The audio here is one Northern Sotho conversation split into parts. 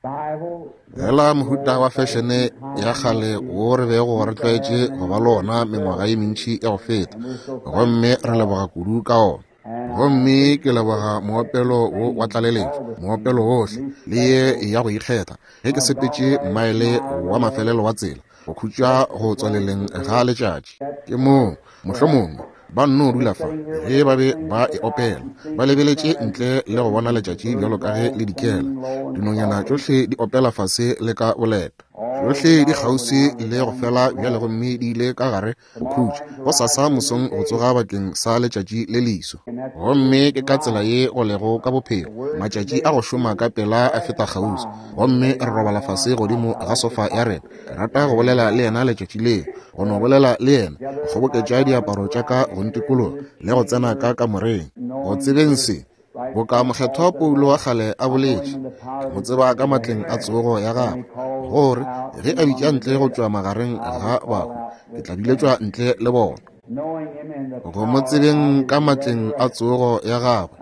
Fela mohuta wa fešene ya kgale wo re bego re tlwaetše go ba le ona mengwaga ye mentši ya go feta, gomme re leboga kudu ka ona. Gomme ke leboga moopelo wo wa tlaleletšo, moopelo wohle, le ye ya go ikgetha, ge ke sepetše mmaele wa mafelelo wa tsela, go khutša go tswaleleng ga letšatši. Ke moo, mohlomongwe, ba nno dula fa ge ba be ba e opela, ba lebeletše ntle le go bona letšatši bjalo ka ge le dikela. Dinonyana tšohle di opela fase le ka boleta. Tšohle di kgauswi le go fela bjale gomme di ile ka gare go khutša gosasa mosong go tsoga bakeng sa letšatši le leso. Gomme ke ka tsela ye go lego ka bophelo. Matšatši a go šoma ka pela a feta kgauswi, gomme re robala fase godimo ga sofa ya rena. Ke rata go bolela le yena letšatši leo, go no bolela le yena, go kgoboketša diaparo tša ka go ntikologa le go tsena ka kamoreng. Go tsebeng se, boka mokgethwa Paulo wa kgale a boletše, ke mo tseba ka matleng a tsogo ya gagwe, gore ge a bitša ntle go tšwa magareng ga bahu, ke tla biletšwa ntle le bona. Go mo tsebeng ka matleng a tsogo ya gagwe,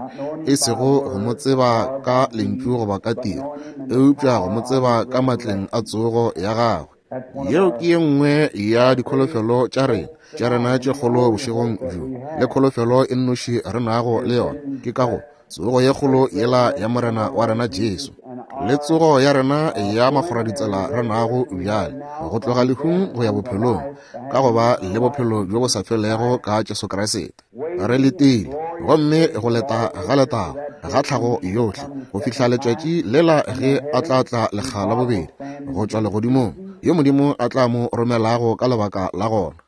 e sego go mo tseba ka lentšu goba ka tiro, eupša go mo tseba ka matleng a tsogo ya gagwe. Yeo ke ye nngwe ya dikholofelo tša rena, tša rena tše kgolo bošegong bjo, le kholofelo e nnoši re nago le yona, ke ka go tsogo ye kgolo yela ya Morena wa rena Jesu, le tsogo ya rena ya makgoraditsela re nago bjale, go tloga lehung go ya bophelong, ka go ba le bophelo bjo bo sa felego ka Jesu Kriste. Re letile, gomme go leta ga letago ga tlhago yohle, go fihla letšatši lela ge a tla tla lekga la bobedi go tšwa legodimong, yo Modimo a tla mo romelago ka lebaka la gona.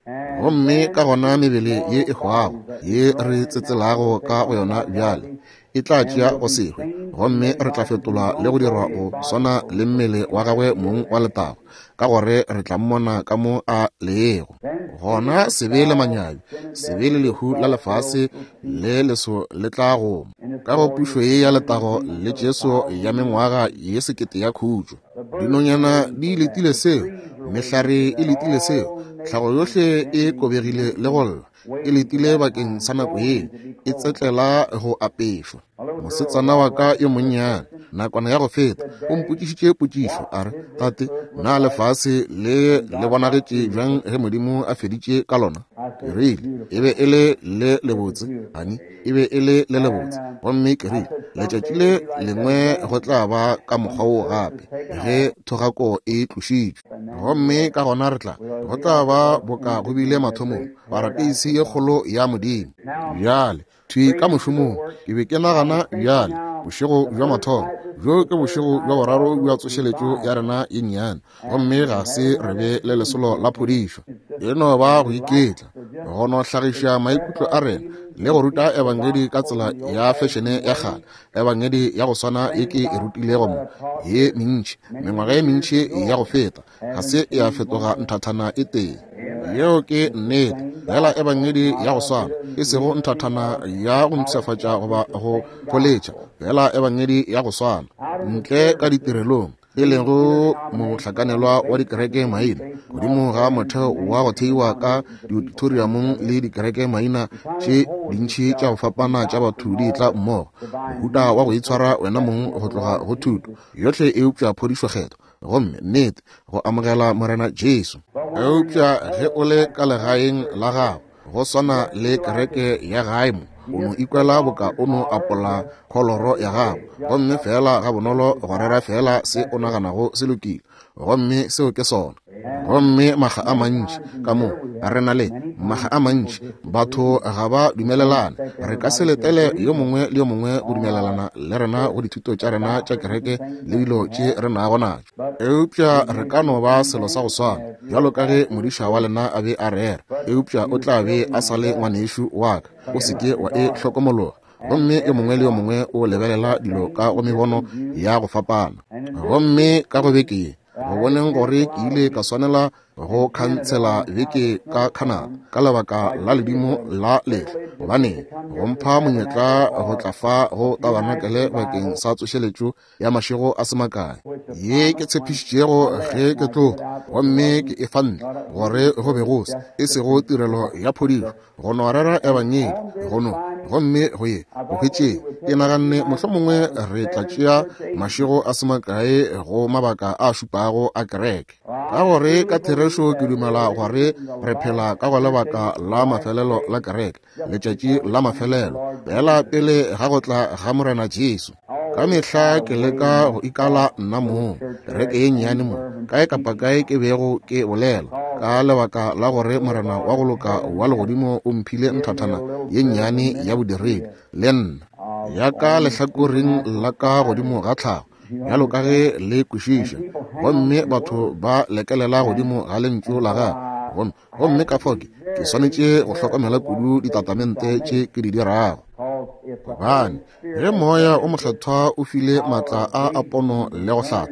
Gomme ka gona mebele ye e hwago ye re tsetselago ka go yona bjale e tla tšea go se hwe, gomme re tla fetolwa le go dirwa go swana le mmele wa gagwe mong wa letago, ka gore re tla mmona ka mo a lego. Gona sebe le manyabi, sebe le lehu la lefase le leso le tla goma ka go pušo ye ya letago le Jesu ya mengwaga ye sekete ya khutšo. Dinonyana di letile seo, mehlare e letile seo, tlhago yohle e kobegile le go lla, e letile bakeng sa nako ye, e tsetlela go apešwa. Mosetsana wa ka yo monnyane, nakwana ya go feta, o mpotšišitše potšišo, a re, Tate, na lefase le le bonagetše bjang ge Modimo a feditše ka lona? Ke rile, E be e le le lebotse, honey. E be e le le lebotse. Gomme ke rile, Letšatši le lengwe go tla ba ka mokgwa wo gape, ge thogako e tlošitšwe. Gomme ka gona re tla, go tla ba boka go bile mathomong, parateisi ye kgolo ya Modimo. Bjale, thwi ka mošomong, ke be ke nagana bjale, bošego bja mathomo, bjo ke bošego bja boraro bja tsošeletšo ya rena ye nnyane, gomme ga se re be le lesolo la phodišo. E no ba go iketla, go no hlagiša maikutlo a rena le go ruta ebangedi ka tsela ya fešene ya kgale, ebangedi ya go swana ye ke e rutilego mo ye mentši, mengwaga ye mentši ya go feta. Ga se ya fetoga nthathana e tee. Yeo ke nnete. Fela ebangedi ya go swana, e sego nthathana ya go mpshafatša goba go pholetša, fela ebangedi ya go swana, ntle ka ditirelong, e lego mohlakanelwa wa dikereke maina, godimo ga motheo wa go theiwa ka diauditoriumong le dikereke maina tše dintši tša go fapana tša batho di etla mmogo, mohuta wa go itshwara wena mong go tloga go thuto yohle eupša phodišo kgethwa, gomme nnete go amogela Morena Jesu. Eupša ge o le ka legaeng la gago, go swana le kereke ya gae mo, o no ikwela boka o no apola kholoro ya gago, gomme feela gabonolo go rera feela se o naganago se lokile, gomme seo ke sona. Gomme makga a mantši ka mo re na le makga a mantši batho ga ba dumelelane. Re ka se letele yo mongwe le yo mongwe go dumelelana le rena go dithuto tša rena tša kereke le dilo tše re nago natšo, eupša re ka no ba selo sa go swana bjalo ka ge modiša wa lena a be a rera, eupša o tla be a sa le ngwanešu wa ka. O se ke wa e hlokomologa. Gomme yo mongwe le yo mongwe o lebelela dilo ka go mebono ya go fapana. Gomme ka go beke ye, go boneng gore ke ile ka swanela go khansela beke ka Canada ka lebaka la ledimo la lehlwa, gobane go mpha monyetla go tla fa go tabanakele bakeng sa tsošeletšo ya mašego a se makae ye ke tshepišitšego ge ke tloga, gomme ke e fa ntle gore go be go se e sego tirelo ya phodišo, go no rera ebangedi, go no Gomme go ye go hwetšeng, ke naganne mohlomongwe re tla tšea mašego a se makae go mabaka a šupago a kereke, ka gore ka therešo ke dumela gore re phela ka go lebaka la mafelelo la kereke, letšatši la mafelelo, feela pele ga go tla ga Morena Jesu. Ka mehla ke leka go ikala nna mong, kereke ye nnyane mo, kae kapa kae ke bego ke bolela, ka lebaka la gore Morena wa go loka wa legodimo o mphile nthathana ye nnyane ya bodiredi le nna, ya ka lehlakoreng la ka godimo ga tlhago, bjalo ka ge le kwešiša, gomme batho ba lekelela godimo ga lentšu la gagwe, gomme ka fao ke swanetše go hlokomela kudu ditatamente tše ke di dirago. Gobane ge Moya o Mokgethwa o file maatla a a pono le go hlatha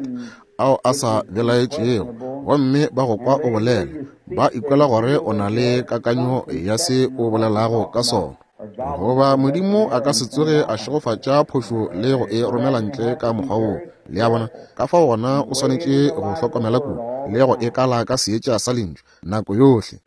ao a sa belaetšego, gomme ba go kwa o bolela, ba ikwela gore o na le kakanyo ya se o bolelago ka sona. Goba Modimo a ka se tsoge a šegofatša phošo le go e romela ntle ka mokgwa woo. Le a bona? Ka fao gona o swanetše go hlokomela kudu le go e kala ka seetša sa Lentšu nako yohle.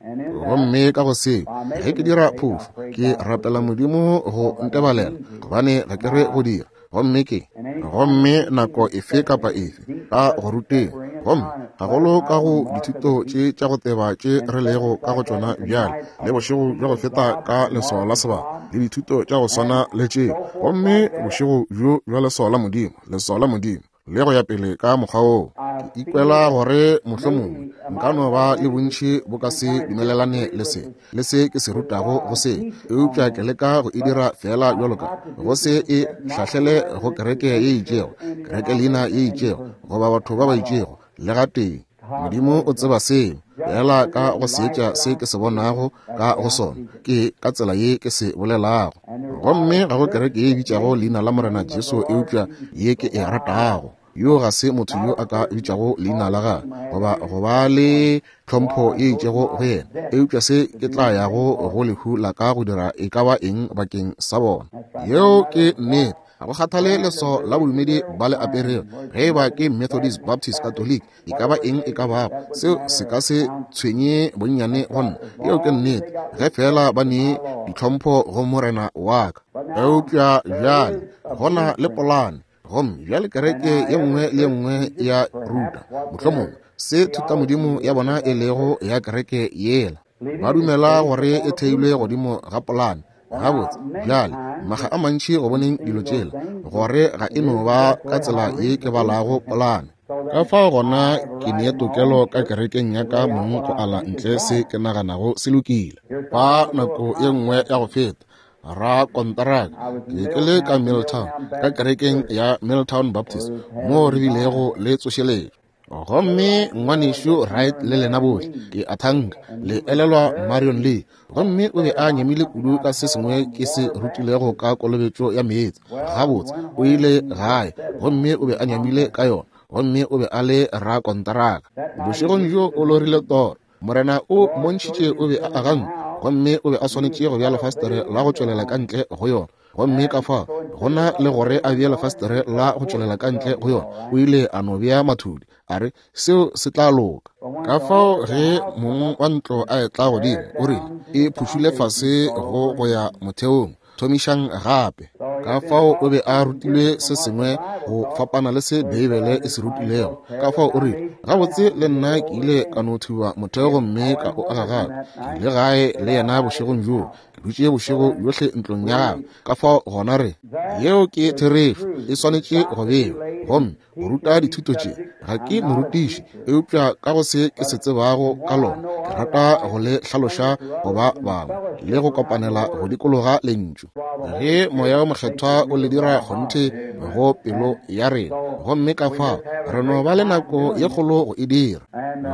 Gomme ka go seo, ge ke dira phošo, ke rapela Modimo go ntebalela, gobane ga ke re go dira. Gomme ke, gomme nako efe kapa efe ka go ruteng, gomme gagolo ka go dithuto tše tša go teba tše re lego ka go tšona bjale, le bošego bja go feta ka leswao la sebaka, le dithuto tša go swana le tšeo, gomme bošego bjo bja leswao la Modimo, leswao la Modimo, le go ya pele ka mokgwa woo. Ke ikwela gore mohlomongwe nka no ba le bontši bo ka se dumelelane le se, le se ke se rutago go se, eupša ke leka go e dira feela bjalo ka go se e hlahlele go kereke ye itšego, kereke leina ye itšego, goba batho ba ba itšego, le gatee. Modimo o tseba seo, feela ka go seetša se ke se bonago ka go sona, ke ka tsela ye ke se bolelago. Gomme ga go kereke ye e bitšago leina la Morena Jesu eupša ye ke e ratago. Yo ga se motho yo a ka bitšago leina la gagwe goba go ba le tlhompho ye itšego go yena, eupša se ke tla yago go lehu la ka go dira e ka ba eng bakeng sa bona. Yeo ke nnete. Ga go kgathale leswao la bodumedi ba le aperego, ge e ba ke Methodist, Baptist, Catholic, e ka ba eng e ka bago, seo se ka se tshwenye bonnyane go nna. Yeo ke nnete, ge feela ba ne ditlhompho go Morena wa ka. Eupša bjale go na le polane, gomme bjale kereke ye nngwe le ye nngwe ya ruta mohlomongwe se thutamodimo ya bona e lego ya kereke yela. Ba dumela gore e theilwe godimo ga polane. Gabotse, bjale, makga a mantši go boneng dilo tšela, gore ga e no ba ka tsela ye ke balago polane. Ka fao gona ke ne tokelo ka kerekeng ya ka mong go ala ntle se ke naganago se lokile. Fa nako ye nngwe ya go feta, ra konteraka, ke be ke le ka Milltown, ka kerekeng ya Milltown Baptist, moo re bilego le tsošeletšo. Gomme ngwanešu Wright le lena bohle, ke a thanka, le elelwa Marion Lee. Gomme o be a nyamile kudu ka se sengwe ke se rutilego ka kolobetšo ya meetse. Gabotse, o ile gae, gomme o be a nyamile ka yona, gomme o be a le rakonteraka. Bošegong bjo o lorile toro. Morena o mmontšhitše o be a aga ntlo, gomme o be a swanetše go bea lefastere la go tšwelela ka ntle go yona. Gomme ka fao go na le gore a bee lefastere la go tšwelela ka ntle go yona, o ile a no bea mathudi, a re seo se tla loka. Ka fao ge mong wa ntlo a etla godimo, o rile, E phušule fase go go ya motheong, thomišang gape. Ka fao o be a rutilwe se sengwe go fapana le se Beibele e se rutilego. Ka fao o rile, Gabotse, le nna ke ile ka no thuba motheo gomme ka o aga gape. Ke ile gae le yena bošegong bjoo, ke dutše bošego bjohle ntlong ya gagwe. Ka fao gona re, yeo ke therešo, e swanetše go bewa. Gomme go ruta dithuto tše, ga ke morutiši, eupša ka go se ke se tsebago ka lona, ke rata go le hlaloša go ba bangwe le go kopanela go dikologa Lentšu. Ge Moya wo Mokgethwa o le dira kgonthe go pelo ya rena, gomme ka fao re no ba le nako ye kgolo go e dira.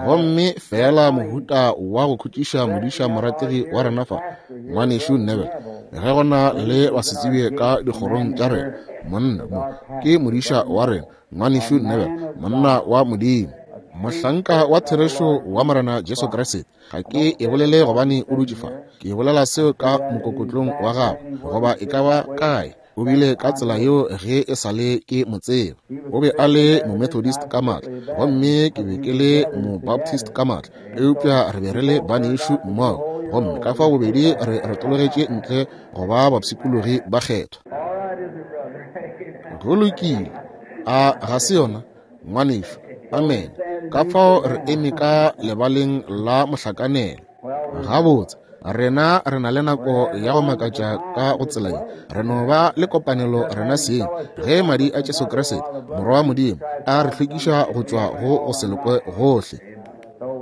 Gomme feela mohuta wa go khutšiša modiša morategi wa rena fa, Ngwanešu Neville, ge go na le basetsebje ka dikgorong tša rena, monna mo ke modiša wa rena, Ngwanešu Neville, monna wa Modimo, mohlanka wa therešo wa Morena Jesu Kriste. Ga ke e bolele gobane o dutše fa, ke bolela seo ka mokokotlong wa gagwe, goba e ka ba kae. O bile ka tsela yeo ge e sa le ke mo tseba. O be a le Momethodist ka maatla, gomme ke be ke le Mobaptist ka maatla, eupša re be re le banešu mmogo. Gomme ka fao bobedi re retologetše ntle go ba bapshikologi ba kgethwa. Go lokile. A ga se yona, ngwanešu? Amene. Ka fao re eme ka lebaleng la mohlakanelo. Gabotse, rena re na le nako ya go makatša ka go tsela ye. Re no ba le kopanelo rena seng, ge madi a Jesu Kriste, Morwa wa Modimo, a re hlwekiša go tšwa go go se lokwe gohle.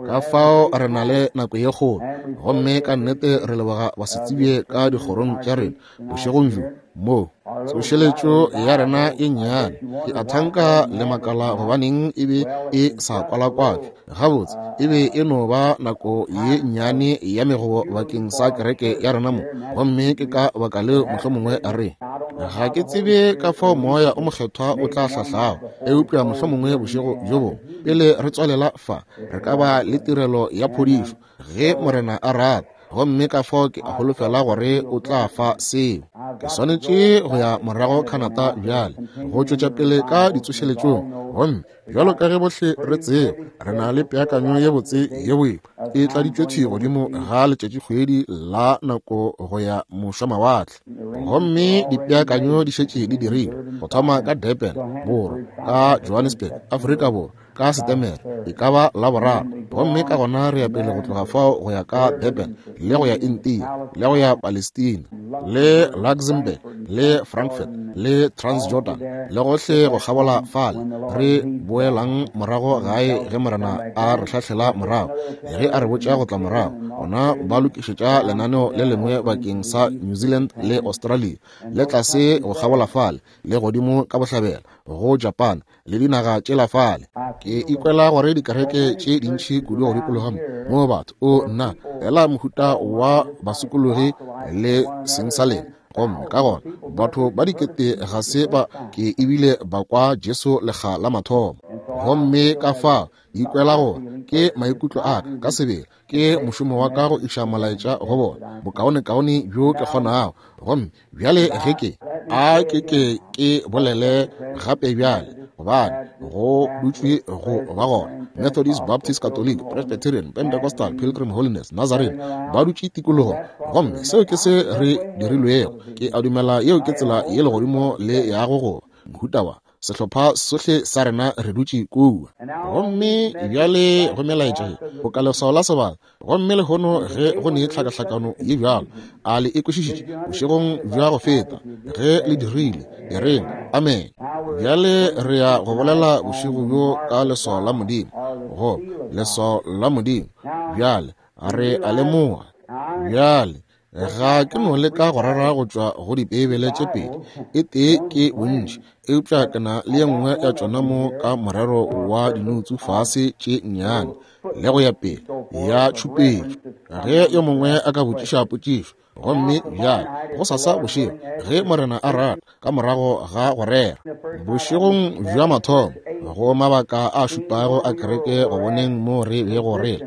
Ka fao re na le nako ye kgolo, gomme ka nnete re leboga basetsebje ka dikgorong tša rena bošegong bjo mo tsošeletšo ya rena e nnyane. Ke a thanka le makala gobaneng e be e sa kwalakwatšwe. Gabotse, e be e no ba nako ye nnyane ya megobo bakeng sa kereke ya rena mo, gomme ke ka baka leo mohlomongwe re ga ke tsebe ka fao Moya o Mokgethwa o tla hlahlago, eupša mohlomongwe bošego bjo bongwe pele re tswalela fa re ka ba le tirelo ya phodišo ge Morena a rata. Gomme ka fao ke a holofela gore o tla fa seo. Ke swanetše go ya morago Canada bjale go tšwetša pele ka ditsošeletšong. Gomme bjalo ka ge bohle re tseba, re na le peakanyo ye botse ye boima e tladitšwe thwi godimo ga letšatšikgwedi la nako go ya mošwamawatle. Gomme dipeakanyo di šetše di dirilwe go thoma ka Durban, Borwa, ka Johannesburg, Afrika Borwa, ka Setemere, e ka ba Laboraro. Gomme ka gona re ya pele go tloga fao go ya ka Durban, le go ya India, le go ya Palestina, le Luxembourg, le Frankfurt, le Transjordan, le gohle go kgabola fale. Re boelang morago gae ge Morena a re hlahlela morago, ge a re botša go tla morago. Gona ba lokišetša lenaneo le lengwe bakeng sa New Zealand le Australia, le tlase go kgabola fale, le godimo ka bohlabela go Japan, le dinaga tšela fale. Ke ikwela gore dikereke tše dintši kudu go dikologa mo, mo batho, o nna, fela mohuta wa basokologi le seng sa lena. Gomme ka gona batho ba dikete ga se ba ke ebile ba kwa Jesu lekga la mathomo. Gomme ka fa ikwela gore ke maikutlo a ka ka sebele, ke mošomo wa ka go iša molaetša go bona bokaonekaone bjo ke kgonago. Gomme bjale ge ke a ke ke ke bolele gape bjale, gobane go dutšwe go ba gona Methodist, Baptist, Catholic, Presbyterian, Pentecostal, Pilgrim Holiness, Nazarene ba dutše tikologong. Gomme seo ke se re dirilwego. Ke a dumela yeo ke tsela ye legodimo le yago go mohuta wa sehlopha sohle sa rena re dutše kua. Gomme bjale go melaetša ye go ka leswao la sebaka. Gomme lehono ge go ne tlhakahlakano ye bjalo, a le e kwešišitše bošegong bja go feta? Ge le dirile, e reng amen. Bjale re ya go bolela bošego bjo ka leswao la Modimo, go leswao la Modimo. Bjale re a lemoga. Bjale ga ke no leka go rera go tšwa go Dibeibele tše pedi, e tee ke bontši, eupša ke na le ye nngwe ya tšona mo ka morero wa dinoutsu fase tše nnyane le go ya pele ya tšhupetšo, ge yo mongwe a ka botšiša potšišo. Gomme bjale gosasa bošego, ge Morena a rata, ka morago ga go rera bošegong bja mathomo go mabaka a šupago a kereke, go boneng mo re bego re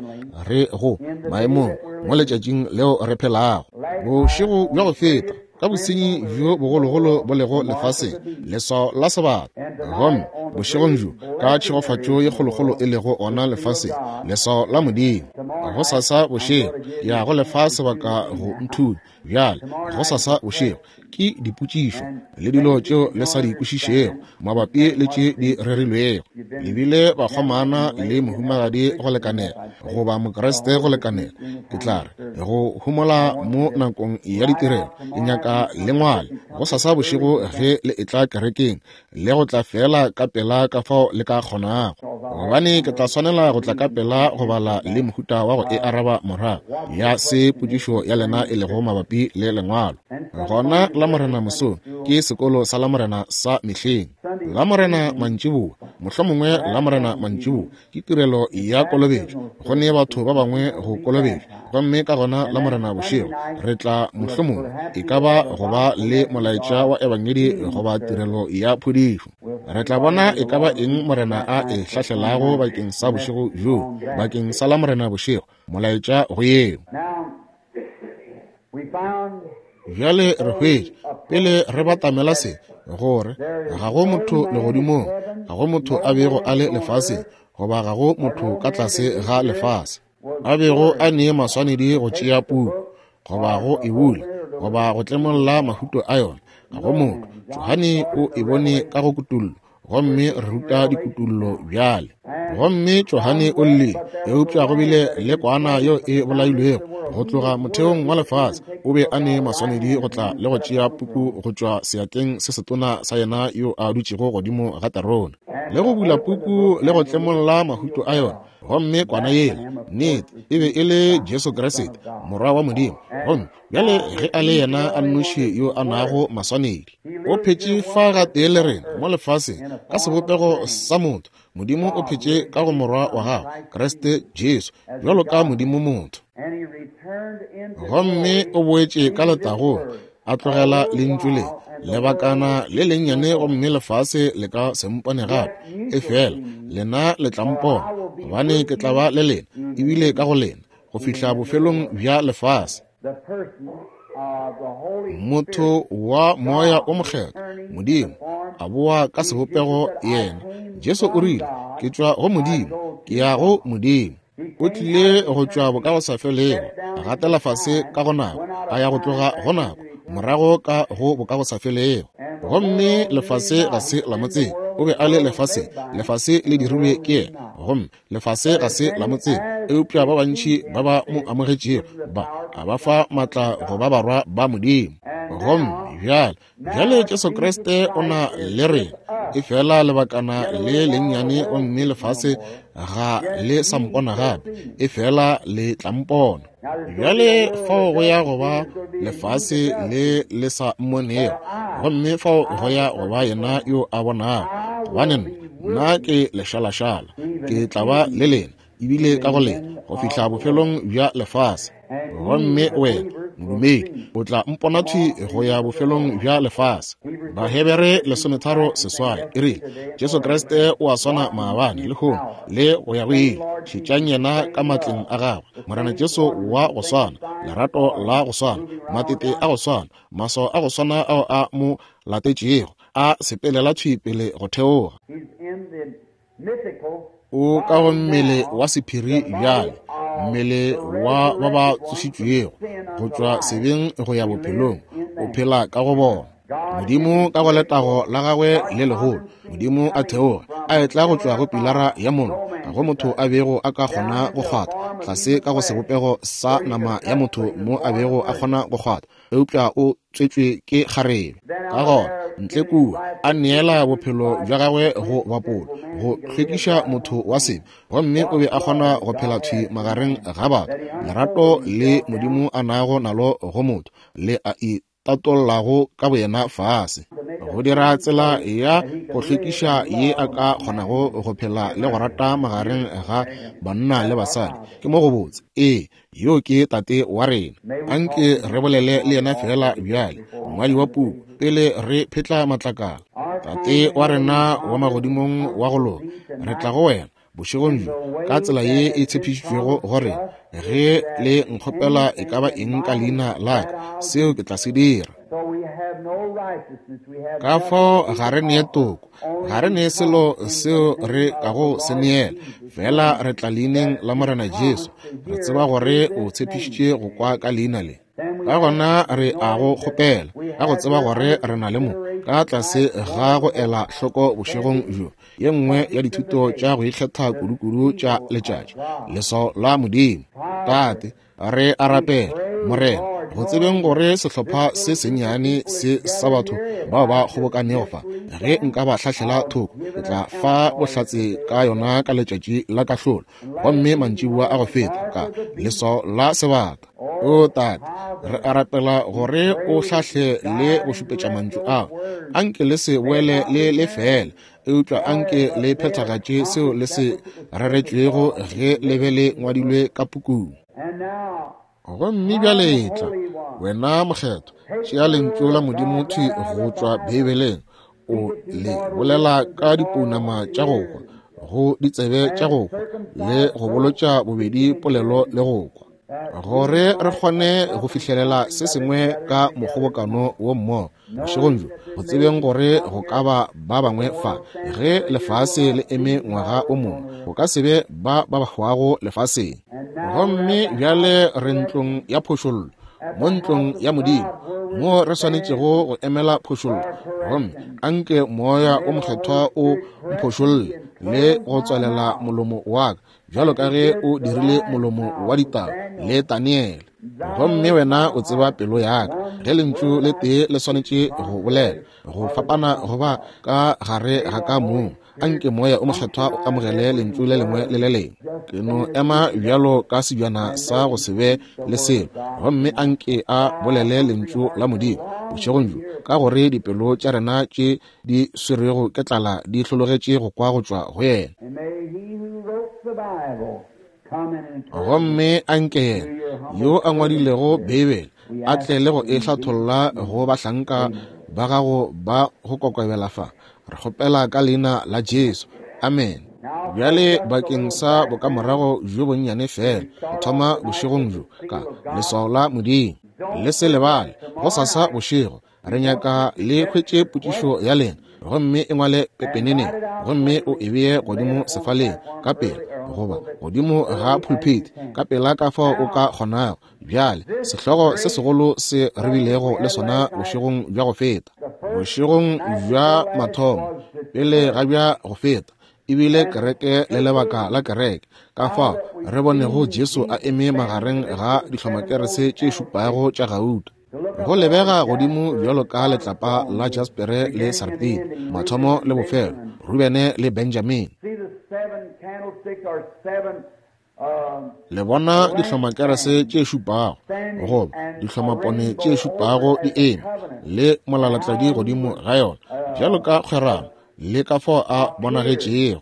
re go maemong mo letšatšing leo re phelago. Bošego bja go feta ka bosenyi bjo bogologolo bo lego lefaseng, leswao la sebata. Gomme bošegong bjo ka tšhegofatšo ye kgolokgolo e lego ona lefaseng, leswao la Modimo. Gosasa bošego ke ya go lefa sebaka go nthunya. Bjale gosasa bošego ke dipotšišo le dilo tšeo le sa di kwešišego mabapi le tše di rerilwego. Le bile bakgomana le mohumagadi go lekanela, goba Mokriste go lekanela, ke tla re, go homola mo nakong ya ditirelo. Ke nyaka le ngwale gosasa bošego ge le etla kerekeng, le go tla feela ka pela ka fao le ka kgonago, gobane ke tla swanela go tla ka pela go bala le mohuta wa go e araba morago ya se potšišo ya lena e lego mabapi le lengwalo. Gona Lamorena mosong ke sekolo sa Lamorena sa mehleng. Lamorena mantšiboa, mohlomongwe Lamorena mantšiboa ke tirelo ya kolobetšo, go ne batho ba bangwe go kolobetšwa. Gomme ka gona Lamorena bošego re tla mohlomongwe e ka ba go ba le molaetša wa ebangedi goba tirelo ya phodišo. Re tla bona e ka ba eng Morena a e hlahlelago bakeng sa bošego bjo, bakeng sa Lamorena bošego, molaetša go yeo. Bjale re hwetša, pele re batamela se, gore ga go motho legodimong, ga go motho a bego a le lefaseng, goba ga go motho ka tlase ga lefase. a bego a ne maswanedi go tšea puku, goba go e bula, goba go tlemolla mahuto a yona, ga go motho. Johane o e bone ka go kutollo, gomme re ruta dikutullo bjale. Gomme Johane o llile, eupša go bile le kwana yeo e bolailwego go tloga motheong wa lefase. O be a ne maswanedi go tla le go tšea puku go tšwa seatleng se setona sa yena yo a dutšego godimo ga terone, le go bula puku le go tlemolla mahuto a yona. Gomme kwana yela, nnete, e be e le Jesu Kriste, Morwa wa Modimo. Gomme bjale ge a le yena a nnoši yo a nago maswanedi, o phetše fa gatee le rena mo lefaseng ka sebopego sa motho. Modimo o phetše ka go Morwa wa gagwe, Kriste Jesu, bjalo ka Modimo motho. Gomme o boetše ka letagong, a tlogela lentšu le lebakana le lennyane, gomme lefase le ka se mpone gape, efela lena le tla mpona, gobane ke tla ba le lena, ebile ka go lena, go fihla bofelong bja lefase. Motho wa Moya o Mokgethwa, Modimo, a boa ka sebopego yena. Jesu o rile, Ke tšwa go Modimo, ke ya go Modimo. O tlile go tšwa bokagosafelego, a gatela fase ka go nako, a ya go tloga go nako, morago ka go bokagosafelego. Gomme lefase ga se la mo tseba. O be a le lefaseng, lefase le dirilwe ke yena, gomme lefase ga se la mo tseba. Eupša ba bantši ba ba mo amogetšego, ba a ba fa matla go ba barwa ba Modimo. Gomme bjale, bjale Jesu Kriste o na le rena, efela lebakana le lennyane, gomme lefase ga le sa mpona gape, efela le tla mpona. Bjale fao go ya go ba lefase le le sa mmonego, gomme fao go ya go ba yena yo a bonago. Gobane nna ke lešalašala, ke tla ba le lena, ebile ka go lena, go fihla bofelong bja lefase. Gomme wena, modumedi, o tla mpona thwi go ya bofelong bja lefase. Bahebere 13:8 e rile, Jesu Kriste o a swana maabane, lehono, le go ya go ile. Šetšang yena ka matleng a gagwe. Morena Jesu wa go swana, lerato la go swana, matete a go swana, maswao a go swana ao a mo latetšego, a sepelela thwi pele go theoga. O ka go mmele wa sephiri bjale, mmele wa ba ba tsošitšwego go tšwa sebeng go ya bophelong, o phela ka go bona. Modimo ka go letago la gagwe le legolo, Modimo a theoga, a etla go tšwa go pilara ya mollo, ga go motho a bego a ka kgona go kgwatha, tlase ka go sebopego sa nama ya motho mo a bego a kgona go kgwatha, eupša o tswetšwe ke kgarebe. Ka gona ntle kua a neela bophelo bja gagwe go bapolo, go hlwekiša motho wa sebe, gomme o be a kgona go phela thwi magareng ga batho. Lerato le Modimo a nago nalo go motho le a itatollago ka boyena fase, go dira tsela ya go hlwekiša ye a ka kgonago go phela le go rata magareng ga banna le basadi. Ke mo go botse. Ee, yo ke Tate wa rena. Anke re bolele le yena feela bjale, mongwadi wa puku, pele re phetla matlakala. Tate wa rena wa magodimong wa go loka, re tla go wena bošegong bjo ka tsela ye e tshepišitšwego gore ge le nkgopela e ka ba eng ka leina la ka, seo ke tla se dira. Ka fao ga re nee toko, ga re nee selo seo re kago se neela, fela re tla leineng la Morena Jesu, re tseba gore o tshepišitše go kwa ka leina le. Ka gona re a go kgopela, ka go tseba gore re na le mo ka tlase ga go ela hloko bošegong bjo, ye nngwe ya dithuto tša go ikgetha kudu-kudu tša letšatši, leswao la Modimo. Tate, re a rapela, Morena, go tsebeng gore sehlopha se sennyane se sa batho bao ba kgobokanego fa, ge nka ba hlahlela thoko, ke tla fa bohlatse ka yona ka letšatši la kahlolo, gomme mantšiboa a go feta ka leswao la sebata. O Tate, re a rapela gore o hlahle le go šupetša mantšu ao. Anke le se boele le le fela, eupša anke le phethagatše seo le se reretšwego ge le be le ngwadilwe ka pukung. Gomme bjale tla, wena Mokgethwa, tšea lentšu la Modimo thwi go tšwa Beibeleng, o le bolela ka dipounama tša go kwa, go ditsebe tša go kwa, le go bolotša bobedi polelo le go kwa, gore re kgone go fihlelela se sengwe ka mokgobokano wo mmogo bošegong bjo, go tsebeng gore go ka ba ba bangwe fa ge lefase le eme ngwaga o mongwe, go ka se be ba ba hwago lefaseng. Gomme bjale re ntlong ya phošollo, mo ntlong ya Modimo, mo re swanetšego go emela phošollo. Gomme anke Moya o Mokgethwa o mphošolle le go tswalela molomo wa ka, bjalo ka ge o dirile molomo wa ditau le Daniele. Gomme wena o tseba pelo ya ka, ge lentšu le tee le swanetše go bolela go fapana goba ka gare ga ka mong, anke Moya o Mokgethwa o amogele lentšu le lengwe le le lengwe. Ke no ema bjalo ka sebjana sa go se be le selo, gomme anke a bolele lentšu la Modimo bošegong bjo, ka gore dipelo tša rena tše di swerwego ke tlala di hlologetše go kwa go tšwa go yena. Gomme anke yena yo a ngwadilego Beibele a tle le go e hlatholla go bahlanka ba gago ba go kokobela fa. Re kgopela ka leina la Jesu. Amen. Bjale bakeng sa bokamorago bjo bonnyane fela, go thoma bošegong bjo ka leswao la Modimo. Le se lebale, gosasa bošego re nyaka le hwetše potšišo ya lena, gomme e ngwale pepeneneng, gomme o e bee godimo sefaleng ka pela, goba godimo ga pulpit ka pela ka fao o ka kgonago. Bjale, sehlogo se segolo se re bilego le sona bošegong bja go feta, bošegong bja mathomo pele ga bja go feta, e bile kereke le lebaka la kereke, ka fao re bonego Jesu a eme magareng ga dihlomakerese tše šupago tša gauta, go lebega godimo bjalo ka letlapa la jaspere le sarpine, mathomo le bofelo, Rubene le Benjamine. Le bona dihlomakerese tše šupago, goba dihlomapone tše šupago di eme, le molalatladi godimo ga yona, bjalo ka kgwerano, le ka fao a bonagetšego.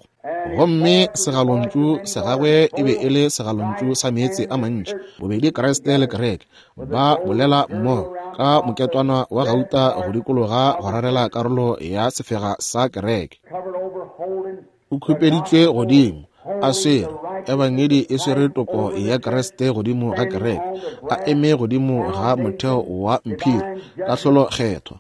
Gomme segalontšu sa gagwe e be e le segalontšu sa meetse a mantši, bobedi Kriste le kereke ba bolela mmogo ka moketwana wa gauta go dikologa go rarela karolo ya sefega sa kereke. O khupeditšwe godimo, a swere Ebangedi, e swere toko ya Kriste godimo ga kereke, a eme godimo ga motheo wa mphiri, kahlolo kgethwa.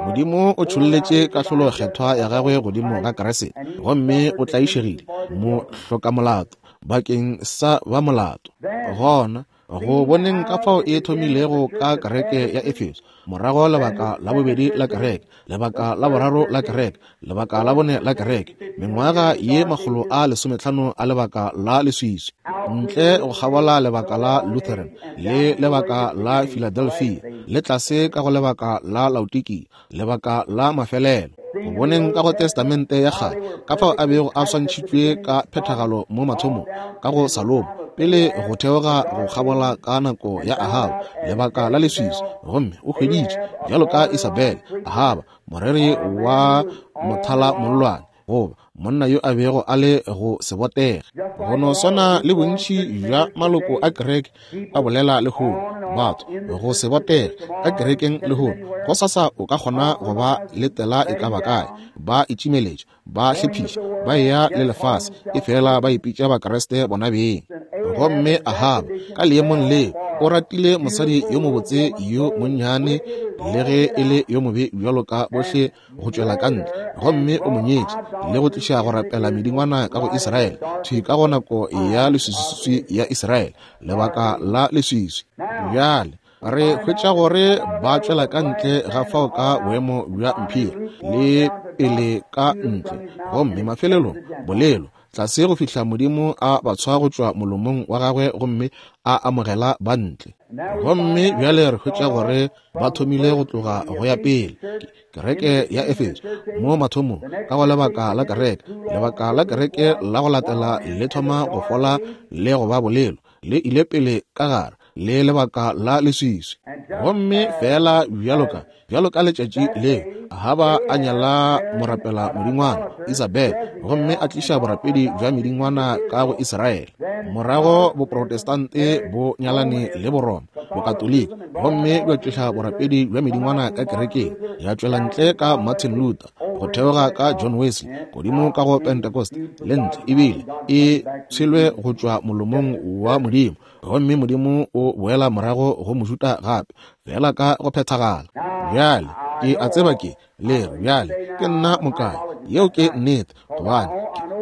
Modimo o tšholletše kahlolo kgethwa ya gagwe godimo ga Kriste, gomme o tlaišegile mohlokamolato bakeng sa ba molato. Gona go boneng ka fao e thomilego ka kereke ya Efeso, morago lebaka la bobedi la kereke, lebaka la boraro la kereke, lebaka la bone la kereke, mengwaga ye 150 a lebaka la leswiswi, ntle go kgabola lebaka la Lutheran le lebaka la Philadelphia, le tlase ka go lebaka la Laodikia, lebaka la mafelelo. Go boneng ka go Testamente ya Kgale ka fao a bego a swantšhitšwe ka phethagalo mo mathomong ka go Salomo, pele go theoga go kgabola ka nako ya Ahaba, lebaka la leswiswi, gomme o hweditše bjalo ka Isabele, Ahaba, moreri wa mothala mollwane, goba monna yo a bego a le go se botege. Go no swana le bontši bja maloko a kereke a bolela lehono, batho go se botege ka kerekeng lehono, gosasa o ka kgona go ba letela e ka ba kae, ba itšimeletša, ba hlephiša, ba eya le lefase, efela ba ipitša Bakriste bona beng. Gomme Ahaba ka leemong leo o ratile mosadi yo mobotse yo monnyane, le ge e le yo mobe bjalo ka bohle go tšwela ka ntle, gomme o mo nyetše le go tliša go rapela medingwana ka go Israele, thwi ka go nako ya leswiswi ya Israele, lebaka la leswiswi. Bjale re hwetša gore ba tšwela ka ntle ga fao ka boemo bja mphiri le pele ka ntle, gomme mafelelong bolelo tlase go fihla Modimo a ba tshwa go tšwa molomong wa gagwe gomme a amogela ba ntle. Gomme bjale re hwetša gore ba thomile go tloga go ya pele kereke ya Efeso mo mathomong ka go lebaka la kereke, lebaka la kereke la go latela le thoma go fola le go ba bolelo, le ile pele ka gare le lebaka la leswiswi. Gomme feela bjalo ka bjalo ka letšatši leo Ahaba a nyala morapela modingwana Isabel, gomme a tliša borapedi bja medingwana ka go Israele. Morago Boprotestante bo nyalane le Boroma, Bokatoliki, gomme bja tliša borapedi bja medingwana ka kerekeng, ya tšwela ntle ka Martin Luther, go theoga ka John Wesley, godimo ka go Pentecost, le ntle ebile e tshelwe go tšwa molomong wa Modimo, gomme Modimo o boela morago go Mojuda gape, fela ka go phethagala. Bjale, ke a tseba ke le re bjale ke nna mokae, yeo ke nnete, gobane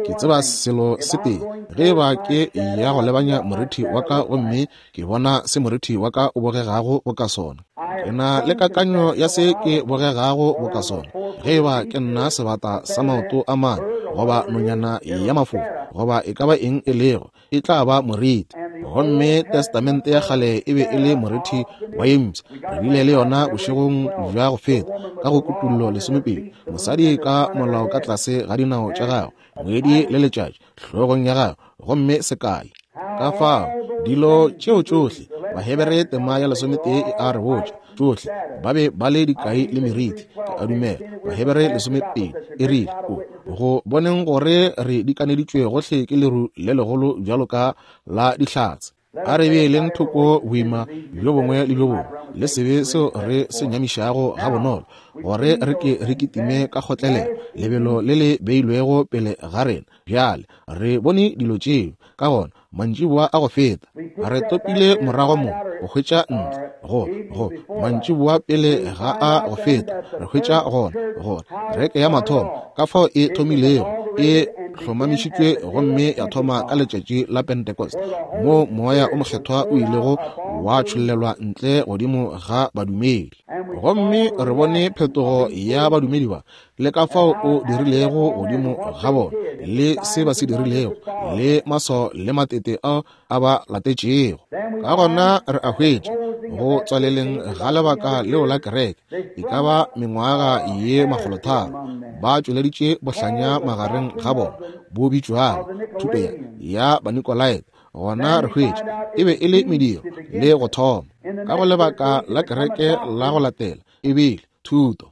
Ke tseba selo se tee, ge eba ke ya go lebanya morithi wa ka gomme ke bona se morithi wa ka o bogegago boka sona, ke na le kakanyo ya se ke bogegago boka sona. Ge eba ke nna sebata sa maoto a mane, goba nonyana ya mafofa, goba e ka ba eng e lego, e tla ba moriti. Gomme Testamente ya Kgale e be e le moriti wa ye mpsha. Re bile le yona bošegong bja go feta, ka go Kutullo 12, mosadi ka molao ka tlase ga dinao tša gagwe, ngwedi le letšatši hlogong ya gagwe, gomme sekai. Ka fao, dilo tšeo tšohle, Bahebere tema ya 11 e a re botša, tšohle ba be ba le dikai le meriti. Ke a dumela Bahebere 12 e rile, o go boneng gore re dikaneditšwe gohle ke leru le legolo bjalo ka la dihlatse, a re beeleng thoko boima bjo bongwe le bjo bongwe le sebe seo re se nyamišago gabonolo, gore re ke re kitime ka kgotlelelo lebelo le le beilwego pele ga rena. Bjale re bone dilo tšeo, ka gona mantšiboa a go feta re topile morago mo go hwetša ntle go go mantšiboa pele ga a go feta re hwetša gona gore kereke ya mathomo ka fao e thomilego e hlomamišitšwe gomme ya thoma ka letšatši la Pentecost, moo Moya o Mokgethwa o ilego wa tšhollelwa ntle godimo ga badumedi. Gomme re bone phetogo ya badumedi ba le ka fao o dirilego godimo ga bona, le se ba se dirilego, le maswao le matete ao a ba latetšego. Ka gona re a hwetša, go tswaleleng ga lebaka leo la kereke, e ka ba mengwaga ye 300, ba tšweleditše bohlanya magareng ga bona, bo bitšwago thuto ya, ya Banikolaite. Gona re hwetša e be e le mediro le go thoma. Ka go lebaka la kereke la go latela, e bile thuto,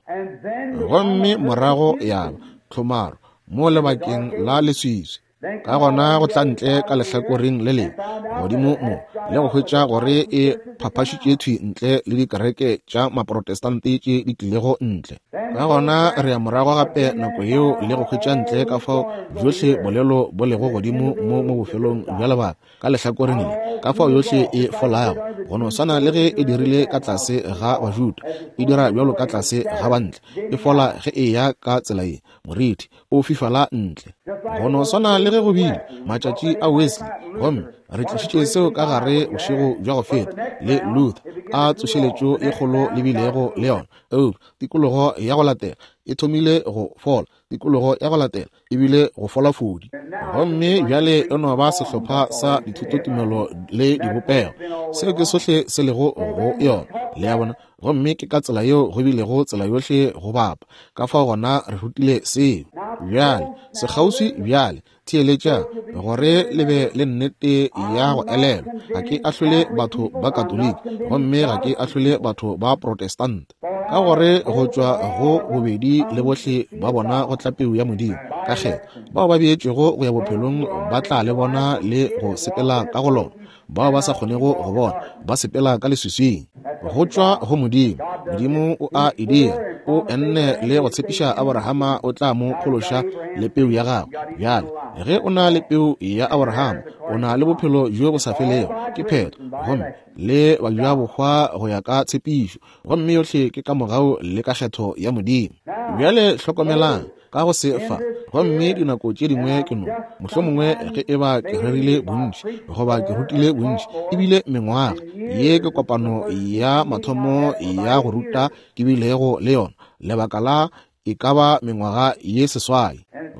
gomme morago ya ba tlhomaro mo lebakeng la leswiswi. Ka gona go tla ntle ka lehlakoreng le lengwe godimo mo le go hwetša gore e phaphašitše thwi ntle le dikereke tša Maprotestante tše di tlilego ntle. Ka gona re ya morago gape nako yeo le go hwetša ntle ka fao bjohle bolelo bo lego godimo mo mo bofelong bja lebaka ka lehlakoreng le, ka fao yohle e folago, go no swana le ge e dirile ka tlase ga Bajuda, e dira bjalo ka tlase ga Bantle, e fola ge e ya ka tsela ye, morithi o fifala ntle, go no swana le ge go bile matšatši a Wesley. Gomme re tlišitše seo ka gare bošego bja go feta, le Luther, a tsošeletšo e kgolo le bilego le yona, eupša tikologo ya go latela e thomile go fola, tikologo ya go latela e bile go fola fodi. Gomme bjale e no ba sehlopha sa dithutotumelo le dibopego. Seo ke sohle se lego go yona, le a bona. Gomme ke ka tsela yeo go bilego tsela yohle go bapa. Ka fao gona re rutile seo. Bjale, sekgauswi bjale, theeletšang, gore le be le nnete ya go elelwa. Ga ke ahlole batho ba Katoliki, gomme ga ke ahlole batho ba Protestant, ka gore go tšwa go bobedi le bohle ba bona go tla peu ya Modimo ka kgetho. Bao ba beetšwego go ya bophelong ba tla le bona le go sepela ka go lona. Bao ba sa kgonego go bona ba sepela ka leswiswing. Go tšwa go Modimo. Modimo o a e dira. O enne le go tshepiša Aborahama o tla mo phološa le peu ya gagwe. Bjale, ge o na le peu ya Aborahama, o na le bophelo bjo bo sa felego. Ke phetho. Gomme le bajabohwa go ya ka tshepišo. Gomme yohle ke ka mogau le ka kgetho ya Modimo. Bjale hlokomelang ka go se fa. Gomme dinako tše dingwe ke no, mohlomongwe ge e ba ke rerile bontši goba ke rutile bontši, ebile mengwaga ye ke kopano ya mathomo ya go ruta ke bilego le yona lebaka la e ka ba mengwaga ye 8,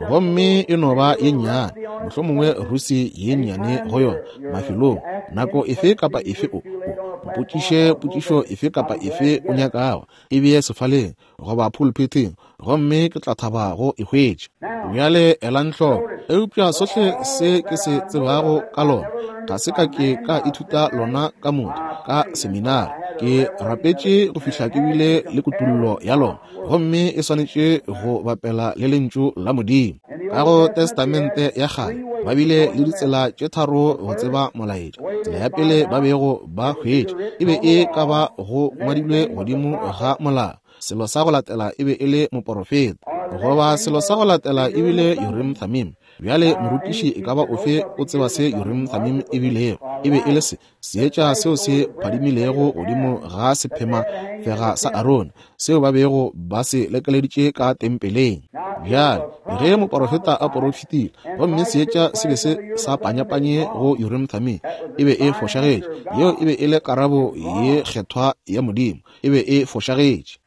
gomme e no ba ye nnyane, mohlomongwe rusi ye nnyane go yona mafelong. Nako efe kapa efe o mpotšiše potšišo efe kapa efe o nyakago, e bee sefaleng goba pulpithing, gomme ke tla thaba go e hwetša. Bjale elang hloko, eupša sohle se ke se tsebago ka lona, ga se ka ke ka ithuta lona ka motho ka seminari. Ke rapetše go fihla ke bile le kutullo ya lona, gomme e swanetše go bapela le Lentšu la Modimo. Ka go Testamente ya Kgale ba bile le ditsela tše tharo go tseba molaetša. Tsela ya pele ba bego ba hwetša e be e ka ba go ngwadilwe godimo ga molao. Selo sa go latela e be e le moporofeta, goba selo sa go latela e bile Urim Thummim. Bjale, morutiši e ka ba ofe o tseba se Urim Thummim e bilego. E be e le se, seetša seo se phadimilego godimo ga sephema fega sa Arone, seo ba bego ba se lekeleditše ka tempeleng. Bjale, ge moporofeta a porofetile, gomme seetša se be se sa panyapanye go Urim Thummim, e be e fošagetše. Yeo e be e le karabo ye kgethwa ya Modimo. E be e fošagetše.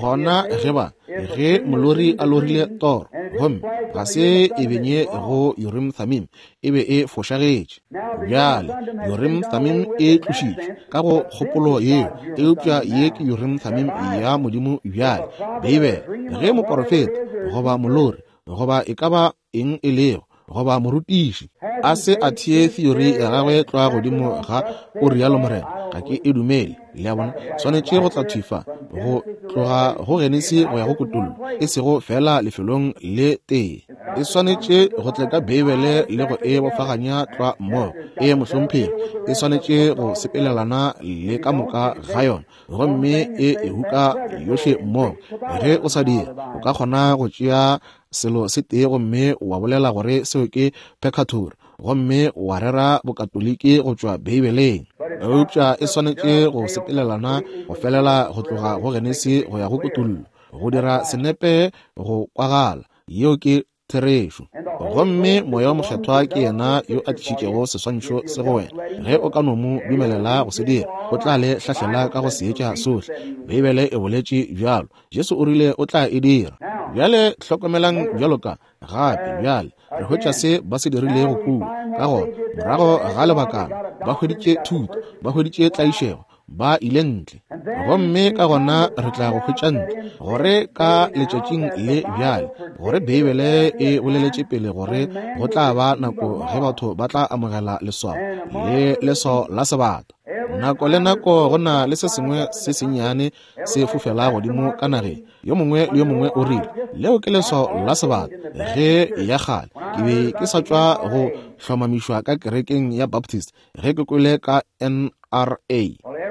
Gona ge ba, ge molori a lorile toro, gomme ga se e benye go Urim Thummim, e be e fošagetše. Bjale, Urim Thummim e tlošitšwe ka go kgopolo yeo, eupša ye ke Urim Thummim ya Modimo bjale, Beibele. Ge moporofeta, goba molori, goba e ka ba eng e lego, goba morutiši, a se a thee theory ya gagwe tlwa godimo ga o rialo morena, ga ke e dumele. Le a bona? Swanetše go tla thwi fa, go tloga go Genesi go ya go Kutollo, e sego feela lefelong le tee. E swanetše go tle ka Beibele le go e bofaganya tlwa mmogo. Ee, mohlomphegi, e swanetše go sepelelana le ka moka ga yona, gomme e e huka yohle mmogo. Ge o sa dira, o ka kgona go tšea selo se tee gomme wa bolela gore seo ke pekatori, gomme wa rera Bokatoliki go tšwa Beibeleng. Eupša e swanetše go sepelelana go felela go tloga go Genesi go ya go Kutullo, go dira senepe go kwagala. Yeo ke therešo. Gomme Moya wo Mokgethwa ke Yena yo a tlišitšego seswantšho se go wena. Ge o ka no Mo dumelela go se dira, O tla le hlahlela ka go seetša sohle. Beibele e boletše bjalo. Jesu o rile O tla e dira. Bjale hlokomelang bjalo ka, gape bjale, re hwetša se ba se dirilego kua. Ka gona, morago ga lebakana, ba hweditše thuto, ba hweditše tlaišego, ba ile ntle. Gomme ka gona re tla go hwetša ntle, gore ka letšatšing le bjale, gore Beibele e boleletše pele gore go tla ba nako ge batho ba tla amogela leswao le leswao la sebata. Nako le nako go na le se sengwe se sennyane se fofela godimo ka nageng. Yo mongwe le yo mongwe o rile, Leo ke leswao la sebata. Ge ya kgale ke be ke sa tšwa go hlomamišwa ka kerekeng ya Baptist, ge ke kwele ka NRA.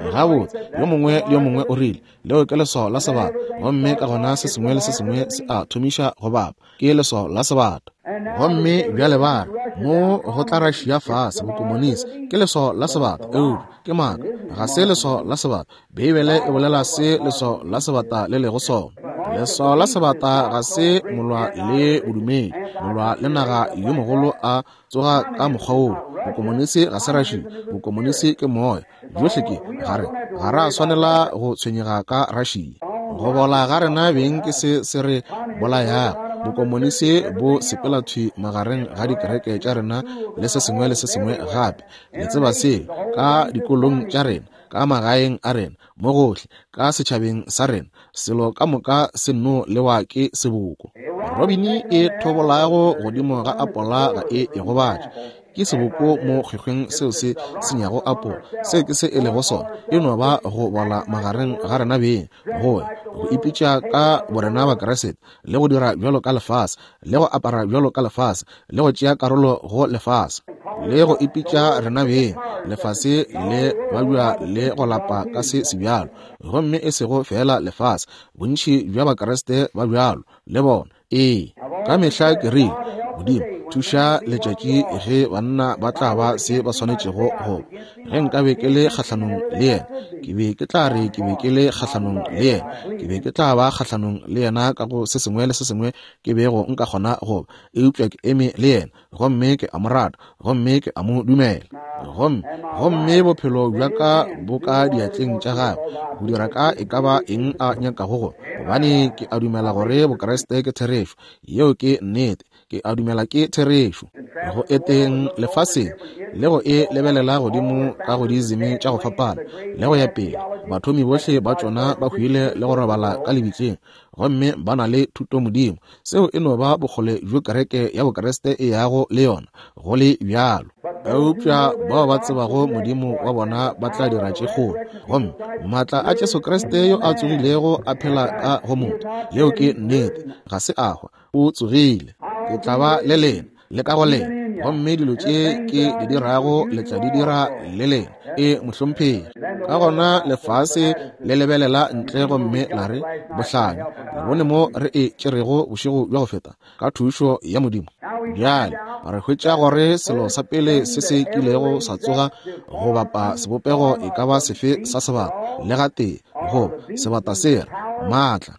Gabotse, yo mongwe le yo mongwe o rile, Leo ke leswao la sebata. Gomme ka gona se sengwe le se sengwe se a thomiša go bapa. Ke leswao la sebata. Gomme bjale ba re, Mo go tla Russia fase, bokomonisi. Ke leswao la sebata. Eupša ke maaka. Ga se leswao la sebata. Beibele e bolela se leswao la sebata le lego sona. Leswao la sebata ga se molwa le bodumedi, molwa le naga yo mogolo a tsoga ka mokgwa woo. Bokomonisi ga se Russia, bokomonisi ke moya. Bjohle ke, ga re, ga ra swanela go tshwenyega ka Russia. Go bola ga rena beng ke se se re bolayago. Bokomonisi bo sepela thwi magareng ga dikereke tša rena le se sengwe le se sengwe gape. Le tseba seo, ka dikolong tša rena, ka magaeng a rena, mo gohle, ka setšhabeng sa rena, selo ka moka se nno lewa ke seboko. Robini e thobolago godimo ga apola ga e e gobatše. Ke seboko mo kgwekgweng seo se senyago apola. Seo ke se e lego sona. E no ba go bola magareng ga rena beng, go ya, go ipitša ka borena Bakriste, le go dira bjalo ka lefase, le go apara bjalo ka lefase, le go tšea karolo go lefase, le go ipitša rena beng lefase le babja le go lapa ka se sebjalo. Gomme e sego feela lefase, bontši bja Bakriste ba bjalo le bona. Ee, ka mehla ke rile, Modimo, thuša letšatši ge banna ba tla ba se ba swanetšego go. Ge nkabe ke le kgahlanong le yena, ke be ke tla re ke be ke le kgahlanong le yena. Ke be ke tla ba kgahlanong le yena ka go se sengwe le se sengwe ke bego nka kgona go ba. Eupša ke eme le yena, gomme ke a mo rata, gomme ke a mo dumela. Gomme, gomme bophelo bja ka bo ka diatleng tša gagwe, go dira ka e ka ba eng a nyakago go, gobane ke a dumela gore Bokriste ke therešo. Yeo ke nnete. Ke a dumela ke therešo. Go eteng lefaseng le go e lebelela godimo ka go diizimi tša go fapana le go ya pele, bathomi bohle ba tšona ba hwile le go robala ka lebitleng, gomme ba na le thutomodimo. Seo e no ba bokgole bjo kereke ya Bokriste e yago le yona, go le bjalo. Eupša bao ba tsebago Modimo wa bona ba tla dira tše kgolo. Gomme maatla a Jesu Kriste yo a tsogilego a phela ka go motho. Yeo ke nnete. Ga se a hwa, o tsogile. Ke tla ba le lena, le ka go lena, Gomme dilo tše Ke di dirago le tla di dira le lena. E, mohlomphegi. Ka gona lefase le lebelela ntle gomme la re, Bohlanya, le bone mo re e tšerego bošego bja go feta, ka thušo ya Modimo. Bjale re hwetša gore selo sa pele se se kilego sa tsoga go bapa sebopego e ka ba sefe sa sebata, le gatee, goba sebata se re, maatla.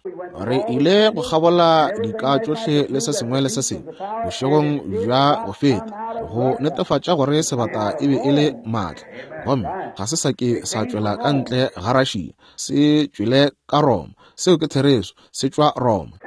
Re ile go kgabola dika tšohle le se sengwe le se sengwe bošegong bja go feta go netefatša gore sebata e be e le maatla, gomme ga se sa ke sa tšwela ka ntle ga Russia, se tšwele ka Roma. Seo ke therešo, se tšwa Roma.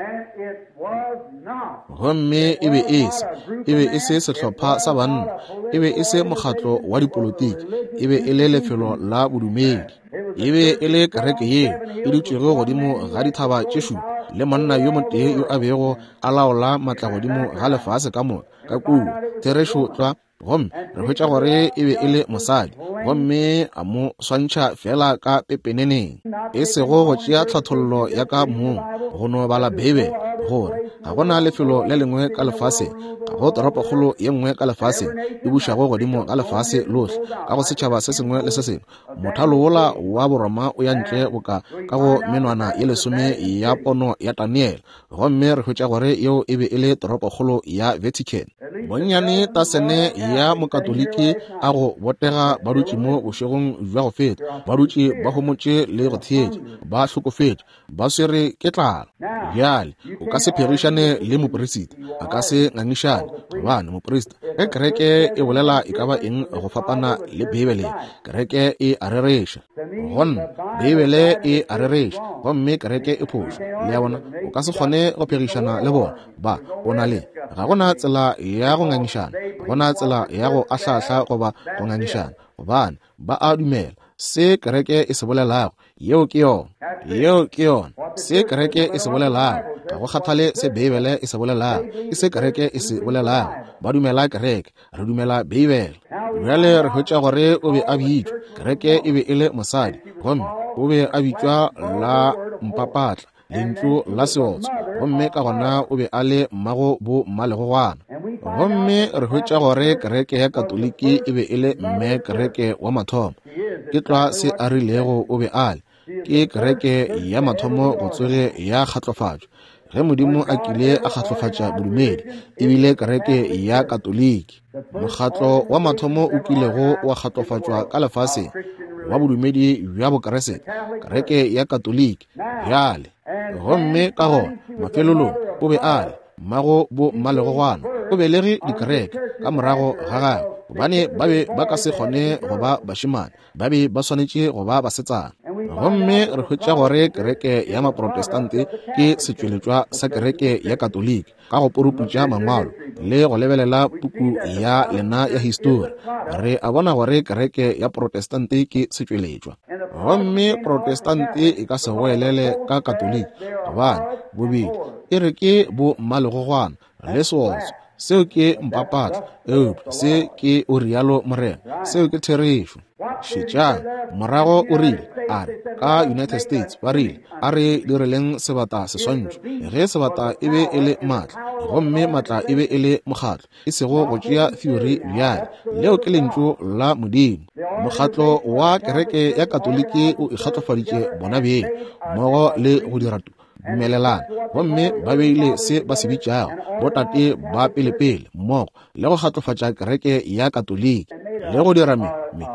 Gomme e be e se, e be e se sehlopha sa banna, e be e se mokgatlo wa dipolotiki, e be e le lefelo la bodumedi. E be e le kereke yeo e dutšego godimo ga dithaba tše šupa, le monna yo motee yo a bego a laola matla godimo ga lefase ka moka ka kua. Therešo tlwa. Gomme re hwetša gore e be e le mosadi, gomme a mo swantšha feela ka pepeneneng, e sego go tšea tlhathollo ya ka mong, go no bala Beibele, gore ga go na lefelo le lengwe ka lefaseng, ga go toropokgolo ye nngwe ka lefaseng e bušago godimo ga lefase lohle, ka go setšhaba se sengwe le se sengwe. Mothalo wola wa Boroma o ya ntle boka ka go menwana ye lesome ya pono ya Daniele, gomme re hwetša gore yeo e be e le toropokgolo ya Vatican. Bonnyane tasene ya Mokatoliki a go botega ba dutše mo bošegong bja go feta, ba dutše ba homotše le go theetša, ba hlokofetše, ba swere ke tlala. Bjale, o ka se phegišane le moperisita, a ka se ngangišane, gobane moperisita, ge kereke e bolela e ka ba eng go fapana le Beibele, kereke e a rereša. Go nna, Beibele e a rereša, gomme kereke e phošo. Le a bona, o ka se kgone go phegišana le bona. Ba, o na le, ga go na tsela ya go ngangišana, ga go na tsela ya go ahlahla goba go ngangišana, gobane ba a dumela se kereke e se bolelago. Yeo ke yona. Yeo ke yona. Se kereke e se bolelago, ga go kgathale se Beibele e se bolelago, ke se kereke e se bolelago. Ba dumela kereke, re dumela Beibele. Bjale re hwetša gore o be a bitšwa, kereke e be e le mosadi, gomme o be a bitšwa la mpapatla, lentšu la seotswa, gomme ka gona o be a le mmago bo mmalegogwana. Gomme re hwetša gore kereke ya Katoliki e be e le mme kereke wa mathomo. Ke tlwa se a rilego o be a le. Ke kereke ya mathomo go tsoge ya kgatlofatšwa. Ge Modimo a kile a kgatlofatša bodumedi, e bile kereke ya Katoliki. Mokgatlo wa mathomo o kilego wa kgatlofatšwa ka lefaseng wa bodumedi bja Bokeresete, kereke ya Katoliki. Bjale, gomme ka gona mafelelong o be a le mmago bo mmalegogwana, o belege dikereke ka morago ga gagwe, gobane ba be ba ka se kgone go ba bašemane, ba be ba swanetše go ba basetsana. Gomme re hwetša gore kereke ya Maprotestante ke setšweletšwa sa kereke ya Katoliki, ka go puruputša mangwalo le go lebelela puku ya lena ya histori, re a bona gore kereke ya Protestante ke setšweletšwa. Gomme Protestante e ka se goelele ka Katoliki, gobane bobedi e re ke bo mmalegogwana le seotswa. Seo ke mpapatla, eupša se ke o rialo morena. Seo ke therešo. Šetšang, morago o rile, a re, ka United States, ba rile, a re direleng sebata seswantšho. Ge sebata e be e le maatla, gomme maatla e be e le mokgatlo, e sego go tšea theory bjale, leo ke Lentšu la Modimo. Mokgatlo wa kereke ya Katoliki o ikgatlofaditše bona beng mmogo le go dira dumelelana, gomme ba beile se ba se bitšago botate ba pelepele mmogo le go kgatlofatša kereke ya Katoliki le go dira me, me,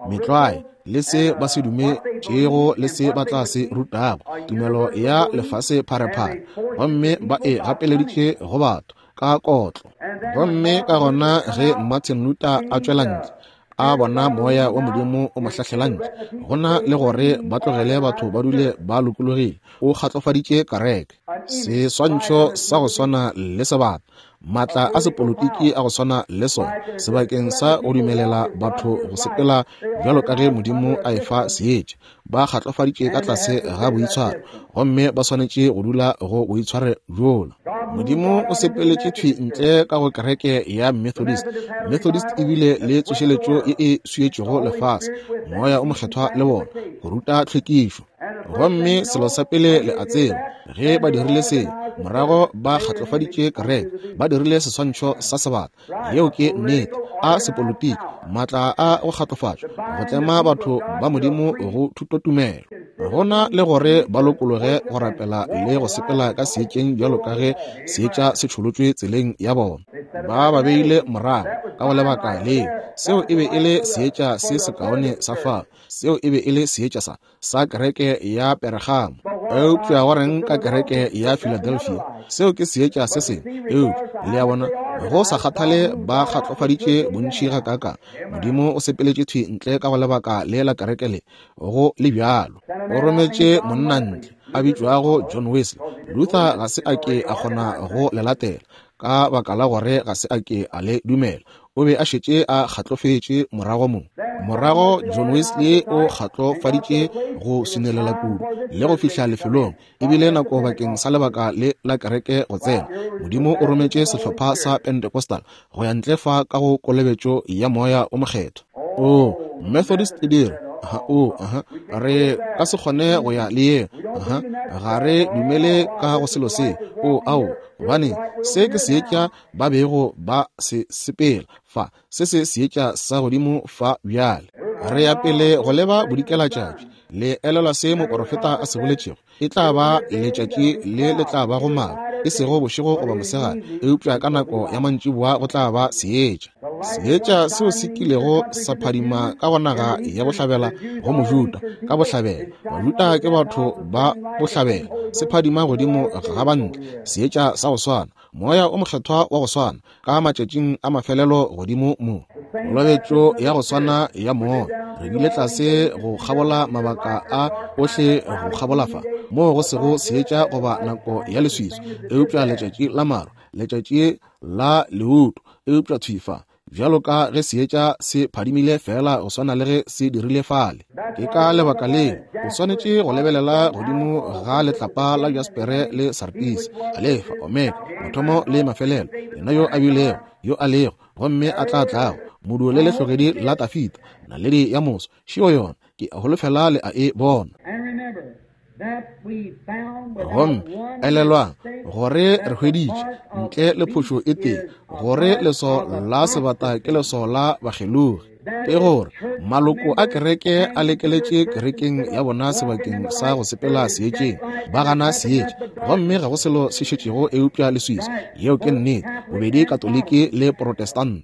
metlwae le se ba se dumetšego le se ba tla se rutago, tumelo ya lefase pharephare, gomme ba e gapeleditše go batho ka kotlo. Gomme ka gona ge Martin Luther a tšwela ntle, a bona moya wa Modimo o mo hlahlela ntle, go na le gore ba tlogele batho ba dule ba lokologile, o kgatlofaditše kereke. Seswantšho sa go swana le sebata, maatla a sepolotiki a go swana le sona, sebakeng sa go dumelela batho go sepela bjalo ka ge Modimo a efa seetša, ba kgatlofaditše ka tlase ga boitshwaro, gomme ba swanetše go dula go boitshwaro bjola. Modimo o sepeletše thwi ntle ka go kereke ya Methodist. Methodist e bile le tsošeletšo ye e swietšego lefase, Moya o Mokgethwa le bona, go ruta tlhwekišo. Gomme selo sa pele le a tseba, ge ba dirile se, morago ba kgatlofaditše kereke, ba dirile seswantšho sa sebata. Yeo ke nnete. A sepolitiki, maatla a go kgatlofatšwa, go tlema batho ba Modimo go thutotumelo, go na le gore ba lokologe go rapela le go sepela ka seetšeng bjalo ka ge seetša se tšholotšwe tseleng ya bona. Ba ba beile morago ka go lebaka leo. Seo e be e le seetša se sekaone sa fao. Seo e be e le seetša sa, sa kereke ya Peregamo. Eupša go reng ka kereke ya Philadelphia? Seo ke seetša se sengwe. Eupša, le a bona, go sa kgathale ba kgatlofaditše bontši gakaakang, Modimo o sepeletše thwi ntle ka go lebaka le la kereke le go le bjalo. O rometše monna ntle, a bitšwago John Wesley. Luther ga se a ke a kgona go le latela, ka baka la gore ga se a ke a le dumela. O be a šetše a kgatlofetše morago mo. Morago John Wesley o kgatlofaditše go swinelela kudu le go fihla lefelong, e bile nako bakeng sa lebaka le la kereke go tsena. Modimo o rometše sehlopha sa Pentecostal go ya ntle fa ka go kolobetšo ya Moya o Mokgethwa. O, Methodist e dira. Aha, o, aha, re ka se kgone go ya le yeo. Aha, ga re dumele ka go selo se. O, ao, gobane se ke seetša ba bego ba se sepela fa, se se seetša sa godimo fa bjale. Re ya pele go leba bodikelatšatši. Le elelwa se moporofeta a se boletšego? E tla ba letšatši le le tla bago maru, e sego bošego goba mosegare, eupša ka nako ya mantšiboa go tla ba seetša. Seetša seo se kilego sa phadima ka go naga ya bohlabela go Mojuda, ka bohlabela. Bajuda ke batho ba bohlabela. Se phadima godimo ga bantle, seetša sa go swana, Moya o Mokgethwa wa go swana, ka matšatšing a mafelelo godimo mo. Kolobetšo ya go swana ya Moya. Re bile tlase go kgabola mabaka a ohle go kgabola fa, moo go sego seetša goba nako ya leswiswi, eupša letšatši la maru, letšatši la leuto, eupša thwi fa, bjalo ka ge seetša se phadimile feela go swana le ge se dirile fale. Ke ka lebaka leo o swanetše go lebelela godimo ga letlapa la jaspere le sartisi, Alefa, Omega, mathomo le mafelelo, yena yo a bilego, yo a lego, gomme a tla tlago, moduo le lehlogedi la Tafita, naledi ya moso. Šeo yona, ke a holofela le a e bona. Gomme elelwang gore re hweditše, ntle le phošo e tee, gore leso la sebata ke leso la bakgelogi. Ke gore maloko a kereke a lekeletše kerekeng ya bona sebakeng sa go sepela seetšeng, ba gana seetša, gomme ga go selo se šetšego eupša leswiswi. Yeo ke nnete, bobedi Katoliki le Protestant.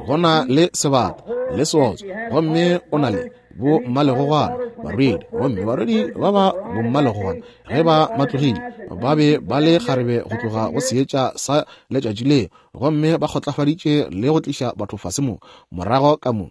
Go na le sebata le seotswa, gomme o na le bommalegogwana barwedi, gomme barwedi ba ba bommalegogwana ge ba matlogile ba be ba le kgarebe go tloga go seetša sa letšatši leo, gomme ba kgotlafaditše le go tliša batho fase mo morago ka mo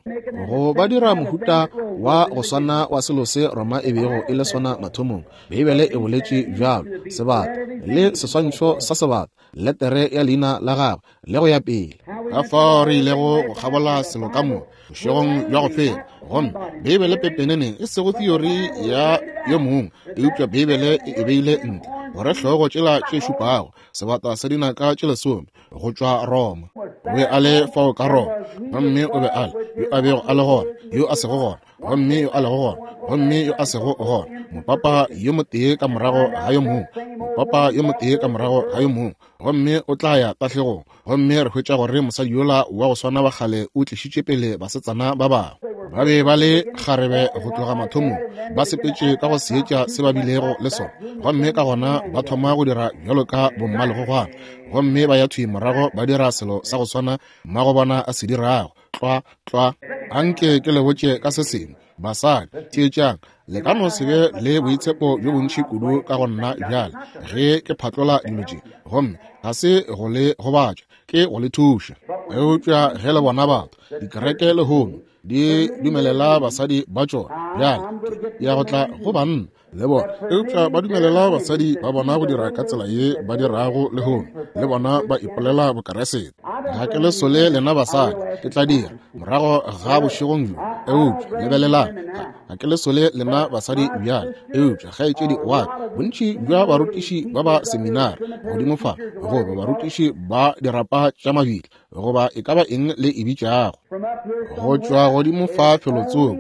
go ba dira mohuta wa go swana wa selo se Roma e bego e le sona mathomong. Beibele e boletše bjalo, sebata le seswantšho sa sebata, letere ya leina la gagwe, le go ya pele. Ka fao re ilego go kgabola selo ka moka bošegong bja go feta, gomme Beibele pepeneneng, e sego theory ya yo mongwe, eupša Beibele e e beile ntle, gore hlogo tšela tše šupago, sebata sa dinaka tše lesome, go tšwa Roma. O be a le fao ka Roma, gomme o be a le yo a bego a le gona, yo a sego gona, gomme yo a lego gona, gomme yo a sego gona, mopapa yo motee ka morago ga yo mongwe, mopapa yo motee ka morago ga yo mongwe, gomme o tla ya tahlegong. Gomme re hwetša gore mosadi yola wa go swana wa kgale o tlišitše pele basetsana ba bangwe. Ba be ba le kgarebe go tloga mathomong, ba sepetše ka go seetša se ba bilego le sona, gomme ka gona ba thoma go dira bjalo ka bommalegogwana, gomme ba ya thwi morago ba dira selo sa go swana mmagobona a se dirago. Tlwa, tlwa. Anke ke le botše ka se sengwe, basadi. Theetšang, le ka no se be le boitshepo bjo bontši kudu ka go nna bjale ge ke phatlola dilo tše, gomme ga se go le gobatša, ke go le thuša. Eupša ge le bona batho, dikereke lehono di dumelela basadi ba tšona, bjale ke ya go tla go banna le bona, eupša ba dumelela basadi ba bona go dira ka tsela ye ba dirago lehono, le bona ba ipolela Bokeresete. Ga ke le sole lena basadi, ke tla dira morago ga bošegong bjo, eupša lebelelang, ga ke le sole lena basadi bjale, eupša kgaetšedi wa ka, bontši bja barutiši ba ba seminari godimo fa, goba barutiši ba dirapa tša mabitla, goba e ka ba eng le e bitšago, go tšwa godimo fa felotsoko.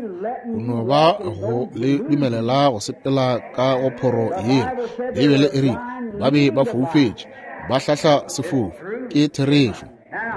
O no ba go le dumelela go sepela ka go phoro yeo. Beibele e rile ba be ba foufetše, ba hlahla sefofu. Ke therešo.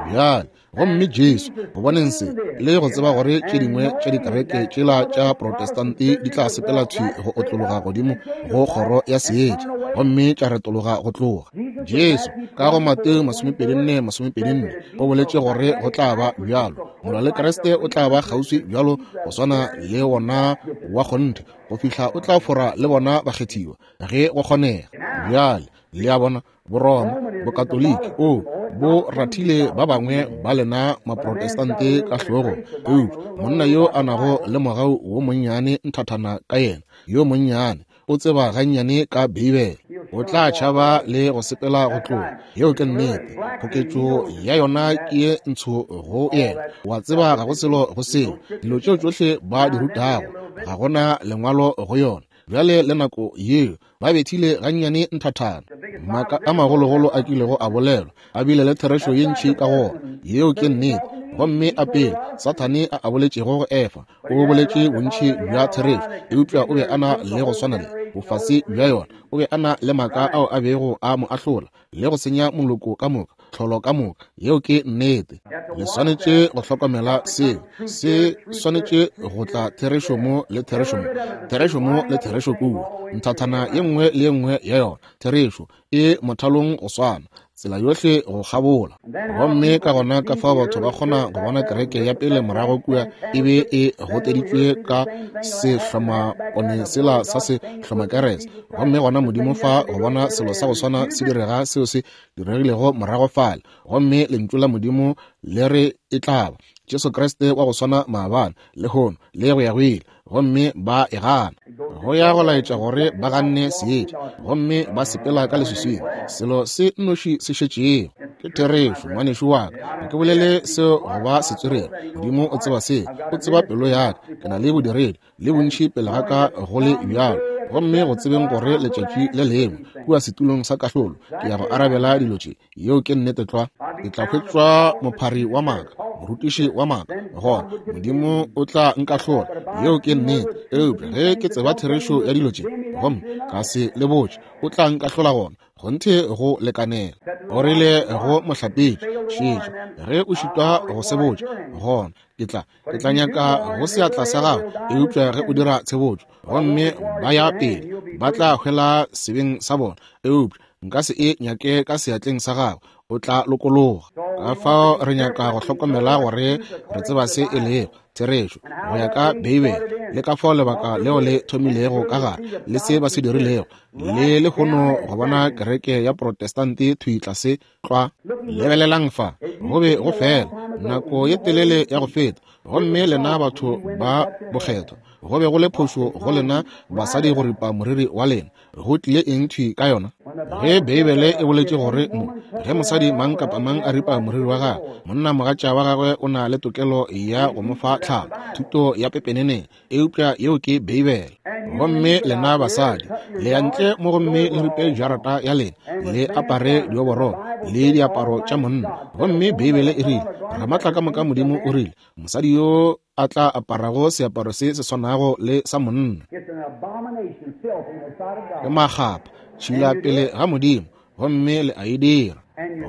Bjale, gomme Jesu, go boneng se, le go tseba gore tše dingwe tša dikereke tšela tša Protestante di tla sepela thwi go otlologa godimo go kgoro ya seetša, gomme tša retologa go tloga. Jesu, ka go Mateo 24:24, o boletše gore go tla ba bjalo. Molwa le Kriste o tla ba kgauswi bjalo go swana le wona wa kgonthe, go fihla o tla fora le bona bakgethiwa, ge go kgonega. Bjale, le a bona, Boroma, Bokatoliki, o bo rathile ba bangwe ba lena Maprotestante ka hlogong. Eupša monna yo a nago le mogau wo monnyane nthathana ka yena, yo monnyane, o tseba gannyane ka Beibele, o tla tšhaba le go sepela go tloga. Yeo ke nnete. Koketšo ya yona ke ye ntsho go yena. Wa tseba ga go selo go seo. Dilo tšeo tšohle ba di rutago, ga go na Lengwalo go yona. Bjale le nako yeo ba bethile gannyane nthathana. Maaka a magologolo a kilego a bolelwa a bile le therešo ye ntši ka go ona. Yeo ke nnete. Gomme a pele Sathane a a boletšego go Efa, o boletše bontši bja therešo, eupša o be a na le go swana le bofase bja yona. O be a na le maaka ao a bego a mo ahlola le go senya moloko ka moka, tlholo ka moka. Yeo ke nnete. Le swanetše go hlokomela seo. Se swanetše go tla therešo mo le therešo mo, therešo mo le therešo kua, nthathana ye nngwe le ye nngwe ya yona. Therešo e mothalong go swana, tsela yohle go kgabola. Gomme ka gona ka fao batho ba kgona go bona kereke ya pele morago kua e be e goteditšwe ka sehlomapone sela sa sehlomakerese, gomme gona Modimo fa go bona selo sa go swana se direga seo se diregilego morago fale, gomme Lentšu la Modimo le re e tla ba Jesu Kriste wa go swana maabane, lehono, le go ya go ile, gomme ba e gana. Go ya go laetša gore ba ganne seetša gomme ba sepela ka leswiswing, selo se nnoši se šetšego. Ke therešo, ngwanešu wa ka, ga ke bolele seo go ba setswerere. Modimo o tseba seo, o tseba pelo ya ka. Ke na le bodiredi le bontši pele ga ka go le bjalo, gomme go tsebeng gore letšatši le lengwe kua setulong sa kahlolo ke ya go arabela dilo tše. Yeo ke nnete tlwa. Ke tla hwetšwa mophari wa maaka, morutiši wa maaka, gona Modimo o tla nkahlola. Yeo ke nnete. Eupša ge ke tseba therešo ya dilo tše gomme ka se le botše, o tla nkahlola gona. Kgonthe go lekanela. O rile go mohlapetši, šetša, ge o šitwa go se botša, gona ke tla, ke tla nyaka go seatla sa gago. Eupša ge o dira tshebotšo gomme ba ya pele, ba tla hwela sebeng sa bona. Eupša nka se e nyake ka seatleng sa gago, o tla lokologa. Ka fao re nyaka go hlokomela gore re tseba se e lego therešo go ya ka Beibele, le ka fao lebaka leo le thomilego ka gare, le se ba se dirilego, le lehono go bona kereke ya Protestante thwi tlase tlwa. Lebelelang fa, go be go fela nako ye telele ya go feta, gomme lena batho ba bokgethwa, go be go le phošo go lena basadi go ripa moriri wa lena. Go tlile eng thwi ka yona? Ge Beibele e boletše gore mo, ge mosadi mang kapa mang a ripa moriri wa gagwe, monna mogatša wa gagwe o na le tokelo ya go mo fa tlhalo, thuto ya pepeneneng, eupša yeo ke Beibele. Gomme lena basadi le ya ntle mo gomme le ripe jarata ya lena, le apare dioborolo le diaparo tša monna. Gomme Beibele e rile, Ramatla ka moka Modimo o rile, mosadi yo a tla aparago seaparo se se swanago le sa monna ke makgapha, tšhila pele ga Modimo, gomme le a e dira.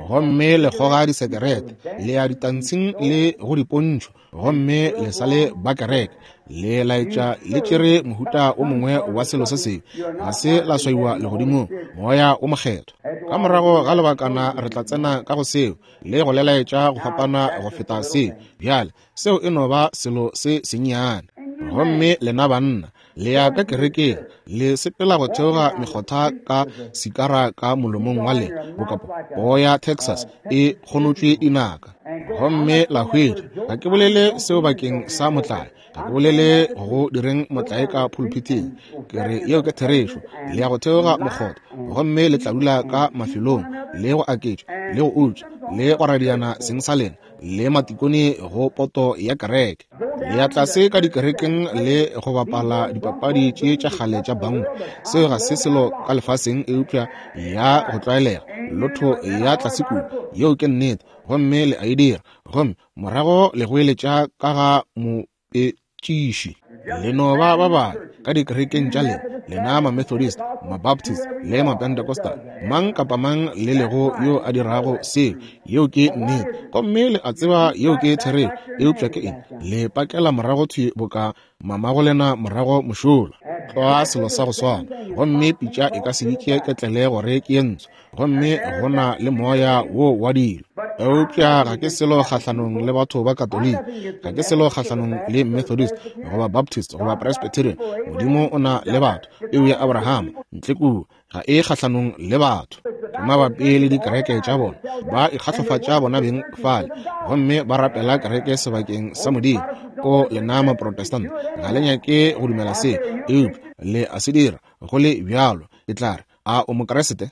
Gomme le kgoga disekerete, le ya ditantshing le go dipontšho, gomme le sa le ba kereke, le laetša le tšere mohuta o mongwe wa selo se sengwe, ga se la swaiwa legodimong, Moya o Mokgethwa. Ka morago ga lebakana re tla tsena ka go seo le go le laetša go fapana go feta seo. Bjale seo e no ba selo se sennyane. Gomme lena banna le ya ka kerekeng, le sepela go theoga mekgotha ka sikara ka molomong wa lena, boka poo ya Texas e kgonotšwe dinaka, gomme la hwetša. Ga ke bolele seo bakeng sa motlae, ga ke bolele go direng motlae ka phulphithing, ke re yeo ke therešo. Le ya go theoga mokgotha, gomme le tla dula ka mafelong, le go aketša, le go utswa, le go radiana seng sa lena, le matikone go poto ya kereke. Le ya tlase ka dikerekeng le go bapala dipapadi tše tša kgale tša bango. Seo ga se selo ka lefaseng eupša ya go tlwaelega, lotho ya tlase kudu. Yeo ke nnete. Gomme le a e dira, gomme morago le goeletša ka ga mopetšiši. Le no ba ba babe ka dikerekeng tša lena, lena Mamethodist, Mabaptist, le Mapentecostal, mang kapa mang le lego yo a dirago seo, yeo ke nnete. Gomme le a tseba yeo ke therešo, eupša ke eng? Le pakela morago thwi boka mamagolena morago mošola, tlwa selo sa go swana. Gomme pitša e ka se bitše ketlele gore ke ye ntsho, gomme go na le moya wo wa dilo. Eupša ga ke selo kgahlanong le batho ba Katoliki, ga ke selo kgahlanong le Methodist goba Baptist goba Presbyterian. Modimo o na le batho, peu ya Abrahama ntle kua, ga e kgahlanong le batho. Ke mabapi le dikereke tša bona, ba ikgahlofatša bona beng fale, gomme ba rapela kereke sebakeng sa Modimo. O lena Maprotestant, ga le nyake go dumela se, eupša le a se dira go le bjalo. Ke tla re, a o Mokriste?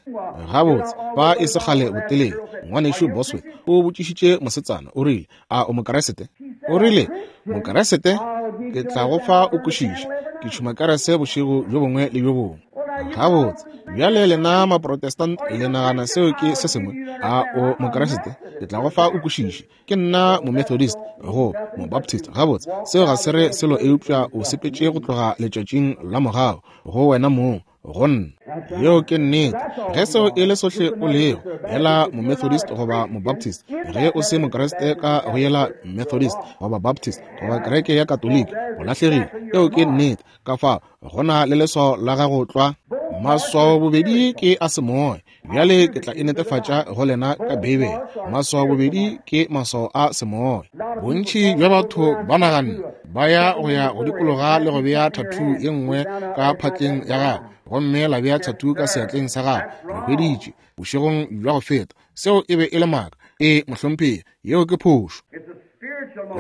Gabotse, fa e se kgale botelele, Ngwanešu Bosworth o botšišitše mosetsana, o rile, a o Mokriste? O rile, Mokriste? Ke tla go fa o kwešiše, ke tšhuma kerese bošego bjo bongwe le bjo bongwe. Gabotse, bjale lena Maprotestant le nagana seo ke se sengwe? A o Mokriste? Ke tla go fa o kwešiše, ke nna Momethodist go Mobaptist. Gabotse, seo ga se re selo eupša o sepetše go tloga letšatšing la mogau go wena mong, go nna. Yeo ke nnete. Ge seo e le sohle o lego, yela Momethodist goba Mobaptist, ge o se Mokriste ka go yela Methodist goba Baptist goba kereke ya Katoliki, o lahlegile. Yeo ke nnete. Ka fao go na le leswao la gago tlwa. Maswao bobedi ke a semoya. Bjale ke tla e netefatša go lena ka Beibele. Maswao bobedi ke maswao a semoya. Bontši bja batho ba naganne ba ya go ya go dikologa le go bea thathu ye nngwe ka phatleng ya gago, gomme la bea thathu ka seatleng sa gago. Re hweditše bošegong bja go feta seo e be e le maaka. Ee, mohlomphegi, yeo ke phošo.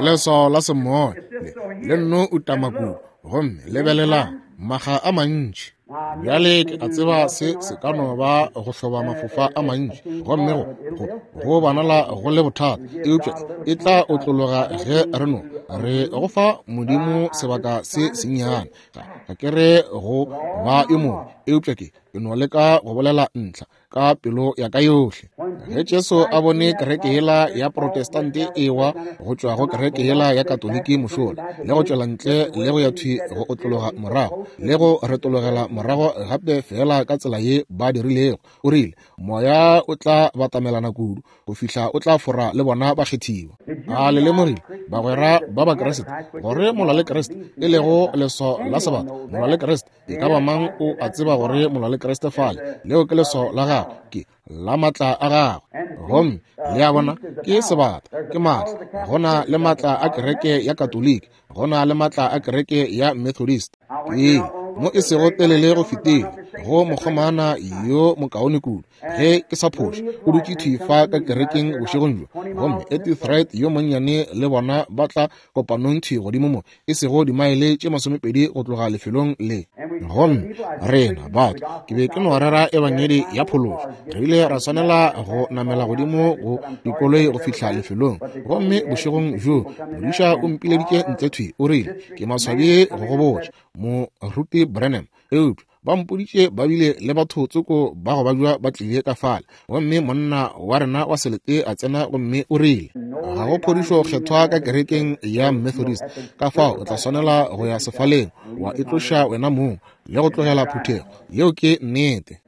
Leswao la semoya le le nno utama kudu, gomme lebelelang maga a mantši. Bjale ke a tseba se se ka no ba go hloba mafofa a mantši, gomme go, go, go bonala go le bothata, eupša e tla otlologa ge re no re go fa Modimo sebaka se sennyane. Ga, ga ke re go ba yo mobe, eupša ke, ke no leka go bolela ntlha ka pelo ya ka yohle. Ge Jesu a bone kereke yela ya Protestante e wa go tšwa go kereke yela ya Katoliki mošola, le go tšwela ntle le go ya thwi go otlologa morago, le go retologela morago gape feela ka tsela ye ba dirilego, o rile, Moya o tla batamelana kudu go fihla o tla fora le bona bakgethiwa. A le lemogile, bagwera ba Bakriste, gore molwa le Kriste, e lego leswao la sebata, molwa le Kriste, E ka ba mang o a tseba gore molwa le Kriste fale, leo ke leswao la gagwe, ke la maatla a gagwe. Gomme le a bona, ke sebata, ke maatla. Go na le maatla a kereke ya Katoliki, go na le maatla a kereke ya Methodist. Ee, mo e sego telele go fetile, go mokgomana yo mokaone kudu, ge ke sa phoše, o dutše thwi fa ka kerekeng bošegong bjo. Gomme Edith Wright yo monnyane le bona ba tla kopanong thwi godimo mo, e sego dimaele tše 20 go tloga lefelong le. Gomme rena batho, ke be ke no rera ebangedi ya phološo, re ile ra swanela go namela godimo go dikoloi go fihla lefelong. Gomme bošegong bjo modiša o mpileditše ntle thwi, o rile, Ke maswabi go go botša, Moruti Branham, eupša ba mpoditše ba bile le batho tsoko ba go babja ba tlile ka fale. Gomme monna wa rena wa selete a tsena gomme o rile, ga go phodišo kgethwa ka kerekeng ya Methodist, ka fao o tla swanela go ya sefaleng wa itloša wena mong le go tlogela phuthego. Yeo ke nnete.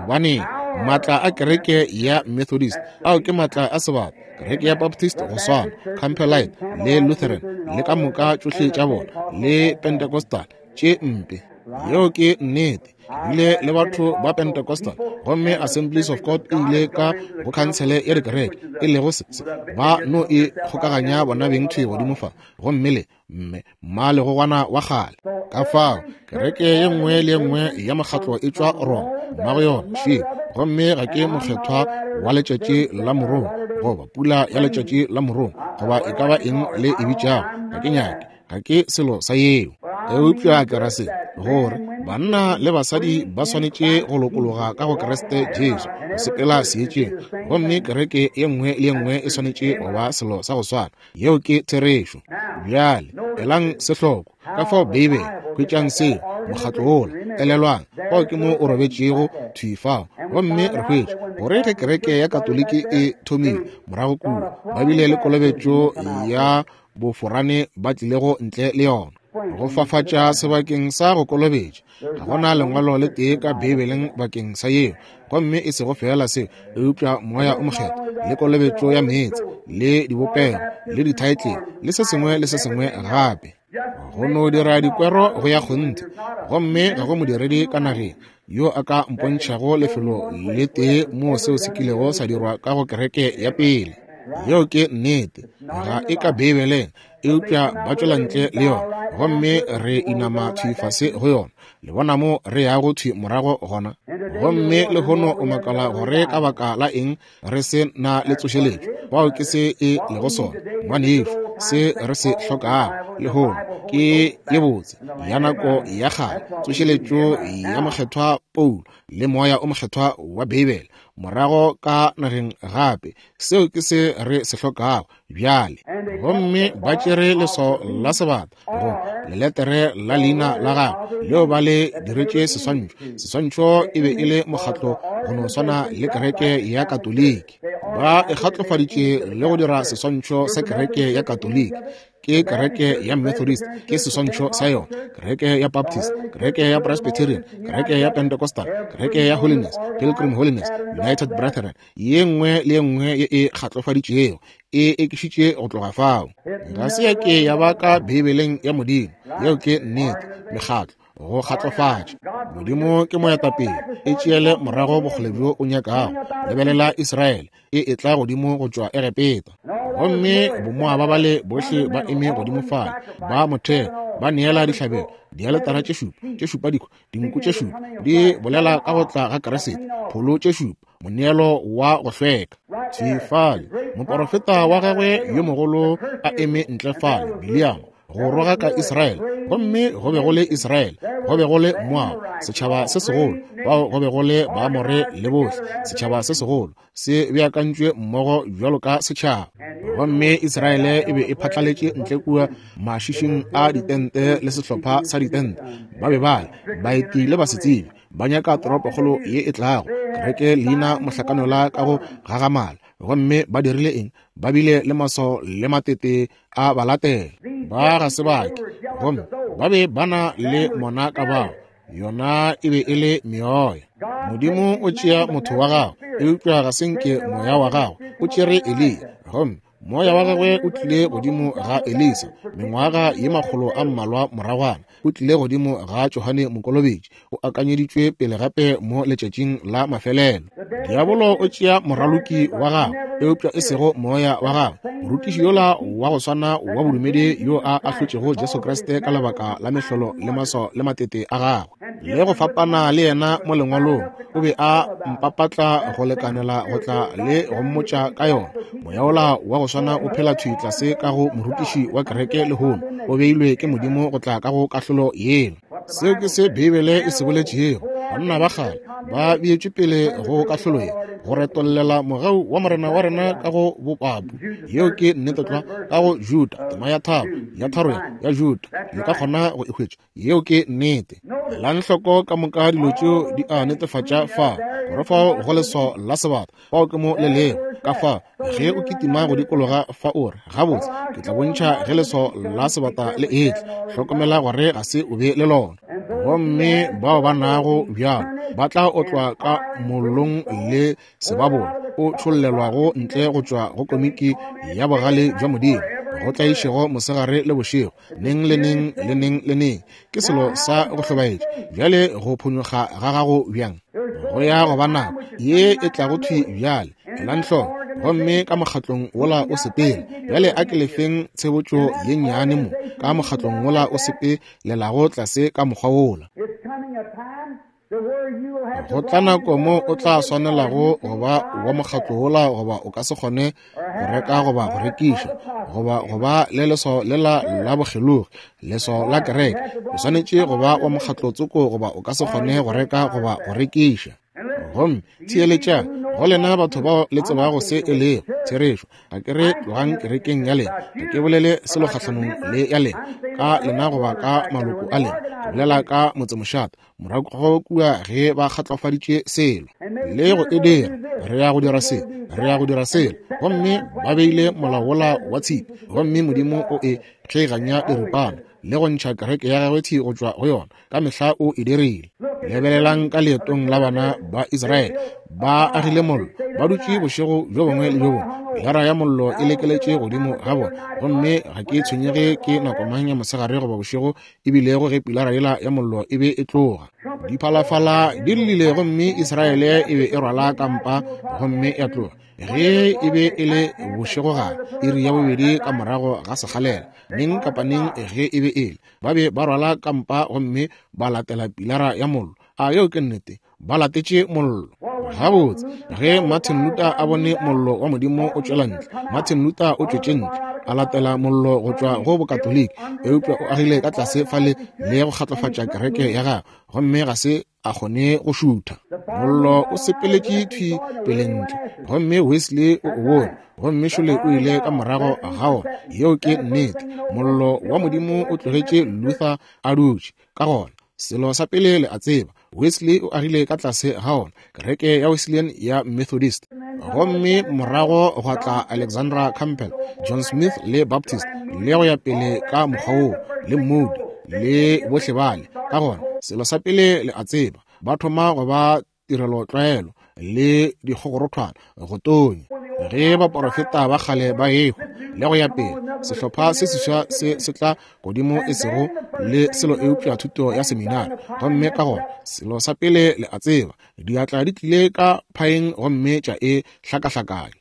Gobane maatla a kereke ya Methodist, ao ke maatla a sebata, kereke ya Baptist go swana, Campbellite le Lutheran le ka moka tšohle tša bona, le Pentecostal, tše mpe. Yeo ke nnete. Ke bile le batho ba Pentecostal, gomme Assemblies of God e ile ka go khansele ya dikereke, e lego se, se, ba no e kgokaganya bona beng thwi godimo fa, gomme le mme mmalegogwana wa kgale. Ka fao kereke ye nngwe le ye nngwe ya mokgatlo e tšwa Roma, mmago yona še. Gomme ga ke mokgethwa wa letšatši la morongwa, goba pula ya letšatši la morongwa, goba e ka ba eng le e bitšago, ga ke nyake, ga ke selo sa yeo. Eupša ke ra se, gore banna le basadi ba swanetše go lokologa ka go Kriste Jesu, go sepela seetšeng, gomme kereke ye nngwe le ye nngwe e swanetše go ba selo sa go swana. Yeo ke therešo. Bjale elang se hloko ka fao Beibele, hwetšang seo, mokgatlo wola, elelwang, fao ke mo o robetšego thwi fao. Gomme re hwetša gore ge kereke ya Katoliki e thomile morago kua, ba bile le kolobetšo ya boforane ba tlilego ntle le yona. Go fafatša sebakeng sa go kolobetša. Ga go na lengwalo le tee ka Beibeleng bakeng sa yeo. Gomme e sego feela seo, eupša Moya o Mokgethwa, le kolobetšo ya meetse, le dibopego, le dithaetlele, le se sengwe le se sengwe gape. Go no dira dikwero go ya kgonthe. Gomme ga go modiredi ka nageng yo a ka mpontšhago lefelo le tee moo seo se kilego sa dirwa ka go kereke ya pele. Yeo ke nnete. Ga e ka Beibeleng, eupša ba tšwela ntle le yona, gomme re inama thwi fase go yona. Le bona mo re yago thwi morago gona. Gomme lehono o makala gore ka baka la eng re se na le tsošeletšo. Bao ke se e lego sona, ngwanešu. Se re se hlokago lehono ke ye botse ya nako ya kgale, tsošeletšo ya Mokgethwa Paulo le Moya o Mokgethwa wa Beibele morago ka nageng gape. Seo ke se re se hlokago bjale. Gomme ba tšere leswao la sebata, go leletere la leina la gagwe leo ba le diretše seswantšho. Seswantšho e be e le mokgatlo go no swana le kereke ya Katoliki. Ba e kgatlofaditše le go dira seswantšho sa kereke ya Katoliki. Ke kereke ya Methodist, ke seswantšho sa yona, kereke ya Baptist, kereke ya Presbyterian, kereke ya Pentecostal, kereke ya Holiness, Pilgrim Holiness, United Brethren, ye nngwe le ye nngwe ye e kgatlofaditšego e ekišitše go tloga fao. Ga se ya ke ya ba ka Beibeleng ya Modimo. Yeo ke nnete. Mekgatlo, go kgatlofatša. Modimo ke moetapele. E tšeele morago bokgole bjo o nyakago. Lebelela Israele e etla godimo go tšwa Egepeta, gomme bomoaba bale bohle ba eme godimo fale, ba motheo, ba neela dihlabelo, dialetara tše šupa, tše šupa dikho, dinku tše šupa, di bolela ka go tla ga Kriste, pholo tše šupa, moneelo wa go hlweka. Thwi fale, moporofeta wa gagwe yo mogolo a eme ntle fale, Biliamo, go rogaka Israele. Gomme go be go le Israele, go be go le Moab, setšhaba se segolo, bao go be go le Baamore le bohle, setšhaba se segolo se beakantšwe mmogo bjalo ka setšhaba. Gomme Israele e be e phatlaletše ntle kua mašišing a ditente le sehlopha sa ditente. Ba be ba le baeti le basetsebi, ba nyaka toropokgolo ye e tlago, kereke leina mohlakanola ka go gagamala. Gomme ba dirile eng? Ba bile le maswao le matete a ba latela. Ba ga se bake, gomme ba be ba na le mona ka bao. Yona e be e le meoya. Modimo o tšea motho wa gagwe, eupša ga se nke moya wa gagwe. O tšere Eliya, gomme moya wa gagwe o tlile godimo ga Elisa mengwaga ye makgolo a mmalwa moragwana. O tlile godimo ga Johane Mokolobetši, o akanyeditšwe pele gape mo letšatšing la mafelelo. Diabolo o tšea moraloki wa gagwe, eupša e sego moya wa gagwe. Morutiši yola wa go swana wa bodumedi yo a ahlotšego Jesu Kriste ka lebaka la mehlolo le maswao le matete a gagwe, le go fapana le yena mo lengwalong, o be a mpapatla go lekanela go tla le go mmotša ka yona. Moya wola wa go swana o phela thwi tlase ka go morutiši wa kereke lehono, o beilwe ke Modimo go tla ka go kahlolo yela. Seo ke se Beibele e se boletšego. Banna ba kgale ba beetšwe pele go kahlolo ye, go retollela mogau wa Morena wa rena ka go bopapu. Yeo ke nnete tlwa, ka go Juda, tema ya tharo, ya tharo ya Juda. Le ka kgona go e hwetša. Yeo ke nnete. Elang hloko ka moka dilo tšeo di a netefatša fa, gore fao go leswao la sebata, fao ke mo le lego. Ka fa, ge o kitima go dikologa fa o re, gabotse, ke tla bontšha ge leswao la sebata le etla. Hlokomela gore ga se o be le lona. Gomme bao ba nago bjalo ba tla otlwa ka mollong le sebabola o tšhollelwago ntle go tšwa go komiki ya bogale bja Modimo, go tlaišego mosegare le bošego, neng le neng le neng le neng. Ke selo sa go hlobaetša. Bjale go phonyokga ga gago bjang? Go ya go ba nako ye e tlago thwi bjale. Elang hloko, gomme ka mokgatlong wola o sepele. Bjale a ke lefeng tshebotšo ye nnyane mo, ka mokgatlong wola o sepelelago tlase ka mokgwa wola. Go tla nako mo o tla swanelago go ba wa mokgatlo wola, goba o ka se kgone go reka goba go rekiša, goba go ba le leswao lela la bokgelogi, leswao la kereke. O swanetše go ba wa mokgatlo tsoko, goba o ka se kgone go reka goba go rekiša. Gomme theeletšang, go lena batho bao le tsebago se e lego therešo. Ga ke re tlogang kerekeng ya lena, ga ke bolele selo kgahlanong le ya lena, ka lena goba ka maloko a lena. Ke bolela ka motsemošate morago kua ge ba kgatlofaditše selo le go e dira. Re ya go dira se, re ya go dira selo. Gomme ba beile molao wola wa tshipi, gomme Modimo o e kgeiganya diripana. le go ntšha kereke ya gagwe thi go tšwa go yona. Ka mehla o e dirile. Lebelelang ka leetong la bana ba Israele, ba agile mollo, ba dutše bošego bjo bongwe le bjo bongwe, pilara ya mollo e lekeletše godimo ga bona. Gomme ga ke tshwenyege ke nako mang ya mosegare goba bošego e bilego ge pilara yela ya mollo e be e tloga. Diphalafala di llile gomme Israele e be e rwala kampa gomme ya tloga. Ge e be e le bošegogare, iri ya bobedi ka morago ga sekgalela, neng kapa neng ge e be e le, ba be ba rwala kampa gomme ba latela pilara ya mollo. A yeo ke nnete? Ba latetše mollo. Gabotse, ge Martin Luther a bone mollo wa Modimo o tšwela ntle, Martin Luther o tšwetše ntle, a latela mollo go tšwa go Bokatoliki, eupša o agile ka tlase fale le go kgatlofatša kereke ya gagwe, gomme ga se a kgone go šutha. Mollo o sepeletše thwi pele ntle, gomme Wesley o o bone, gomme šole o ile ka morago ga wona. Yeo ke nnete. Mollo wa Modimo o tlogetše Luther a dutše. Ka gona, selo sa pele le a tseba, Wesley o agile ka tlase ga ona, kereke ya Wesleyan ya Methodist. Gomme morago gwa tla Alexandra Campbell, John Smith le Baptist, le go ya pele ka mokgwa woo, le Moody, le bohle bale. Ka gona, selo sa pele le a tseba, ba thoma go ba tirelotlwaelo le dikgogorothwana go tonya ge baporofeta ba kgale ba ehwa le go ya pele. Sehlopha se seswa se se tla godimo e sego le selo eupša thuto ya seminari, gomme ka gona selo sa pele le a tseba, diatla di tlile ka phaeng gomme tša e hlakahlakanya,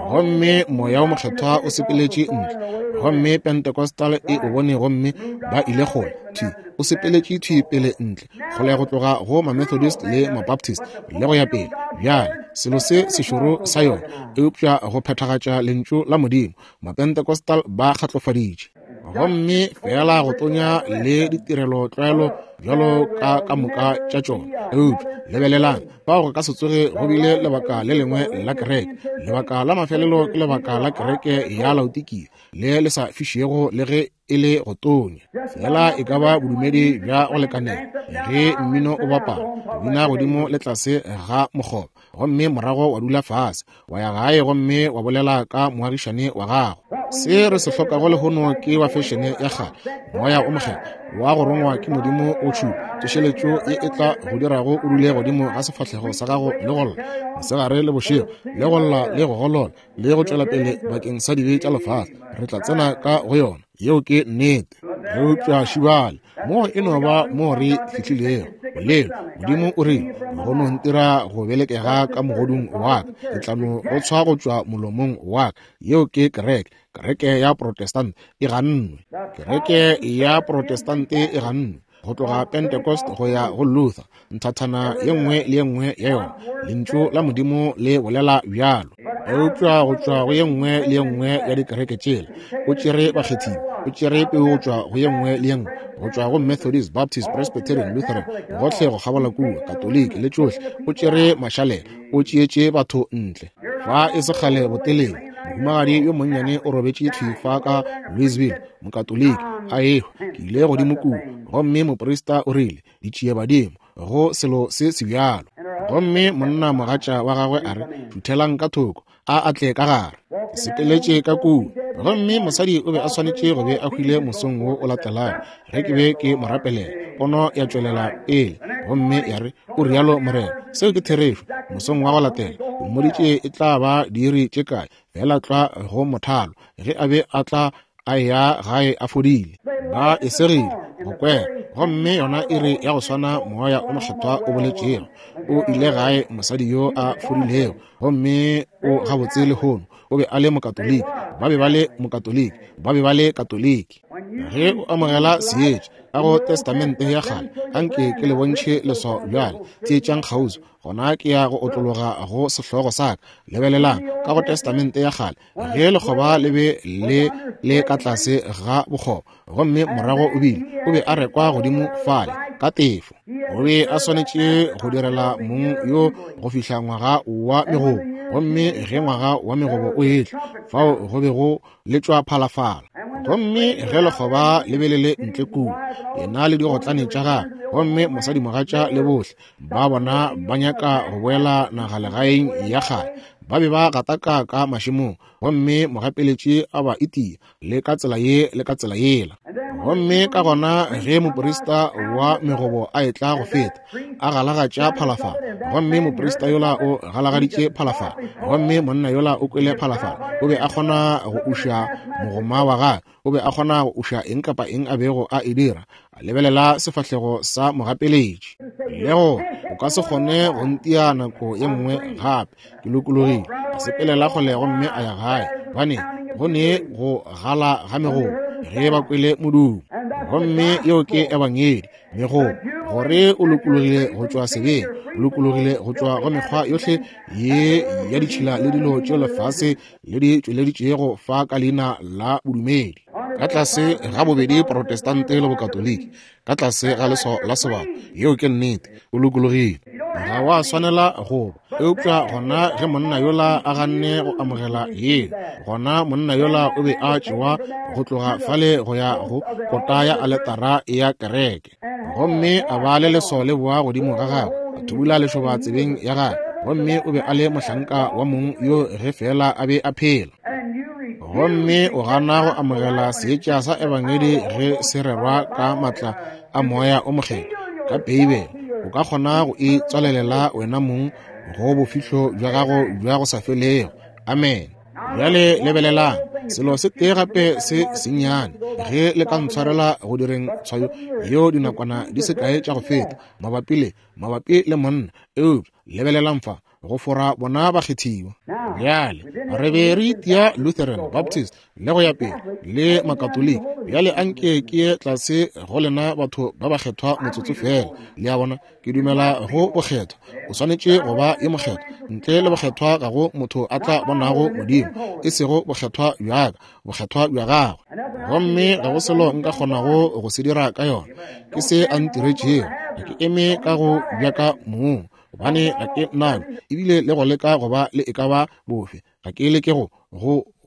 gomme Moya wo Mokgethwa o sepeletše ntle, gomme Pentecostal e o bone gomme ba ile kgole thwi, o sepeletše thwi pele ntle kgole go tloga go ma-Methodist le ma-Baptist le go ya pele. Bjale selo se sešoro sa yona, eupša go phethagatša lentšu la Modimo, ma-Pentecostal ba kgatlofaditše, gomme fela go tonya le ditirelo tlwaelo bjalo ka ka moka tša tšona. Eupša lebelelang, fao go ka se tsoge go bile lebaka le lengwe la kereke. Lebaka la mafelelo ke lebaka la kereke ya Laodikia, le le sa fišego le ge e le go tonya. Fela e ka ba bodumedi bja go lekanela ge mmino o bapala, go bina godimo le tlase ga mokgoba, gomme morago wa dula fase, wa ya gae gomme wa bolela ka moagišane wa gago. Se re se hlokago lehono ke wa fešene ya kgale, moya o mokgethwa wa go rongwa ke Modimo o tšhupa tsošeletšo ye e tla go dirago o dule godimo ga sefahlego sa gago le go lla mosegare le bošego, le go lla le go golola le go tšwela pele bakeng sa dibe tša lefase. Re tla tsena ka go yona, yeo ke nnete. Eupša šibale mo e no ba mo re fihlilego bolelo. Modimo o rile, go no ntira go belekega ka mogodung wa ka, ke tla no go tshwa go tšwa molomong wa ka. Yeo ke kereke. Kereke ya Protestant e gannwe. Kereke ya Protestant e gannwe go tloga Pentecost go ya go Luther, nthathana ye nngwe le ye nngwe ya yona. Lentšu la Modimo le bolela bjalo. Eupša go tšwa go ye nngwe le ye nngwe ya dikereke tšela, o tšere bakgethiwa, o tšere peu go tšwa go ye nngwe le ye nngwe, go tšwa go Methodist, Baptist, Presbyterian, Lutheran, gohle go kgabola kua, Katoliki le tšohle, o tšere mašalela, o tšeetše batho ntle. Fa e se kgale botelele, mohumagadi yo monnyane o robetše thwi fa ka Louisville, Mokatoliki, a ehwa. Ke ile godimo kua, gomme moprista o rile, Ditšiebadimo, go selo se sebjalo. Gomme monna mogatša wa gagwe a re, Šuthelang ka thoko, a a tle ka gare. Ke sepeletše ka kua, gomme mosadi o be a swanetše go be a hwile mosong wo o latelago ge ke be ke mo rapelela. Pono ya tšwelela pele gomme ya re, O rialo Morena. Seo ke therešo. Mosong wa go latela, o mmoditše e tla ba diiri tše kae, feela tlwa go mothalo, ge a be a tla a ya gae a fodile. Ba e segile go kwera, gomme yona iri ya go swana Moya o Mokgethwa o boletšego, o ile gae mosadi yo a fodilego, gomme o gabotse lehono. O be a le Mokatoliki, ba be ba le Mokatoliki, ba be ba le Katoliki. Ge o amogela seetša ka go Testamente ya Kgale, anke ke le bontšhe leswao bjale. Theetšang kgauswi, gona ke ya go otlologa go sehlogo sa ka. Lebelelang ka go Testamente ya Kgale, ge lekgoba le be le le ka tlase ga bokgoba, gomme morago o bile, o be a rekwa godimo fale ka tefo. O be a swanetše go direla mong yo go fihla ngwaga wa megobo, gomme ge ngwaga wa megobo o etla, fao go be go letšwa phalafala. Gomme ge lekgoba le be le le ntle kua, yena le digotlane tša gagwe, gomme mosadimogatša le bohle ba bona ba nyaka go boela nagalegaeng ya kgale, Ba be ba gataka ka mašemong, gomme mogapeletši a ba itia, le ka tsela ye le ka tsela yela. Gomme ka gona ge moprista wa megobo a etla go feta, a galagatša phalafala, gomme moprista yola o galagaditše phalafala, gomme monna yola o kwele phalafala, o be a kgona go uša mogoma wa gagwe, o be a kgona go uša eng kapa eng a bego a e dira, a lebelela sefahlego sa mogapeletši, le go o ka se kgone go ntia nako ye nngwe gape, ke lokologile. A sepelela kgole gomme a ya gae, gobane go ne go gala ga megobo ge ba kwele modumo. Gomme yeo ke ebangedi, megobo, gore o lokologile go tšwa sebeng, o lokologile go tšwa go mekgwa yohle ye ya ditšhila le dilo tše lefase le di tšweleditšego fa ka leina la bodumedi, ka tlase ga bobedi Protestante le Bokatoliki, ka tlase ga leswao la sebata. Yeo ke nnete, o lokologile, ga wa swanela go ba. Eupša gona ge monna yola a ganne go amogela yeo, gona monna yola o be a tšewa go tloga fale go ya go kota ya aletara ya kereke, gomme a ba le leswao le boa godimo ga gagwe, a thubula lešoba tsebeng ya gagwe, gomme o be a le mohlanka wa mong yo ge feela a be a phela. Gomme o gana go amogela seetša sa ebangedi ge se rerwa ka matla a Moya o Mokgethwa ka Beibele, o ka kgona go e tswalelela wena mong go bofihlo bja gago bja go sa felego. Amen. Bjale lebelelang selo se tee gape se sennyane, ge le ka ntshwarela go direng tshwayo yeo dinakwana di se kae tša go feta mabapi le monna, eupša lebelelang fa, go fora bona bakgethiwa. Bjale re be re itia Lutheran, Baptist, le go ya pele, le Makatoliki. Bjale anke ke ye tlase go lena batho ba bakgethwa motsotso fela. Le a bona, ke dumela go bokgethwa. O swanetše go ba ye mokgethwa. Ntle le bokgethwa ga go motho a tla bonago Modimo, e sego bokgethwa bja ka, bokgethwa bja gagwe. Gomme ga go selo nka kgonago go se dira ka yona. Ke se a ntiretšego. Ga ke eme ka go bja ka mong, gobane ga ke nabo, ebile le go leka go ba le e ka ba bofe, ga ke leke go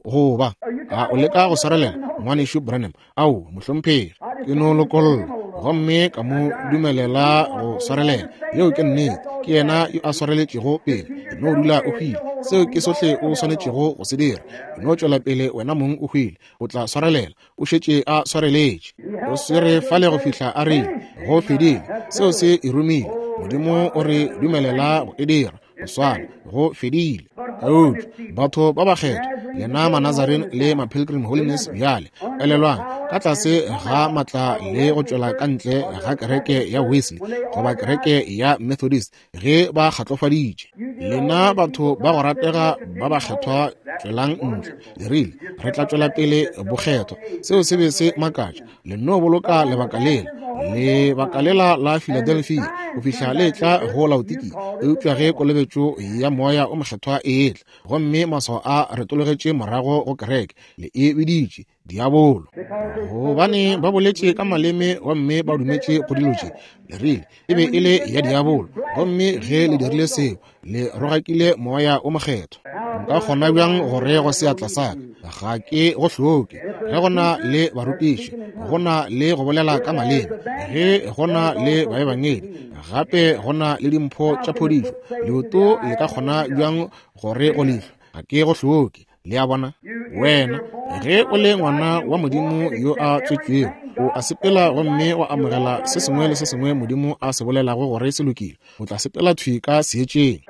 go ba. A o leka go swarelela, Ngwanešu Branham? Ao, mohlomphegi, ke no lokolla gomme ka mo dumelela go swarelela. Yeo ke nnete, ke yena yo a swareletšego pele. E no dula o hwile, seo ke sohle o swanetšego go se dira. E no tšwela pele wena mong o hwile, o tla swarelela. O šetše a swareletše, o swere fale go fihla a rile go fedile. Seo se e romile. Modimo o re dumelela go e dira go swana, go fedile. Eupša batho ba bakgethwa, lena Manazarene le ma-Pilgrim Holiness, bjale elelwang, ka tlase ga matla le go tšwela ka ntle ga kereke ya Wesley goba kereke ya Methodist, ge ba kgatlofaditše, lena batho ba go ratega ba bakgethwa, tšwelang ntle. Le rile, re tla tšwela pele bokgethwa. Seo se be se makatša. Le no boloka lebaka lela, lebaka lela la Philadelphia, go fihla le etla go Laodikia. Eupša ge kolobetšo ya Moya o Mokgethwa e etla, gomme maswao a retologetše morago go kereke, le e biditše diabolo, gobane ba boletše ka maleme gomme ba dumetše go dilo tše. Le rile e be e le ya diabolo, gomme ge le dirile seo, le rogakile Moya o Mokgethwa. Nka kgona bjang gore go seatla sa ka ga ke go hloke? Ge go na le barutiši, go na le go bolela ka maleme, ge go na le baebangedi, gape go na le dimpho tša phodišo, leoto le ka kgona bjang gore go leihlo ga ke go hloke? Le a bona? Wena, ge o le ngwana wa Modimo yo a tswetšwego, o a sepela gomme wa amogela se sengwe le se sengwe Modimo a se bolelago gore se lokile. O tla sepela thwi ka seetšeng.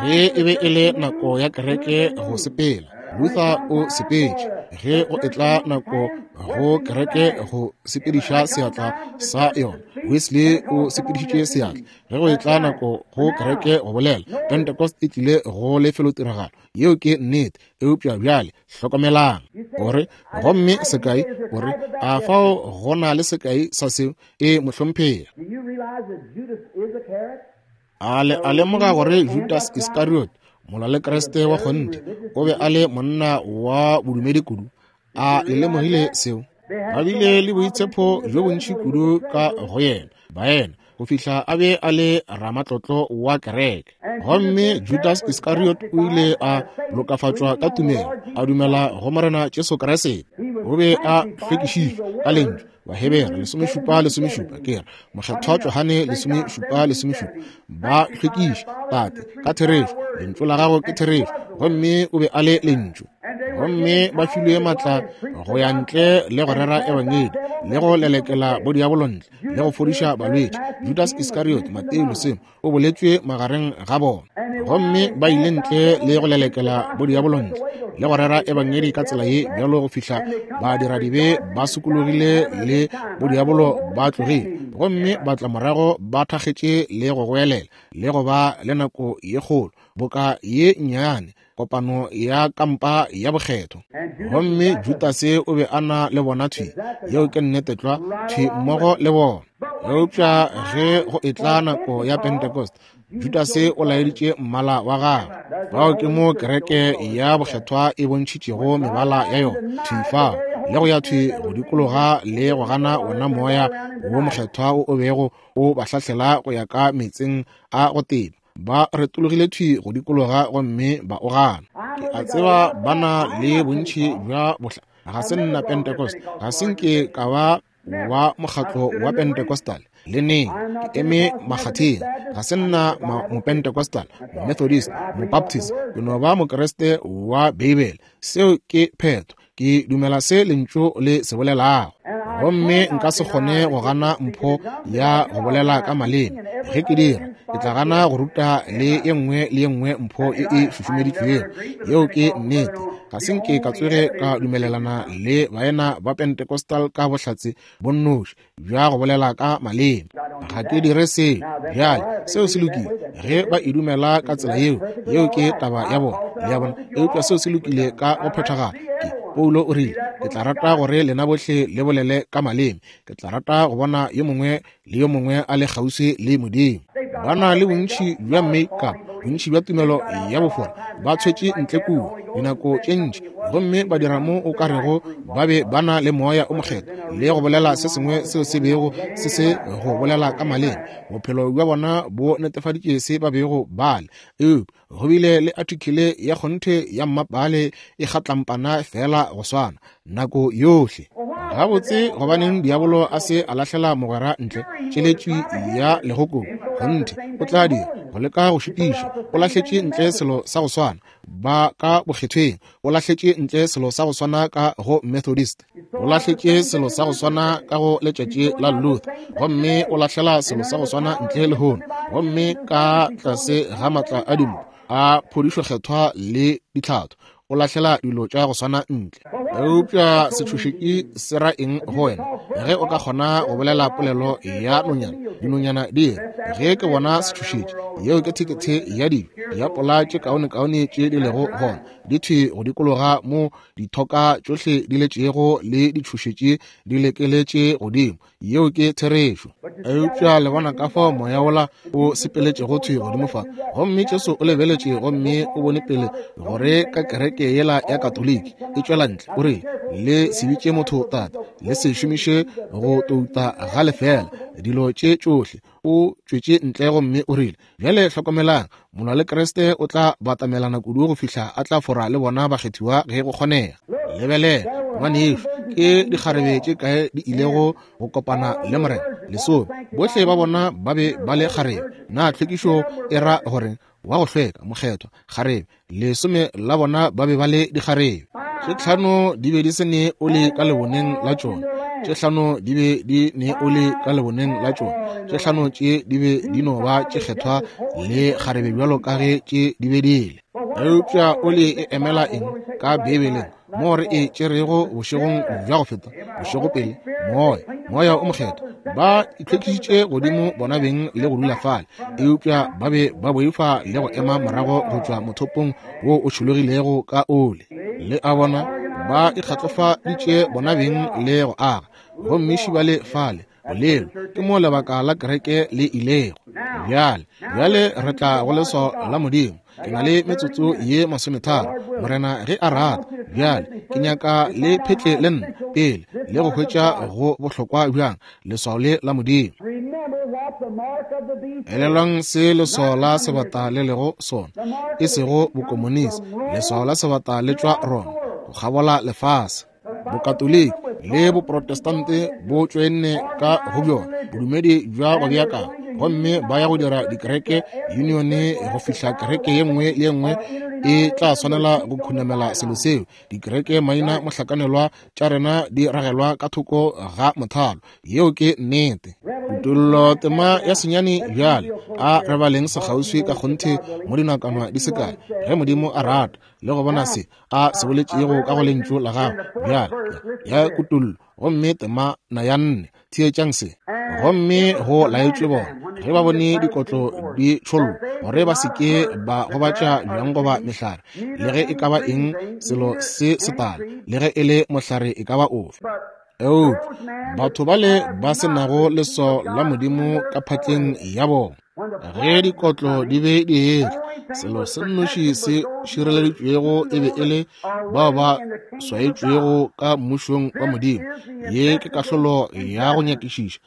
Ge e be e le nako ya kereke go sepela, Luther o sepetše. Ge go etla nako go kereke go sepediša seatla sa yona, Wesley o sepedišitše seatla. Ge go etla nako go kereke go bolela, Pentecost e tlile go lefelotiragalo. Yeo ke nnete. Eupša bjale hlokomelang, o re, gomme sekai, o re, a fao go na le sekai sa seo? E, mohlomphegi. A le a lemoga gore Judas Iscariot, molwa le Kriste wa kgonthe, o be a le monna wa bodumedi kudu? A le lemogile seo? Ba bile le boitshepo bjo bontši kudu ka go yena, baena, go fihla a be a le ramatlotlo wa kereke. Gomme Judas Iscariot o ile a lokafatšwa ka tumelo, a dumela go Morena Jesu Kriste. O be a hlwekišitšwe ka Lentšu. Bahebere 17:17, ke re, Mokgethwa Johane 17:17, ba hlwekiše, Tate, ka therešo, Lentšu la gago ke therešo. Gomme o be a le Lentšu. Gomme ba filwe maatla go ya ntle le go rera ebangedi, le go lelekela bodiabolo ntle, le go fodiša balwetši. Judas Iskariot, Mateo lesome, o boletšwe magareng ga bona. Gomme ba ile ntle le go lelekela bodiabolo ntle, le go rera ebangedi ka tsela ye bjalo go fihla badiradibe ba sokologile le bodiabolo ba tlogile, gomme ba tla morago ba thakgetše le go goelela le go ba le nako ye kgolo boka ye nnyane kopano ya kampa ya bokgetho. Gomme Judase o be a na le bona thwi, yeo ke nnete tlwa, thwi mmogo le bona. Eupša ge go etla nako ya Pentecost, Judase o laeditše mmala wa gagwe. Fao ke mo kereke ya bokgethwa e bontšhitšego mebala ya yona, thwi fao, le go ya thwi go dikologa le go gana wona Moya wo Mokgethwa wo o bego o ba hlahlela go ya ka meetseng a go teba. Ba retologile thwi go dikologa gomme ba o gana. Ke a tseba ba na le bontši bja bohla. Ga se nna Pentecost, ga se nke ka ba wa mokgatlo wa Pentecostal le neng. Ke eme makgatheng. Ga se nna Mopentecostal, Momethodist, Mobaptist. Ke no ba Mokriste wa Beibele. Seo ke phetho. Ke dumela se Lentšu le se bolelago. Gomme nka se kgone go gana mpho ya go bolela ka maleme. Ge ke dira, ke tla gana go ruta le ye nngwe le ye nngwe mpho e e šušumeditšwego. Yeo ke nnete. Ga se nke ka tsoge ka dumelelana le baena ba Pentecostal ka bohlatse bo nnoši bja go bolela ka maleme. Ga ke dire seo. Bjale, seo se lokile. Ge ba e dumela ka tsela yeo, yeo ke taba ya bona. Le a bona? Eupša seo se lokile ka go phethagala. Ke, Paulo o rile, ke tla rata gore lena bohle le bolele ka maleme. Ke tla rata go bona yo mongwe le yo mongwe a le kgauswi le Modimo. Ba na le bontši bja make-up, bontši bja tumelo ya bofora, ba tshwetše ntle kua dinako tše ntši, gomme ba dira mo o ka rego ba be ba na le Moya o Mokgethwa le go bolela se sengwe seo se bego se se go bolela ka maleme. Bophelo bja bona bo netefaditše se ba bego ba le. Eupša go bile le athikele ya kgonthe ya mmapale e kgatlampana feela go swana nako yohle. Gabotse, gobaneng diabolo a se a lahlela mogwera ntle tšeletši ya legokobu? Kgonthe o tla dira go leka go šitiša. O lahletše ntle selo sa go swana ba ka bokgethweng, o lahletše ntle selo sa go swana ka go Methodist, o lahletše selo sa go swana ka go letšatši la Luther, gomme o lahlela selo sa go swana ntle lehono, gomme ka tlase ga maatla a dimpho a phodišo kgethwa le ditlhatho, o lahlela dilo tša go swana ntle. Eupša setšhošetši se ra eng go wena? Ge o ka kgona go bolela polelo ya nonyana, dinonyana di re, ge ke bona setšhošetši, yeo ke thekethe ya dijo ya pola tše kaonekaone tše di lego gona, di thwi go dikologa mo dithoka tšohle di letšego le ditšhošetši di lekeletše godimo. Yeo ke therešo. Eupša le bona ka fao moya wola o sepeletšego thwi godimo fa. Gomme Jesu o lebeletše gomme o bone pele gore ka kereke yela ya Katoliki e tšwela ntle, o rile, Le se bitše motho tate, le se šomiše go touta ga lefeela dilo tše tšohle. O tšwetše ntle gomme o rile, Bjale hlokomelang, molwa le Kriste o tla batamelana kudu go fihla a tla fora le bona bakgethiwa ge go kgonega. Lebelela, ngwanešu, ke dikgarebe tše kae di ilego go kopana le Morena? Lesome. Bohle ba bona ba be ba le kgarebe. Na tlhwekišo e ra gore wa go hlweka, mokgethwa, kgarebe? Lesome la bona ba be ba le dikgarebe. Tše tlhano di be di se ne oli ka leboneng la tšona, tše tlhano di be di ne oli ka leboneng la tšona, tše tlhano tše di be di no ba tše kgethwa le kgarebe bjalo ka ge tše di be di le. Eupša oli e emela eng ka Beibeleng? Moo re e tšerego bošegong bja go feta, bošego pele, moya, moya o mokgethwa. Ba itlhwekišitše godimo bona beng le go dula fale, eupša ba be ba boifa le go ema morago go tšwa mothopong wo o tšhologilego ka oli. Le a bona, ba ikgatlofaditše bona beng le go aga, gomme šibale fale, bolelo ke mo lebaka la kereke le ilego. Bjale, bjale re tla go leswao la Modimo. Ke na le metsotso ye masometharo, Morena ge a rata. Bjale ke nyaka le phetle le nna pele le go hwetša go bohlokwa bjang leswao le la Modimo. Elelwang se leswao la sebata le lego sona, e sego bokomonisi. Leswao la sebata le tšwa Roma go kgabola lefase. Bokatoliki le Boprotestante bo tšoenne ka go bjona bodumedi bja go beakanya, gomme ba ya go dira dikereke unione go fihla kereke ye nngwe le ye nngwe e tla swanela go khunamela selo seo. Dikereke maina mohlakanelwa tša rena di ragelwa ka thoko ga mothalo. Yeo ke nnete. Kutollo tema ya senyane bjale. A re baleng sekgauswi ka kgonthe mo dinakwana di se kae, ge Modimo a rata, le go bona se A se boletšego ka go Lentšu la Gagwe bjale, ya Kutollo, gomme tema na ya nne. Theetšang se. Gomme go laetšwe bona, ge ba bone dikotlo di tšhollwa, gore ba se ke ba gobatša bjang goba mehlare, le ge e ka ba eng selo se setala, le ge e le mohlare e ka ba ofe. Eupša batho bale ba se nago leswao la Modimo ka phatleng ya bona, ge dikotlo di be di etla, selo se nnoši se šireleditšwego e be e le bao ba swaetšwego ka mmušong wa Modimo. Ye ke kahlolo ya go nyakišiša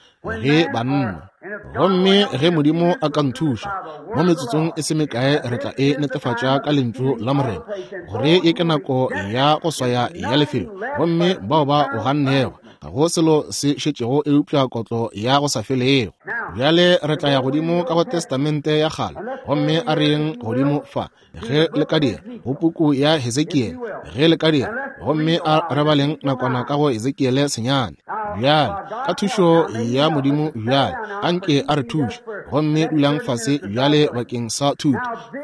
ge banna. Gomme ge Modimo a ka nthuša, mo metsotsong e se mekae re tla e netefatša ka Lentšu la Morena, gore ye ke nako ya go swaya ya lefelo, gomme bao ba o gannego, ga go selo se šetšego eupša kotlo ya go sa felego. Bjale re tla ya godimo ka go Testamente ya Kgale, gomme a re yeng godimo fa, ge le ka dira, go puku ya Hesekiele, ge le ka dira, gomme a re baleng nakwana ka go Hesekiele senyane. Bjale, ka thušo ya Modimo bjale, a nke a re thuše, gomme dulang fase bjale bakeng sa thuto,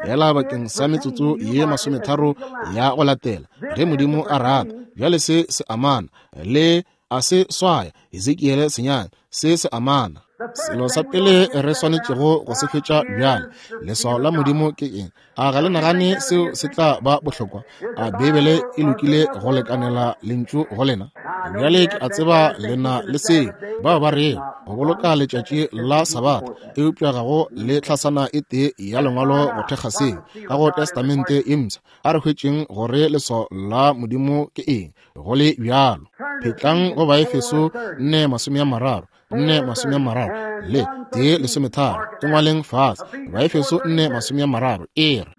feela bakeng sa metsotso ye masometharo ya go latela, ge Modimo a rata. Bjale se se amana le a se swaya Hesekiele senyane, se se amana. Selo sa pele re swanetšego go se fetša bjale, leswao la Modimo ke eng? A ga le nagane seo se tla ba bohlokwa? A Beibele e lokile go lekanela lentšu go lena? Bjale ke a tseba le na le seo bao ba rego go boloka letšatši la Sabatha, eupša ga go le tlhasana e tee ya lengwalo go thekga seo ka go Testamente e Mpsha. A re hwetšeng gore leswao la Modimo ke eng. Go le bjalo, phetlang go Baefeso 4:30, 4:30 le 1:13, e ngwaleng fase, Baefeso 4:30 e re,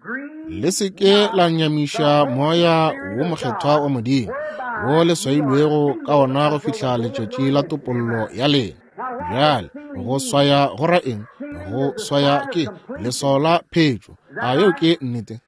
Le se ke la nyamiša Moya wo Mokgethwa wa Modimo, wo le swailwego ka ona go fihla letšatši la topollo ya lena. Bjale, go swaya go ra eng? Go swaya ke leswao la phetšo. A yeo ke nnete?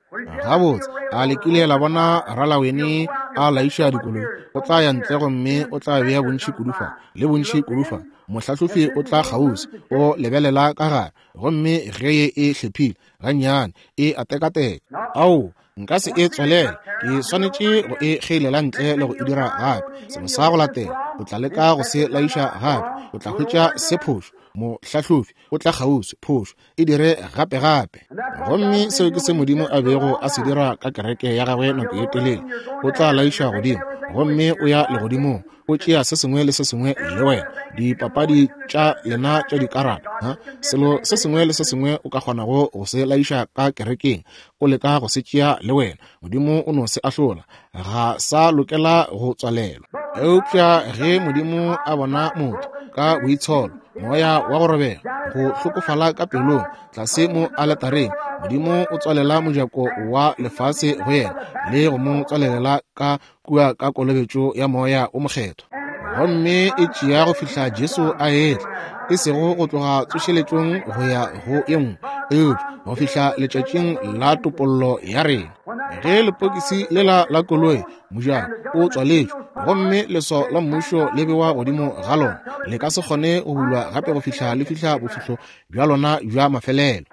Gabotse, a le kile la bona ralawene a laiša dikoloi? O tla ya ntle gomme o tla bea bontši kudu fa le bontši kudu fa. Mohlahlofi o tla kgauswi, o lebelela ka gare, gomme ge ye e hlephile gannyane, e a tekateka. Ao, nka se e tswalele, ke swanetše go e kgeilela ntle le go e dira gape. Selo sa go latela, o tla leka go se laiša gape, o tla hwetša se phošo. Mohlahlofi o tla kgauswi, phošo. e dire gape-gape. Gomme seo ke se Modimo a bego a se dira ka kereke ya gagwe nako ye telele. O tla laiša godimo, gomme o ya legodimong, o tšea se sengwe le se sengwe le wena, dipapadi tša lena tša dikarata, ha? Selo se sengwe le se sengwe o ka kgonago go se laiša ka kerekeng, o leka go se tšea le wena. Modimo o no se ahlola, ga sa lokela go tswalelwa. Eupša ge Modimo a bona motho ka boitsholo, moya wa go robega, go hlokofala ka pelong, tlase mo aletareng, Modimo o tswalela mojako wa lefase go yena le go mo tswalelela ka kua ka kolobetšo ya Moya o Mokgethwa. Gomme e tšea go fihla Jesu a etla, e sego go tloga tsošeletšong go ya go ye nngwe, eupša go fihla letšatšing la topollo ya rena. Ge lepokisi lela la koloi mojako o tswaletšwe gomme leswao la mmušo le bewa godimo ga lona, le ka se kgone go bulwa gape go fihla le fihla bofihlo bja lona bja mafelelo.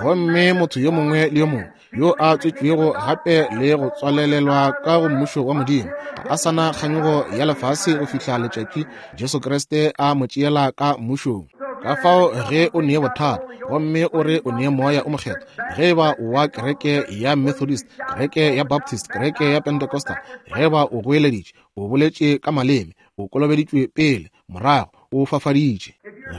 Gomme motho yo mongwe le yo mongwe yo a tswetšwego gape le go tswalelelwa ka go mmušo wa Modimo ga a sa na kganyogo ya lefase go fihla letšatši Jesu Kriste a mo tšeela ka mmušong. Ka fao ge o nee bothata gomme o re o nee Moya o Mokgethwa, ge e ba o wa kereke ya Methodist, kereke ya Baptist, kereke ya Pentecostal, ge e ba o goeleditše, o boletše ka maleme, o kolobeditšwe pele, morago, o fafaditše,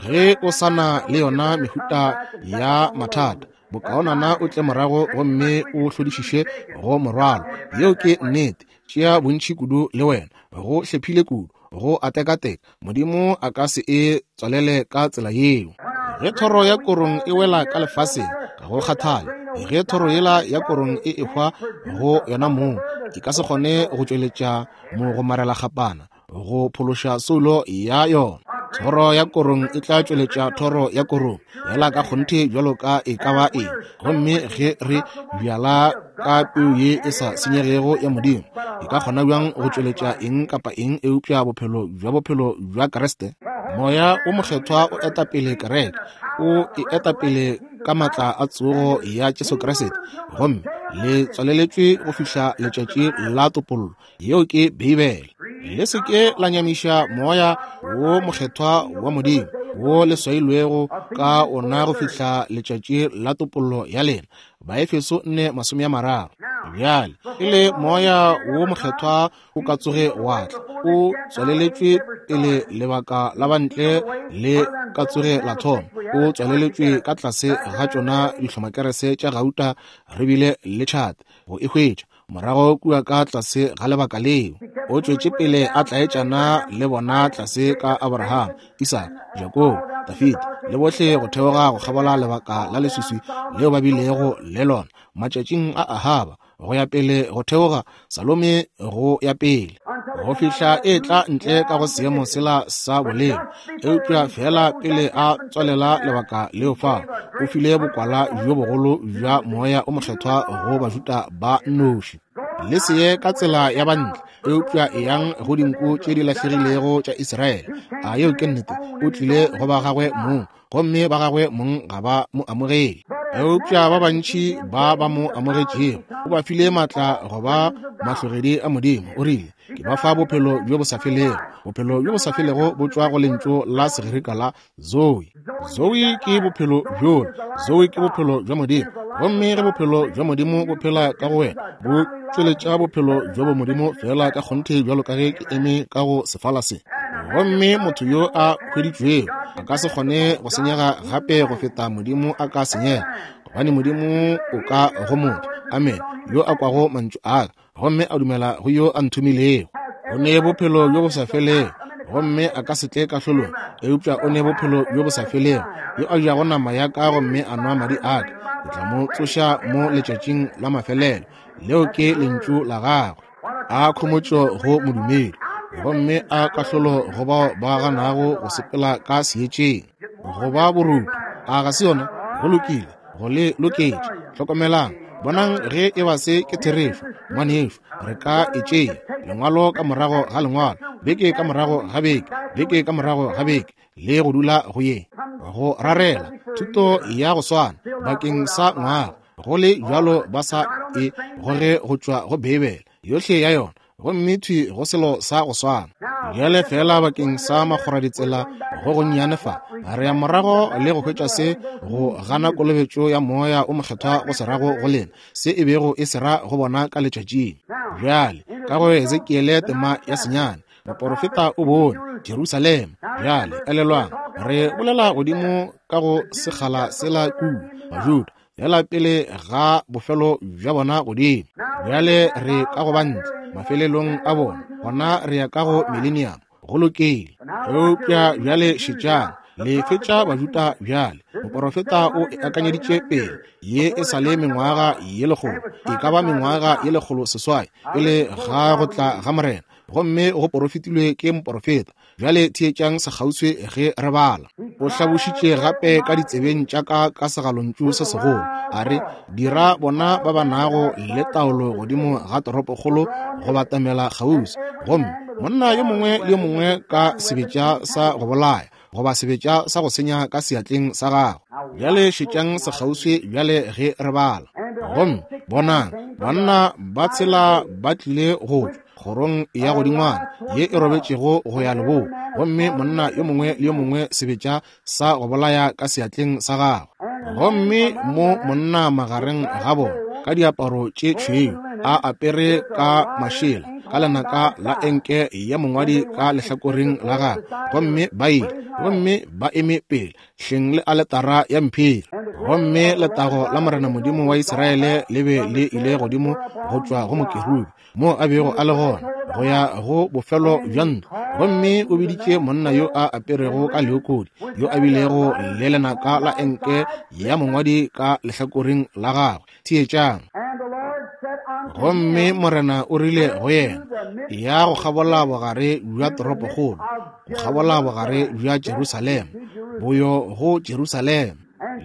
ge o sa na le yona mehuta ya mathata, bokaonana o tle morago gomme o hlodišiše go morwalo. Yeo ke nnete. Tšea bontši kudu le wena. Go hlephile kudu, go a tekateka. Modimo a ka se e tswalele ka tsela yeo. Ge thoro ya korong e wela ka lefaseng, ga go kgathale ge thoro yela ya korong e ehwa go yona mong, E ka se kgone go tšweletša mogomarelakgapana go phološa soulo ya yona. Thoro ya korong e tla tšweletša thoro ya korong, yela ka kgonthe bjalo ka e ka ba eng. Gomme ge re bjala ka peu ye e sa senyegego ya Modimo, e ka kgona bjang go tšweletša eng kapa eng eupša bophelo bja bophelo bja Kriste? Moya wo Mokgethwa o eta pele kereke, o e eta pele ka maatla a tsogo ya Jesu Kriste, gomme le tswaleletšwe go fihla letšatši la topollo. Yeo ke Beibele. Le se ke la nyamiša Moya wo Mokgethwa wa Modimo, wo le swailwego ka ona go fihla letšatši la topollo ya lena. Baefeso 4:30. Bjale, pele Moya wo Mokgethwa o ka tsoge wa tla, o tswaleletšwe pele lebaka la bantle le ka tsoge la thoma. O tswaleletšwe ka tlase ga tšona dihlomakerese tša gauta, re bile le tšhate go e hwetša. Morago kua ka tlase ga lebaka leo, o tšwetše pele a tlaetšana le bona tlase ka Abraham, Isaka, Jakobo, Dafida le bohle go theoga go kgabola lebaka la leswiswi leo ba bilego le lona matšatšing a Ahaba, go ya pele go theoga Salome go ya pele go fihla e tla ntle ka go seemo sela sa boleng. Eupša feela pele a tswalela lebaka leo fao, o file bokwala bjo bogolo bja Moya o Mokgethwa go Bajuda ba nnoši. Le se ye ka tsela ya bantle, eupša eyang go dinku tše di lahlegilego tša Israele. A yeo ke nnete? O tlile go ba gagwe mong, gomme ba gagwe mong ga ba mo amogele. Eupša ba bantši ba ba mo amogetšego, o ba file maatla go ba mahlogedi a Modimo. O rile, Ke ba fa bophelo bjo bo sa felego. Bophelo bjo bo sa felego bo tšwa go lentšu la Segerika la Zoe. Zoe ke bophelo bjola. Zoe ke bophelo bja Modimo. Gomme ge bophelo bja Modimo bo phela ka go wena, bo tšweletša bophelo bja bomodimo feela ka kgonthe bjalo ka ge ke eme ka go sefala se. Gomme motho yo a hweditšwego a ka se kgone go senyega gape go feta Modimo a ka senyega, gobane Modimo o ka go motho. Amen. Yo a kwago mantšu a ka gomme a dumela go yo a nthomilego, o ne bophelo bjo bo sa felego, gomme a ka se tle kahlolong, eupša o ne bophelo bjo bo sa felego. Yo a jago nama ya ka gomme a nwa madi a ka, ke tla mo tsoša mo letšatšing la mafelelo. Leo ke lentšu la gagwe. A khomotšo go modumedi, gomme a kahlolo go bao ba ganago go sepela ka seetšeng. Go ba borutho, a ga se yona? Go lokile, go le loketše. Hlokomelang, bonang ge e ba se ke therešo, ngwanešu, re ka e tšea lengwalo ka morago ga lengwalo, beke ka morago ga beke, beke ka morago ga beke, le go dula go ye go rarela thuto ya go swana bakeng sa ngwaga, go le bjalo ba sa e goge go tšwa go Beibele yohle ya yona, gomme thwi go selo sa go swana. Bjale feela bakeng sa makgoraditsela go gonnyane fa, re ya morago le go hwetša se go gana kolobetšo ya Moya o Mokgethwa go se rago go lena, se e bego e se ra go bona ka letšatšing. Bjale, ka go Hesekiele tema ya senyane, moporofeta o bone Jerusalema. Bjale, elelwang, re bolela godimo ka go sekgala sela kua, Bajuda, Bjala pele ga bofelo bja bona godimo. Bjale re ka go bantle mafelelong a bona, gona re ya ka go millennium. Go lokile. Eupša bjale šetšang, le fetša Bajuda bjale. Moporofeta o e akanyeditše pele, ye e sa le mengwaga ye lekgolo, e ka ba mengwaga ye 108 pele ga go tla ga Morena, gomme go porofetilwe ke moporofeta. Bjale theetšang sekgauswi ge re bala. O hlabošitše gape ka ditsebeng tša ka ka segalontšu se segolo, a re, Dira bona ba ba nago le taolo godimo ga toropokgolo go batamela kgauswi, gomme monna yo mongwe le yo mongwe ka sebetša sa go bolaya goba sebetša sa go senya ka seatleng sa gagwe. Bjale šetšang sekgauswi bjale ge re bala. Gomme bonang, banna ba tshela ba tlile go tšwa kgorong ya godingwana ye e robetšego go ya leboa, gomme monna yo mongwe le yo mongwe sebetša sa go bolaya ka seatleng sa gagwe. Gomme mo monna magareng ga bona ka diaparo tše tšhweu, a apere ka mašela, ka lenaka la enke ya mongwadi ka lehlakoreng la gagwe, gomme ba ile gomme ba eme pele hleng le aletara ya mphiri. Gomme letago la Morena Modimo wa Israele le be le ile godimo go tšwa go mokerubi moo a bego a le gona go ya go bofelo bja ntlo, gomme o biditše monna yo a aperego ka leokodi, yo a bilego le lenaka la enke ya mongwadi ka lehlakoreng la gagwe. Theetšang. Gomme Morena o rile go yena, Ya go kgabola bogare bja toropokgolo, go kgabola bogare bja Jerusalema, boyo go Jerusalema,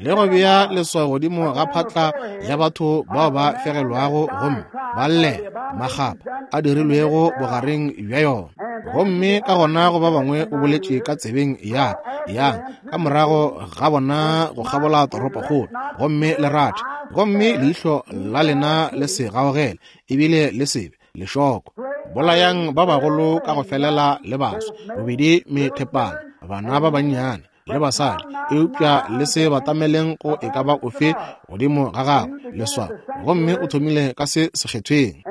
le go bea leswao godimo ga phatla ya batho bao ba fegelwago gomme ba llela makgapa a dirilwego bogareng bja yona. Gomme ka gona go ba bangwe o boletše ka tsebeng ya ka, Yang ka morago ga bona go kgabola toropokgolo, gomme le rathe, gomme leihlo la lena le se gaogele, ebile le se be lešoko. Bolayang ba bagolo ka go felela le baswa, bobedi methepana, bana ba bannyane le basadi, eupša le se batameleng go e ka ba ofe godimo ga gagwe leswao. Gomme o thomile ka se sekgethweng.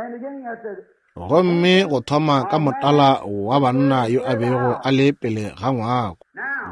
Gomme go thoma ka motala wa banna yo a bego a le pele ga ngwako.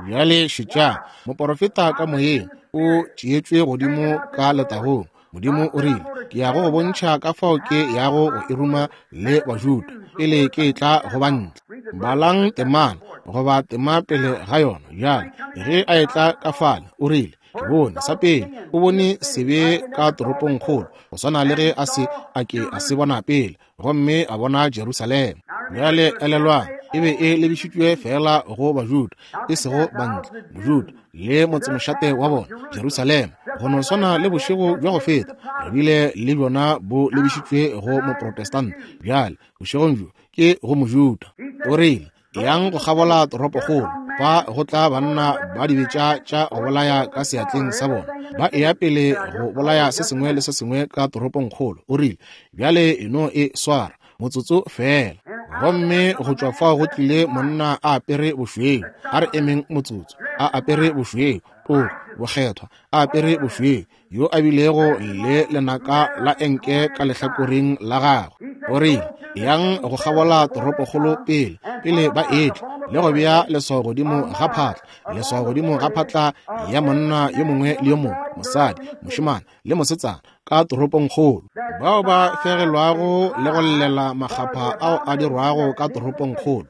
Bjale šetšang, moporofeta ka moyeng o tšeetšwe godimo ka letagong. Modimo o rile, Ke ya go go bontšha ka fao ke yago go e ruma le Bajuda pele ke etla go bantle. Balang temana goba tema pele ga yona. Bjale ge a etla ka fale, o rile, Ke bone sa pele, o bone sebe ka toropongkgolo, go swana le ge a se a ke a se bona pele, gomme a bona Jerusalema. Bjale elelwang, e be e lebišitšwe feela go Bajuda, e sego bantle, Mojuda le motsemošate wa bona, Jerusalema. Go no swana le bošego bja go feta, re bile le bjona bo lebišitšwe go Moprotestant. Bjale, bošegong bjo ke go Mojuda. O rile, Yang go kgabola toropokgolo, fa go tla banna ba dibetša tša go bolaya ka seatleng sa bona, ba eya pele go bolaya se sengwe le se sengwe ka toropongkgolo. O rile, Bjale e no e swara motsotso feela. Gomme go tšwa fao go tlile monna a apere bošweu. A re emeng motsotso. A apere bošweu, toko, bokgethwa, a apere bošweu, yo a bilego le lenaka la enke ka lehlakoreng la gagwe. O rile, Yang go kgabola toropokgolo pele, pele ba etla, le go bea leswao godimo ga phatla, leswao godimo ga phatla ya monna yo mongwe le yo mongwe, mosadi, mošemane le mosetsana, ka toropongkgolo, bao ba fegelwago le go llela makgapha ao a dirwago ka toropongkgolo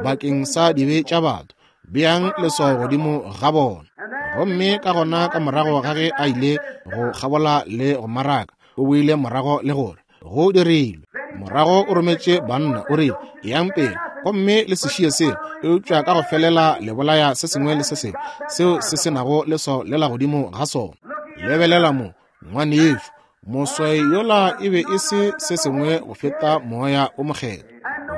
bakeng sa dibe tša batho. Beang leswao godimo ga bona. Gomme ka gona ka morago ga ge a ile go kgabola le go maraka, o boile morago le gore go dirilwe. Morago o rometše banna, o rile, Yang pele gomme le se šie seo, eupša ka go felela le bolaya se sengwe le se sengwe seo se se nago leswao le la godimo ga sona. Lebelela mo, ngwanešu, moswai yola e be e se se sengwe go feta Moya o Mokgethwa.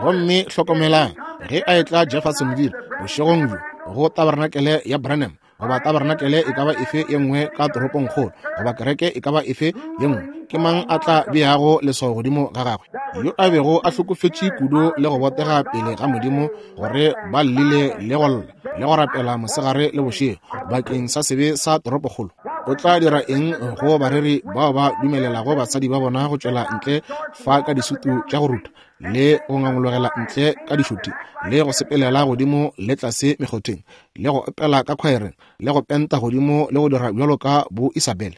Gomme hlokomelang, ge a etla Jeffersonville bošegong bjo go tabarenakele ya Branham, goba tabarenakele e ka ba efe ye nngwe ka toropongkgolo, goba kereke e ka ba efe ye nngwe, ke mang a tla beago leswao godimo ga gagwe? Yo a bego a hlokofetše kudu le go botega pele ga Modimo gore ba llile le go lla le go rapela mosegare le bošego bakeng sa sebe sa toropokgolo. O tla dira eng go bareri bao ba dumelelago basadi ba bona go tšwela ntle fa ka disutu tša go rutha le go ngangologela ntle ka dišuti le go sepelela godimo le tlase mekgotheng le go opela ka khwaereng le go penta godimo le go dira bjalo ka bo Isabel?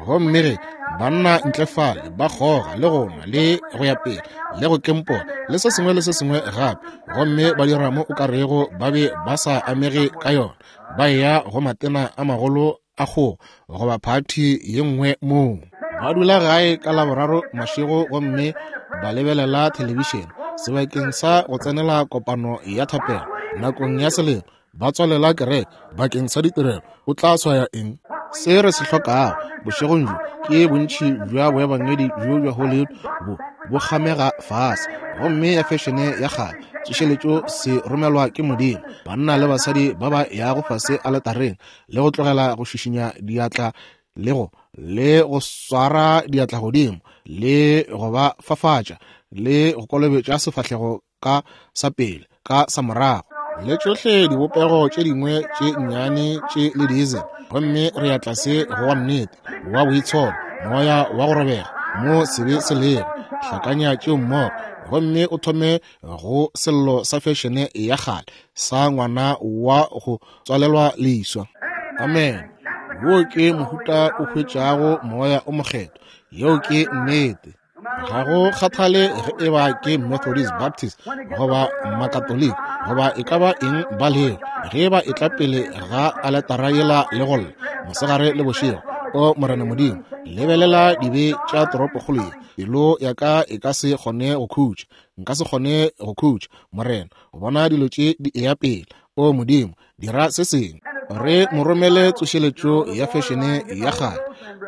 Gomme ge banna ntle fale ba kgoga le go nwa le go ya pele le go kempola le se sengwe le se sengwe gape, gomme ba dira mo o ka rego ba be ba sa amege ka yona, ba eya go matena a magolo a kgogo goba phathi ye nngwe moo ba dula gae ka Laboraro mašego gomme ba lebelela thelebišene sebakeng sa go tsenela kopano ya thapelo nakong ya selemo, ba tswalela kereke bakeng sa ditirelo. O tla swaya eng? Se re se hlokago bošegong bjo ke bontši bja boebangedi bjo bja Hollywood bo bo kgamega fase, gomme ya fešene ya kgale tsošeletšo se romelwa ke Modimo, banna le basadi ba ba yago fase aletareng le go tlogela go šišinya diatla le go le go swara diatla godimo le go ba fafatša le go kolobetša sefahlego ka sa pele ka sa morago le tšohle dibopego tše dingwe tše nnyane tše le diesel, gomme re ya tlase go wa nnete wa boitsholo, moya wa go robega mo sebe se lego. Hlakanya tšeo mmogo gomme o thome go sello sa fešene ya kgale sa ngwana wa go tswalelwa leswa. Amen. Wo ke mohuta o hwetšago Moya o Mokgethwa. Yeo ke nnete. Ga go kgathale ge e ba ke Methodist, Baptist, goba Makatoliki, goba e ka ba eng ba lego, ge ba etla pele ga aletara yela le go lla mosegare le bošego, O Morena Modimo, lebelela dibe tša toropokgolo ye. Pelo ya ka e ka se kgone go khutša. Nka se kgone go khutša, Morena, go bona dilo tše di eya pele. O Modimo, dira se sengwe. Re mo romele tsošeletšo ya fešene ya kgale.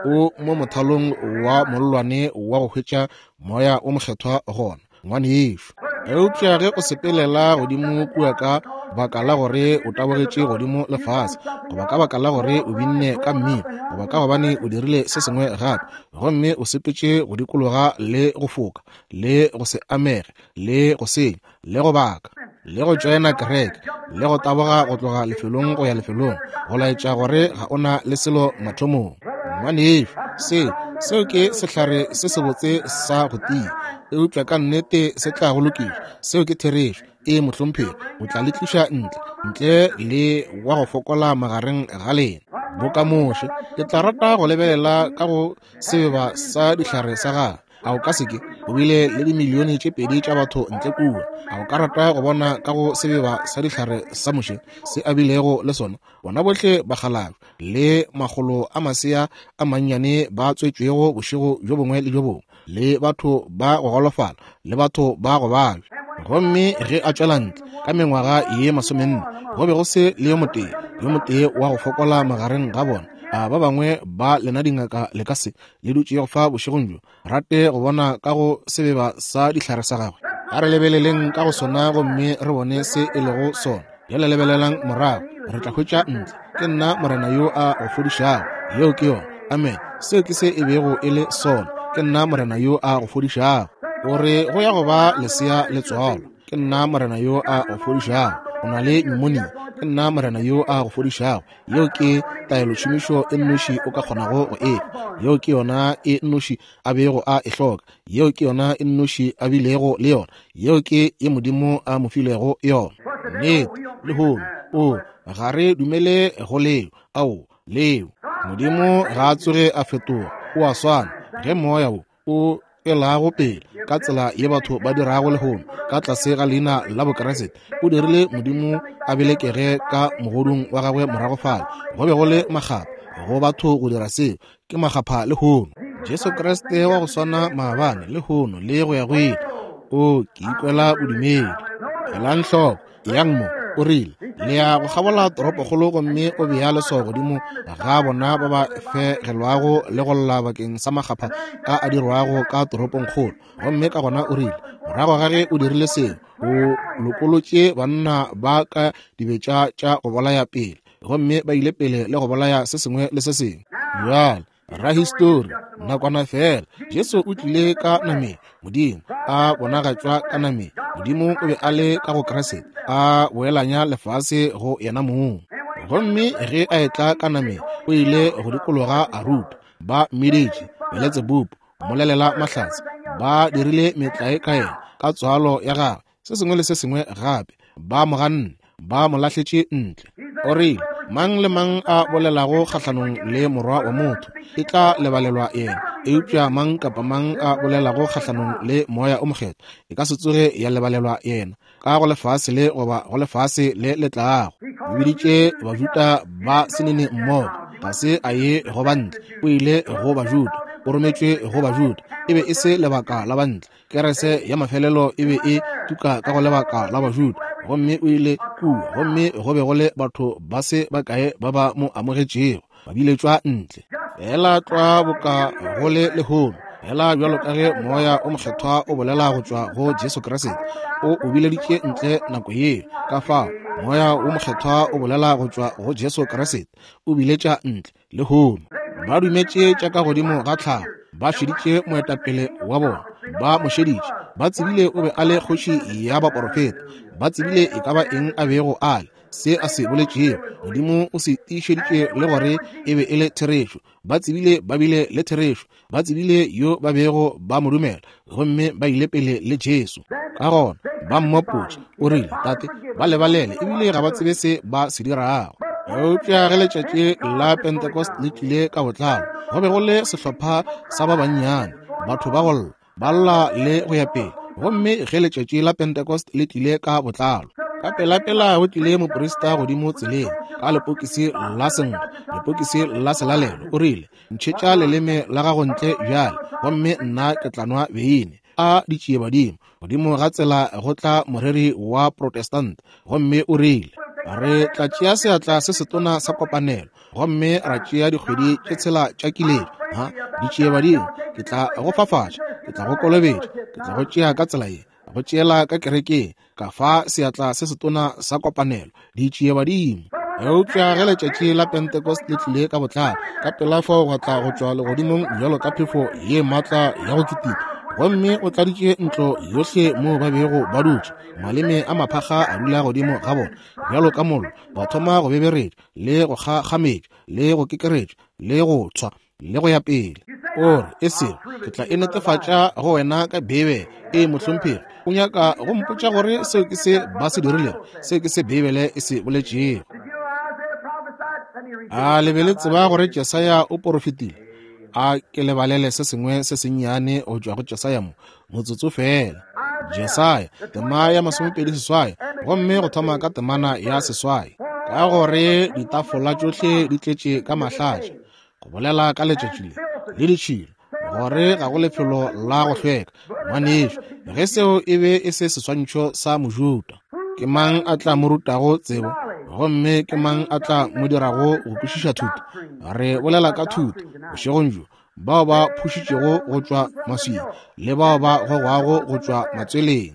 O mo mothalong wa mollwane wa go hwetša Moya o Mokgethwa gona, ngwanešu. Eupša ge o sepelela godimo kua ka baka la gore o tabogetše godimo le fase, goba ka baka la gore o binne ka mmino, goba ka gobane o dirile se sengwe gape, gomme o sepetše go dikologa le go foka, le go se amege, le go senya, le go baka, le go tšoena kereke, le go taboga go tloga lefelong go ya lefelong, go laetša gore ga o na le selo mathomong. Ngwanešu, seo, seo ke sehlare se sebotse sa go tia, eupša ka nnete se tla go lokiša. Seo ke therešo. Ee, mohlomphegi, o tla le tliša ntle, ntle le wa go fokola magareng ga lena. Boka Moshe, ke tla rata go lebelela ka go sebeba sa dihlare sa gagwe. A o ka se ke? O bile le dimilione tše pedi tša batho ntle kua. A o ka rata go bona ka go sebeba sa dihlare sa Moshe se a bilego le sona? Bona bohle bakgalabje le makgolo a masea a mannyane ba tswetšwego bošego bjo bongwe le bjo bongwe, le batho ba go golofala le batho ba go babja. Gomme ge a tšwela ntle ka mengwaga ye masomenne, go be go se le yo motee, yo motee wa go fokola magareng ga bona. A ba bangwe ba lena dingaka le ka se le dutšego fa bošegong bjo rate go bona ka go sebeba sa dihlare sa gagwe? A re lebeleleng ka go sona gomme re bone se e lego sona. Bjale lebelelang morago, re tla hwetša ntle. Ke nna Morena yo a go fodišago. Yeo ke yona. Amen. Seo ke se e bego e le sona. Ke nna Morena yo a go fodišago. O re go ya go ba lesea le tswalwa. Ke nna Morena yo a go fodišago. O na le pneumonia. Ke nna Morena yo a go fodišago. Yeo ke taelotšhomišo e nnoši o ka kgonago go e fa. Yeo ke yona e nnoši a bego a e hloka. Yeo ke yona e nnoši a bilego le yona. Yeo ke ye Modimo a mo filego yona. Nnete, lehono, o, ga re dumele go leo. Ao, leo. Modimo ga a tsoge a fetoga. O a swana. Ge Moya wo o elago pele ka tsela ye batho ba dirago lehono ka tlase ga leina la Bokriste, o dirile Modimo a belekege ka mogodung wa gagwe morago fale. Go be go le makgapha go batho go dira seo. Ke makgapha lehono. Jesu Kriste wa go swana maabane, lehono, le go ya go ile. O, ke ikwela bodumedi. Elang hloko. Eyang mo, o rile, le ya go kgabola toropokgolo gomme o bea leswao godimo ga bona ba ba fegelwago le go lla bakeng sa makgapha a a dirwago ka toropongkgolo. Gomme ka gona o rile, morago ga ge o dirile seo, o lokolotše banna ba ka dibetša tša go bolaya pele, gomme ba ile pele le go bolaya se sengwe le se sengwe. Bjale, Rahistori, nakwana feela, Jesu o tlile ka nameng, Modimo a bonagatšwa ka nameng. Modimo o be a le ka go Kriste, a boelanya lefase go yena mong. Gomme ge a etla ka nameng, o ile go dikologa a ruta. Ba mmiditše Beletsebubu, mmolelela mahlatse. Ba dirile metlae ka yena, ka tswalo ya gagwe, se sengwe le se sengwe gape. Ba mo ganne, ba mo lahletše ntle. O rile, Mang le mang a bolelago kgahlanong le Morwa wa motho, e tla lebalelwa yena. Eupša mang kapa mang a bolelago kgahlanong le Moya o Mokgethwa, e ka se tsoge ya lebalelwa yena, ka go lefase le goba go lefase le le tlago. O biditše Bajuda ba senene mmogo. Ga se a ye go bantle, o ile go Bajuda. O rometšwe go Bajuda. E be e se lebaka la bantle. Kerese ya mafelelo e be e tuka ka go lebaka la Bajuda, gomme o ile kua, gomme go be go le batho ba se bakae ba ba mo amogetšego, ba biletšwa ntle. Feela tlwa boka go le lehono, feela bjalo ka ge Moya o Mokgethwa o bolela go tšwa go Jesu Kriste, o o bileditše ntle nako yeo. Ka fao, Moya wo Mokgethwa o bolela go tšwa go Jesu Kriste, o biletša ntle Lehono ba dumetše tša ka godimo ga tlhago, ba šeditše moetapele wa bona, ba mo šeditše, ba tsebile o be a le kgoši ya baporofeta, ba tsebile e ka ba eng a bego a le, se a se boletšego, Modimo o se tiišeditše le gore e be e le therešo. Ba tsebile ba bile le therešo, ba tsebile yo ba bego ba mo dumela, gomme ba ile pele le Jesu. Ka gona ba mmopotše, o rile, Tate, ba lebalele, ebile ga ba tsebe se ba se dirago. Eupša ge letšatši la Pentecost le tlile ka botlalo, go be go le sehlopha sa ba bannyane, batho ba go lla, ba lla le go ya pele. Gomme ge letšatši la Pentecost le tlile ka botlalo, ka pelapela go tlile moprista godimo tseleng ka lepokisi la senkgwa. lepokisi la selalelo, o rile, Ntšhetša leleme la gago ntle bjale, gomme nna ke tla nwa beine. A ditšiebadimo! Godimo ga tsela go tla moreri wa Protestant, gomme o rile, Re tla tšea seatla se setona sa kopanelo, gomme ra tšea dikgwedi tše tshela tša kiletšo. Ha, ditšiebadimo! Ke tla go fafatša, ke tla go kolobetša, ke tla go tšea ka tsela ye, go tšeela ka kerekeng, ka fa seatla se setona sa kopanelo. Ditšiebadimo! Eupša ge letšatši la Pentecost le tlile ka botlalo, ka pela fao gwa tla go tšwa legodimong bjalo ka phefo ye maatla ya go kitima, gomme o tladitše ntlo yohle moo ba bego ba dutše. Maleme a maphakga a dula godimo ga bona bjalo ka mollo, ba thoma go beberetša le go kgakgametša le go kekeretša le go tshwa le go ya pele. O re, e sego, ke tla e netefatša go wena ka Beibele. Ee, mohlomphegi, o nyaka go mpotša gore seo ke se ba se dirilego, seo ke se Beibele e se boletšego. A le be le tseba gore Jesaya o porofetile? A ke le balele se sengwe se sennyane go tšwa go Jesaya mo, motsotso feela. Jesaya, tema ya 28, gomme go thoma ka temana ya 8. Ka gore ditafola tšohle di tletše ka mahlatša, go bolela ka letšatši le le ditšhila, gore ga go lefelo la go hlweka. Ngwanešu, ge seo e be e se seswantšho sa Mojuda, ke mang a tla mo rutago tsebo? Gomme ke mang a tla mo dirago go kwešiša thuto? Re bolela ka thuto bošegong bjo, bao ba phušitšego go tšwa maswing le bao ba gogwago go tšwa matsweleng.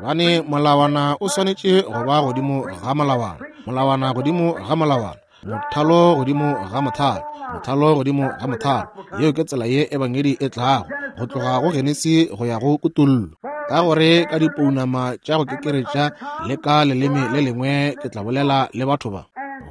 Gobane molawana o swanetše go ba godimo ga molawana, molawana godimo ga molawana, mothalo godimo ga mothalo, mothalo godimo ga mothalo. Yeo ke tsela ye Ebangedi e tlago, go tloga go Genesi go ya go Kutollo. Ka gore ka dipounama tša go kekeretša le ka leleme le lengwe ke tla bolela le batho ba.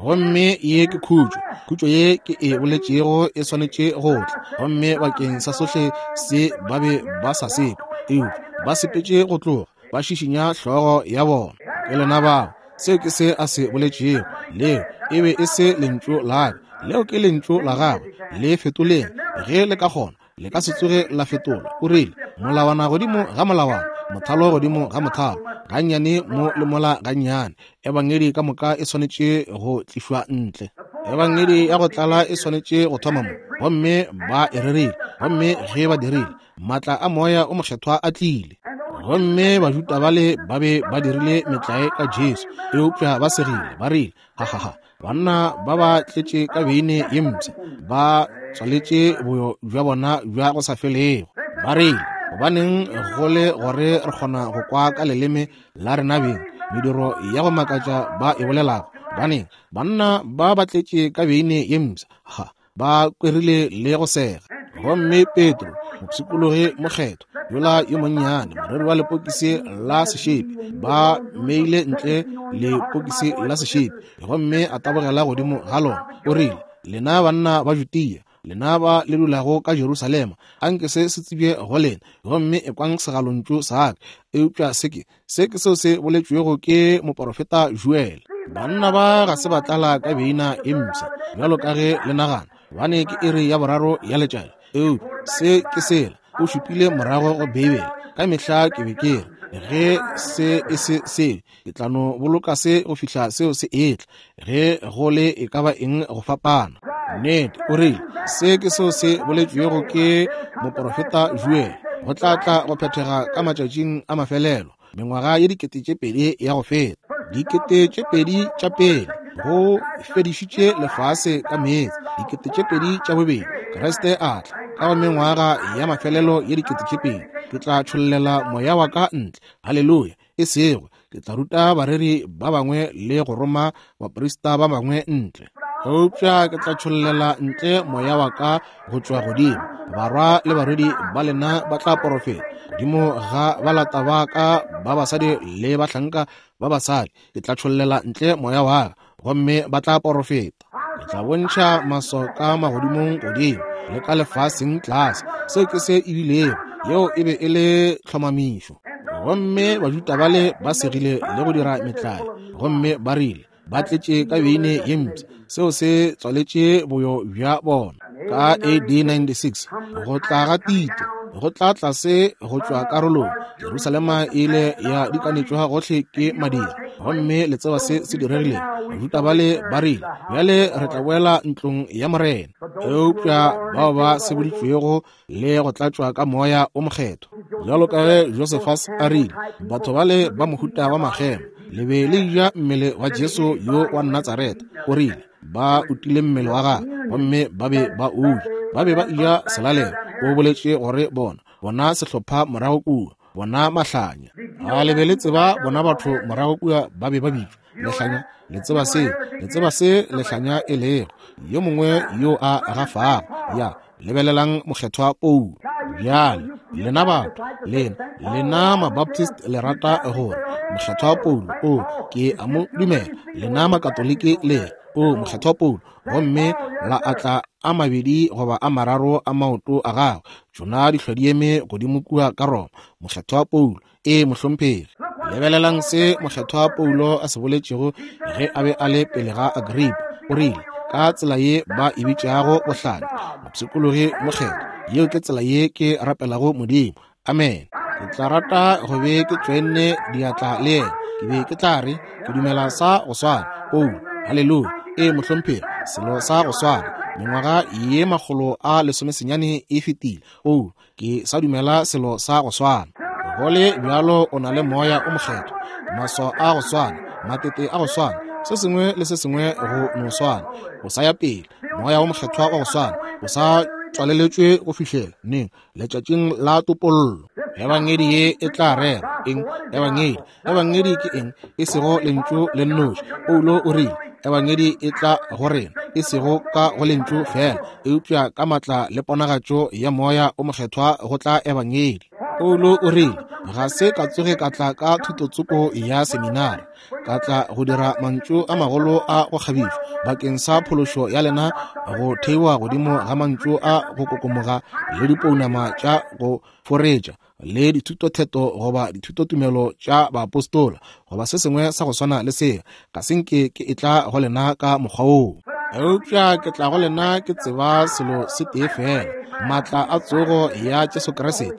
Gomme ye ke khutšo, khutšo ye ke e boletšego e swanetše go tla. Gomme bakeng sa sohle se ba be ba sa se kwe, eupša ba sepetše go tloga, ba šišinya hlogo ya bona. Ke lena bao. Seo ke se a se boletšego. Leo e be e se lentšu la ka, leo ke lentšu la gagwe. Le fetoleng ge le ka kgona, le ka se tsoge la fetolwa. O rile, Molawana godimo ga molawana, mothalo godimo ga mothalo, gannyane mo le mola gannyane. Ebangedi ka moka e swanetše go tlišwa ntle. Ebangedi ya go tlala e swanetše go thoma mo. Gomme ba e rerile. Gomme ge ba dirile, maatla a Moya o Mokgethwa a tlile. Gomme Bajuda bale ba be ba dirile metlae ka Jesu, eupša ba segile, ba rile, Ha, ha, ha, banna ba ba tletše ka beine ye mpsha, ba tswaletše boyo bja bona bja go sa felego. Ba rile, Gobaneng go le gore re kgona go kwa ka leleme la rena beng mediro ya go makatša ba e bolelago? Gobaneng banna ba ba tletše ka beine ye mpsha? Ha, ba kwerile le go sega. Gomme Petro, mopshikologi mokgethwa yola yo monnyane, moreri wa lepokisi la sešepi, ba mmeile ntle lepokisi la sešepi, gomme a tabogela godimo ga lona. O rile, Lena banna ba Judea, lena ba le dulago ka Jerusalema, anke se se tsebje go lena, gomme ekwang segalontšu sa ka. Eupša se ke, Se ke seo se boletšwego ke moporofeta Joel. Banna ba ga se ba tlala ka beina e mpsha bjalo ka ge le nagana, gobane ke iri ya boraro ya letšatši. Eupša se ke sela, o šupile morago go Beibele. Ka mehla ke be ke re, ge se e se seo, ke tla no boloka se go fihla seo se etla, ge go le e ka ba eng go fapana. Nnete, o rile, se ke seo se boletšwego ke moporofeta Joel, go tla tla go phethega ka matšatšing a mafelelo, mengwaga ye 2000 ya go feta, 2000 tša pele, go fedišitše lefase ka meetse, 2000 tša bobedi, Kriste a tla, ka go mengwaga ya mafelelo ye 2000, ke tla tšhollela moya wa ka ntle. Haleluya! E sego, ke tla ruta bareri ba bangwe le go roma baprista ba bangwe ntle, eupša ke tla tšhollela ntle moya wa ka go tšwa godimo. Barwa le barwedi ba lena ba tla porofeta godimo ga balata ba ka ba basadi le bahlanka ba basadi, ke tla tšhollela ntle moya wa ka gomme ba tla porofeta. Ke tla bontšha maswao ka magodimong godimo le ka lefaseng tlase. Seo ke se e bilego, yeo e be e le tlhomamišo. Gomme Bajuda bale ba segile le go dira metlae, gomme ba rile ba tletše ka beine ye mpsha. Seo se tswaletše boyo bja bona. Ka AD 96, go tla ga Tito go tla tlase go tšwa karolong, Jerusalema e ile ya dikanetšwa gohle ke madira. Gomme le tseba se se diregilego. Bajuda bale ba rile, Bjale re tla boela ntlong ya Morena. Eupša bao ba seboditšwego le go tlatšwa ka Moya o Mokgethwa, bjalo ka ge Josephus a rile, batho bale ba mohuta wa makgema, le be le ja mmele wa Jesu yo wa Natsaretha. O rile, ba utile mmele wa gagwe gomme ba be ba o ja. Ba be ba eja selalelo. O boletše gore bona, bona sehlopha morago kua, bona mahlanya. A le be le tseba bona batho morago kua ba be ba bitšwa lehlanya? Le tseba se, le tseba se lehlanya e lego, yo mongwe yo a gafago. Ya, lebelelang Mokgethwa Paulo. Bjale, lena batho, lena, lena Mabaptist le rata gore Mokgethwa Paulo, o, ke a mo dumela. Lena Makatoliki le, o, Mokgethwa Paulo, gomme la atla a mabedi goba a mararo a maoto a gagwe, tšona dihlwa di eme godimo kua ka Roma. Mokgethwa Paulo, ee mohlomphegi. Lebelelang se Mokgethwa Paulo a se boletšego ge a be a le pele ga Agripa. O rile, ka tsela ye ba e bitšago bohlanya, mopshikologi mokgethwa, yeo ke tsela ye ke rapelago Modimo. Amen. Ke tla rata go be ke tšoenne diatla le yena. Ke be ke tla re, ke dumela sa go swana. Paulo, haleluya. Ee mohlomphegi, selo sa go swana. Mengwaga ye 190 e fetile. Paulo, ke sa dumela selo sa go swana. Go le bjalo o na le Moya o Mokgethwa, maswao a go swana, matete a go swana, se sengwe le se sengwe go no swana. O sa ya pele, Moya o Mokgethwa wa go swana, o sa tswaleletšwe go fihlela neng? Letšatšing la topollo. Ebangedi ye e tla rera eng? Ebangedi, Ebangedi ke eng? E sego lentšu le nnoši. Paulo o rile, Ebangedi e tla go rena, e sego ka go lentšu fela, eupša ka matla le ponagatšo ya Moya o Mokgethwa go tla Ebangedi. Paulo o rile, Ga se ka tsoge ka tla ka thutotsoko ya seminari, ka tla go dira mantšu a magolo a go kgabišwa bakeng sa phološo ya lena, go theiwa godimo ga mantšu a go kokomoga le dipounama tša go foretša le dithutotheto goba dithutotumelo tša baapostola goba se sengwe sa go swana le se. Ga se nke ke etla go lena ka mokgwa woo, eupša ke tla go lena ke tseba selo se tee fela, maatla a tsogo ya Jesu Kriste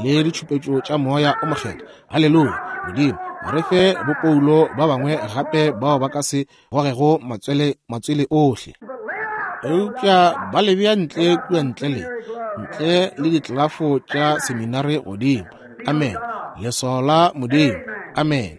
le ditšhupetšo tša Moya o Mokgethwa. Haleluya! Modimo, re fe bopoulo ba bangwe gape bao ba ka se gogego matswele, matswele ohle, eupša ba le bea ntle kua ntle le ntle le ditlelafo tša seminari godimo. Amen. Leswao la Modimo. Amen.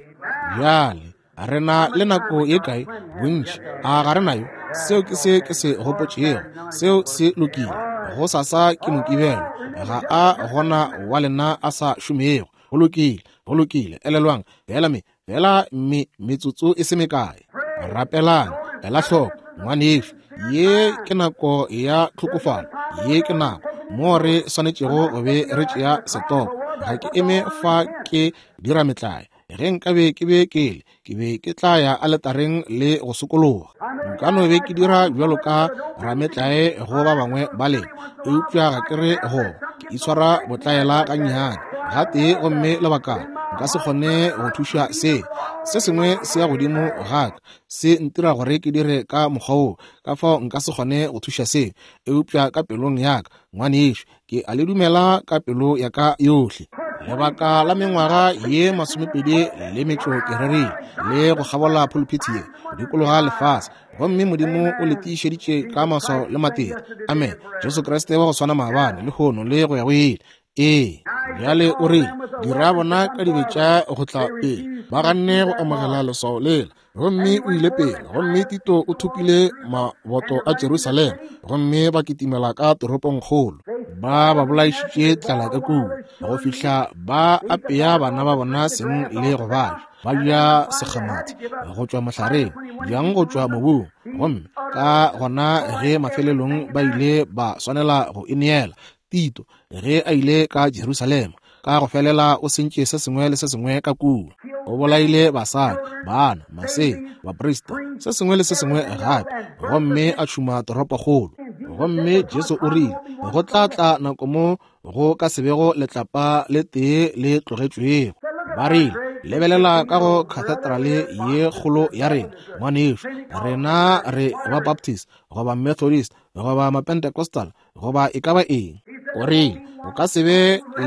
Bjale re na le nako ye kae? Bontši a ga re nayo? Seo ke se ke se gopotšego. Seo se lokile. Go sasa ke Mokibelo. Ga a gona wa lena a sa šomego. Go lokile, go lokile. Elelwang, fela me fela me metsotso e se mekae. Rapelang, ela hloko, ngwanešu, ye ke nako ya tlhokofalo, ye ke nako moo re swanetšego go be re tšea setopo. Ga ke eme fa ke dira metlae. Ge nkabe ke be ke le, ke be ke tla ya aletareng le go sokologa. Nka no be ke dira bjalo ka rametlae go ba bangwe ba lena, eupša ga ke re go ke itshwara botlaela gannyane gatee gomme lebakana nka se kgone go thuša se. Se sengwe se ya godimo ga ka, se ntira gore ke dire ka mokgwa woo, ka fao nka se kgone go thuša se. Eupša ka pelong ya ka, ngwanešu, ke a le dumela ka pelo ya ka yohle. Lebaka la mengwaga ye 20 le metšo ke rerile le go kgabola phuluphithi ye go dikologa lefase, gomme Modimo o le tiišeditše ka maswao le matete. Amen. Jesu Kriste wa go swana maabane, lehono, le go ya go ile. Ee. Bjale o rile, dira bona ka dibe tša go tla pele. Ba ganne go amogela leswao lela. Gomme o ile pele, gomme Tito o thopile maboto a Jerusalema, gomme ba kitimela ka toropongkgolo. Ba ba bolaišitše tlala ka kua, go fihla ba apea bana ba bona seng le go ba ja. Ba ja sekgamathi go tšwa mohlareng, bjang go tšwa mobung. Gomme ka gona ge mafelelong ba ile ba swanela go ineela, Tito ge a ile ka Jerusalema, ka go felela o sentše se sengwe le se sengwe ka kua. O bolaile basadi, bana, masea, baprista, se sengwe le se sengwe gape, gomme a tšhuma toropokgolo. Gomme Jesu o rile, go tla tla nako mo go ka se bego letlapa le tee le tlogetšwego. Ba rile, lebelela ka go kathedrale ye kgolo ya rena, ngwanešu, rena re ba Baptist goba Methodist goba Mapentecostal goba e ka ba eng. O rile, go ka se be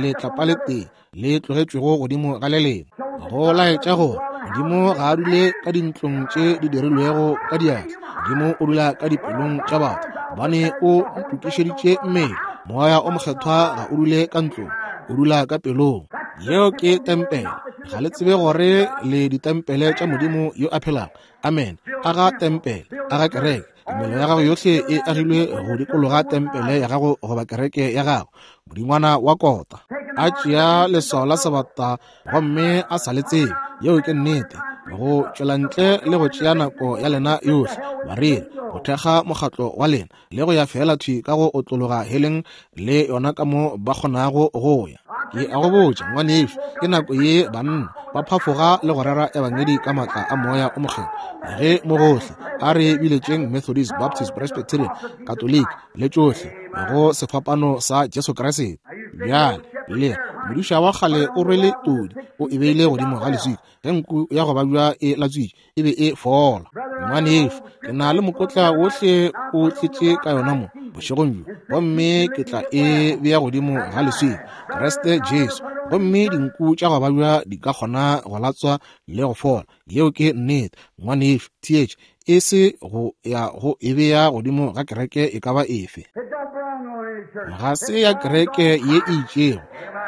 letlapa le tee le tlogetšwego godimo ga le lengwe, go laetša gore Modimo ga a dule ka dintlong tše di dirilwego ka diatla. Modimo o dula ka dipelong tša batho, gobane o ntokišeditše mmele. Moya o Mokgethwa ga o dule ka ntlong, o dula ka pelong. Yeo ke tempele. Ga le tsebe gore le ditempele tša Modimo yo a phelago. Amen. Aga tempele, aga kereke. Tumelo ya gago yohle e agilwe go dikologa tempele ya gago goba kereke ya gago. Modingwana wa kota a tšea leswao la sebata gomme a sa le tsebe. Yeo ke nnete. Go tšwela ntle le go tšea nako ya lena yohle, bareri, go thekga mokgatlo wa lena, le go ya feela thwi ka go otlologa heleng le yona ka mo ba kgonago go ya. Ke a go botša, ngwanešu, ke nako ye banna ba phafoga le go rera ebangedi ka maatla a Moya o Mokgethwa. Ge mo gohle a re biletšeng Methodist, Baptist, Presbyterian, Katoliki le tšohle go sefapano sa Jesu Kriste. Bjale, le modiša wa kgale o rwele todi, o e beile godimo ga leswika. Ge nku ya go babja e latswitše, e be e fola. Ngwanešu, ke na le mokotla wohle o tletše ka yona mo bošegong bjo, gomme ke tla e bea godimo ga leswika, Kriste Jesu, gomme dinku tša go babja di ka kgona go latswa le go fola. Yeo ke nnete, ngwanešu. Theetša, e se go ya go e bea godimo ga kereke e ka ba efe. Ga se ya kereke ye e itšego,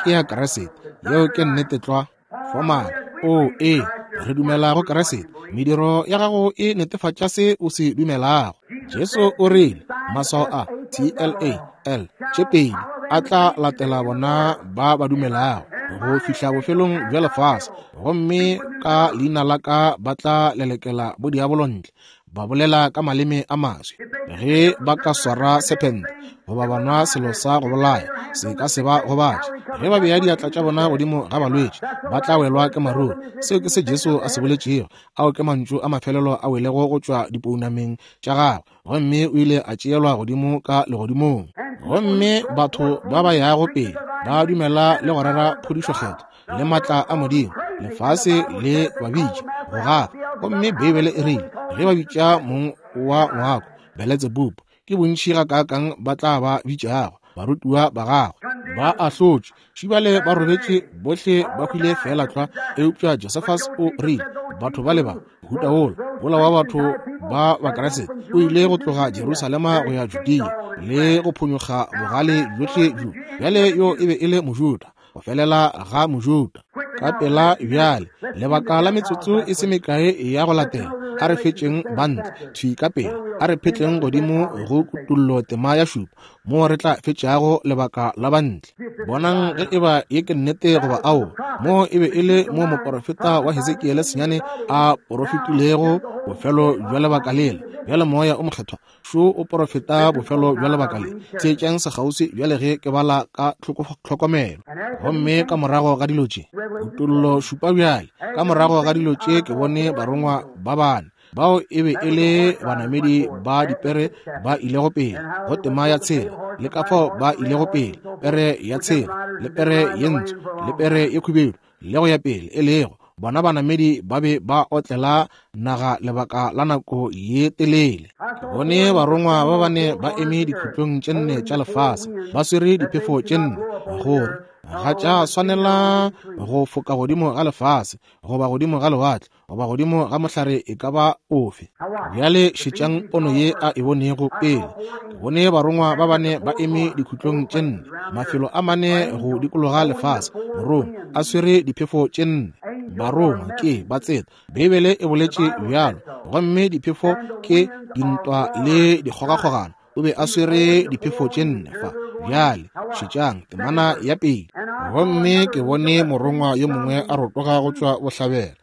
ke ya Kriste. Yeo ke nnete tlwa. Fomale, o ee, re dumela go Kriste. Mediro ya gago e netefatša se o se dumelago. Jesu o rile, maswao a T-L-A-L tše pedi a tla latela bona ba ba dumelago go fihla bofelong bja lefase, gomme ka leina la ka ba tla lelekela bodiabolo ntle, ba bolela ka maleme a maswi. Ge ba ka swara sephente goba ba nwa selo sa go bolaya, se ka se ba gobatše. Ge ba bea diatla tša bona godimo ga balwetši, ba tla welwa ke maruru. Seo ke se Jesu a se boletšego. Ao ke mantšu a mafelelo a welego go tšwa dipounameng tša gagwe, gomme o ile a tšeelwa godimo ka legodimong. Gomme batho ba ba yago pele ba dumela le go rera phodišokgethwa le matla a Modimo, lefase le ba bitša go gafa. Gomme Beibele e rile, ge ba bitša mong wa ngwako Beletsebubu, ke bontši gakaakang ba tla ba bitšago barutiwa ba gagwe. Ba ahlotšwe, šibale ba robetše, bohle ba hwile feela tlwa. Eupša Josephus o rile, batho bale ba mohuta wola, wola wa batho ba Bakriste, o ile go tloga Jerusalema go ya Judea le go phonyokga bogale bjohle bjo. Bjale yo e be e le Mojuda, go felela ga Mojuda. Ka pela bjale, lebaka la metsotso e se mekae ya go latela, a re fetšeng bantle thwi ka pela, a re phetleng godimo go Kutollo tema ya šupa, moo re tla fetšago lebaka la bantle. Bonang ge eba ye ke nnete goba aowa. Moo e be e le mo moporofeta wa Hesekiele senyane a porofetilego bofelo bja lebaka lela. Bjale Moya o Mokgethwa šo o porofeta bofelo bja lebaka le. Theetšang sekgauswi bjale ge ke bala ka tlhokomelo. Gomme ka morago ga dilo tše, Kutollo šupa bjale, ka morago ga dilo tše ke bone barongwa ba bane, bao e be e le banamedi ba dipere ba ilego pele go tema ya tshela, le ka fao ba ilego pele, pere ya tshela, le pere ye ntsho, le pere ye khubedu, le go ya pele, e lego bona banamedi ba be ba otlela naga lebaka la nako ye telele. Ke bone barongwa ba bane ba eme dikhutlong tše nne tša lefase, ba swere diphefo tše nne, gore ga tša swanela go foka godimo ga lefase, goba godimo ga lewatle, goba godimo ga mohlare e ka ba ofe. Bjale šetšang pono ye a e bonego pele. Ke bone barongwa ba bane ba eme dikhutlong tše nne, mafelo a mane go dikologa lefase, morongwa a swere diphefo tše nne. Barongwa ke batseta, Beibele e boletše bjalo, gomme diphefo ke dintwa le dikgogakgogano. O be a swere diphefo tše nne fa. Bjale šetšang temana ya pele. Gomme ke bone morongwa yo mongwe a rotoga go tšwa bohlabela,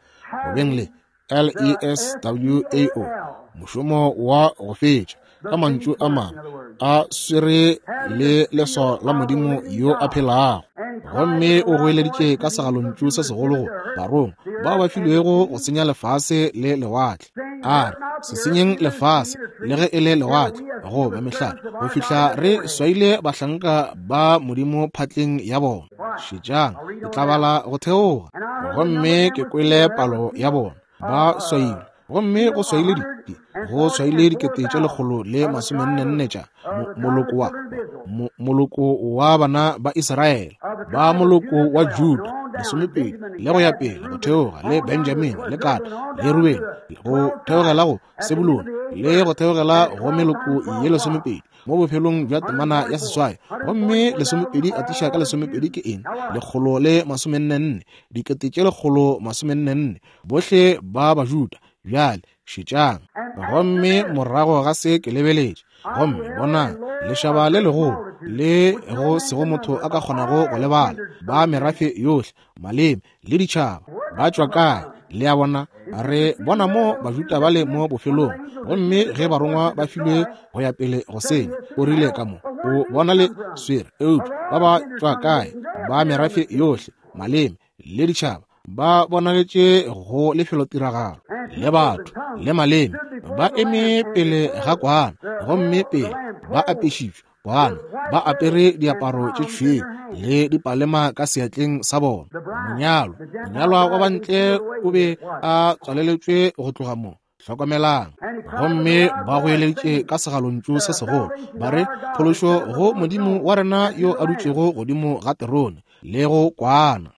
go beng le L-E-S-W-A-O, mošomo wa go fetša, ka mantšu a mangwe, a swere le leswao la Modimo yo a phelago. Gomme o goeleditše ka segalontšu se segolo go barongwa bao ba filwego go senya lefase le lewatle, a re, Se senyeng lefase le ge e le lewatle goba mehlare go fihla re swaile bahlanka ba Modimo phatleng ya bona. Šetšang, ke tla bala go theoga. Gomme ke kwele palo ya bona ba swailwe, gomme go swaile di go swaile 144 tša moloko wa moloko wa bana ba Israele, ba moloko wa Juda lesomepedi, le go ya pele go theoga, le Benjamini, le Gada, le Rubeni, go theogela go Sebulone, le go theogela go meloko ye lesomepedi, mo bophelong bja temana ya seswai. Gomme lesomepedi atiša ka lesomepedi ke eng? 144, 144,000, bohle ba Bajuda. Bjale šetšang. Gomme morago ga se ke lebeletše, gomme bonang, lešaba le legolo, le go sego motho a ka kgonago go le bala, ba merafe yohle, maleme le ditšhaba. Ba tšwa kae? Le a bona, re bona mo Bajuda ba le mo bofelong. Gomme ge barongwa ba filwe go ya pele go senya, o rile ka mo, o bona le swere, eupša ba ba tšwa kae? Ba merafe yohle, maleme le ditšhaba, ba bonagetše go lefelotiragalo, le batho le maleme, ba eme pele ga kwana, gomme pele ba apešitšwe kwana, ba apere diaparo tše tšhweu le dipalema ka seatleng sa bona. Monyalwa, monyalwa wa bantle o be a tswaleletšwe go tloga mo. Hlokomelang. Gomme ba goeleditše ka segalontšu se segolo, ba re, Phološo go Modimo wa rena yo a dutšego godimo ga terone, le go kwana.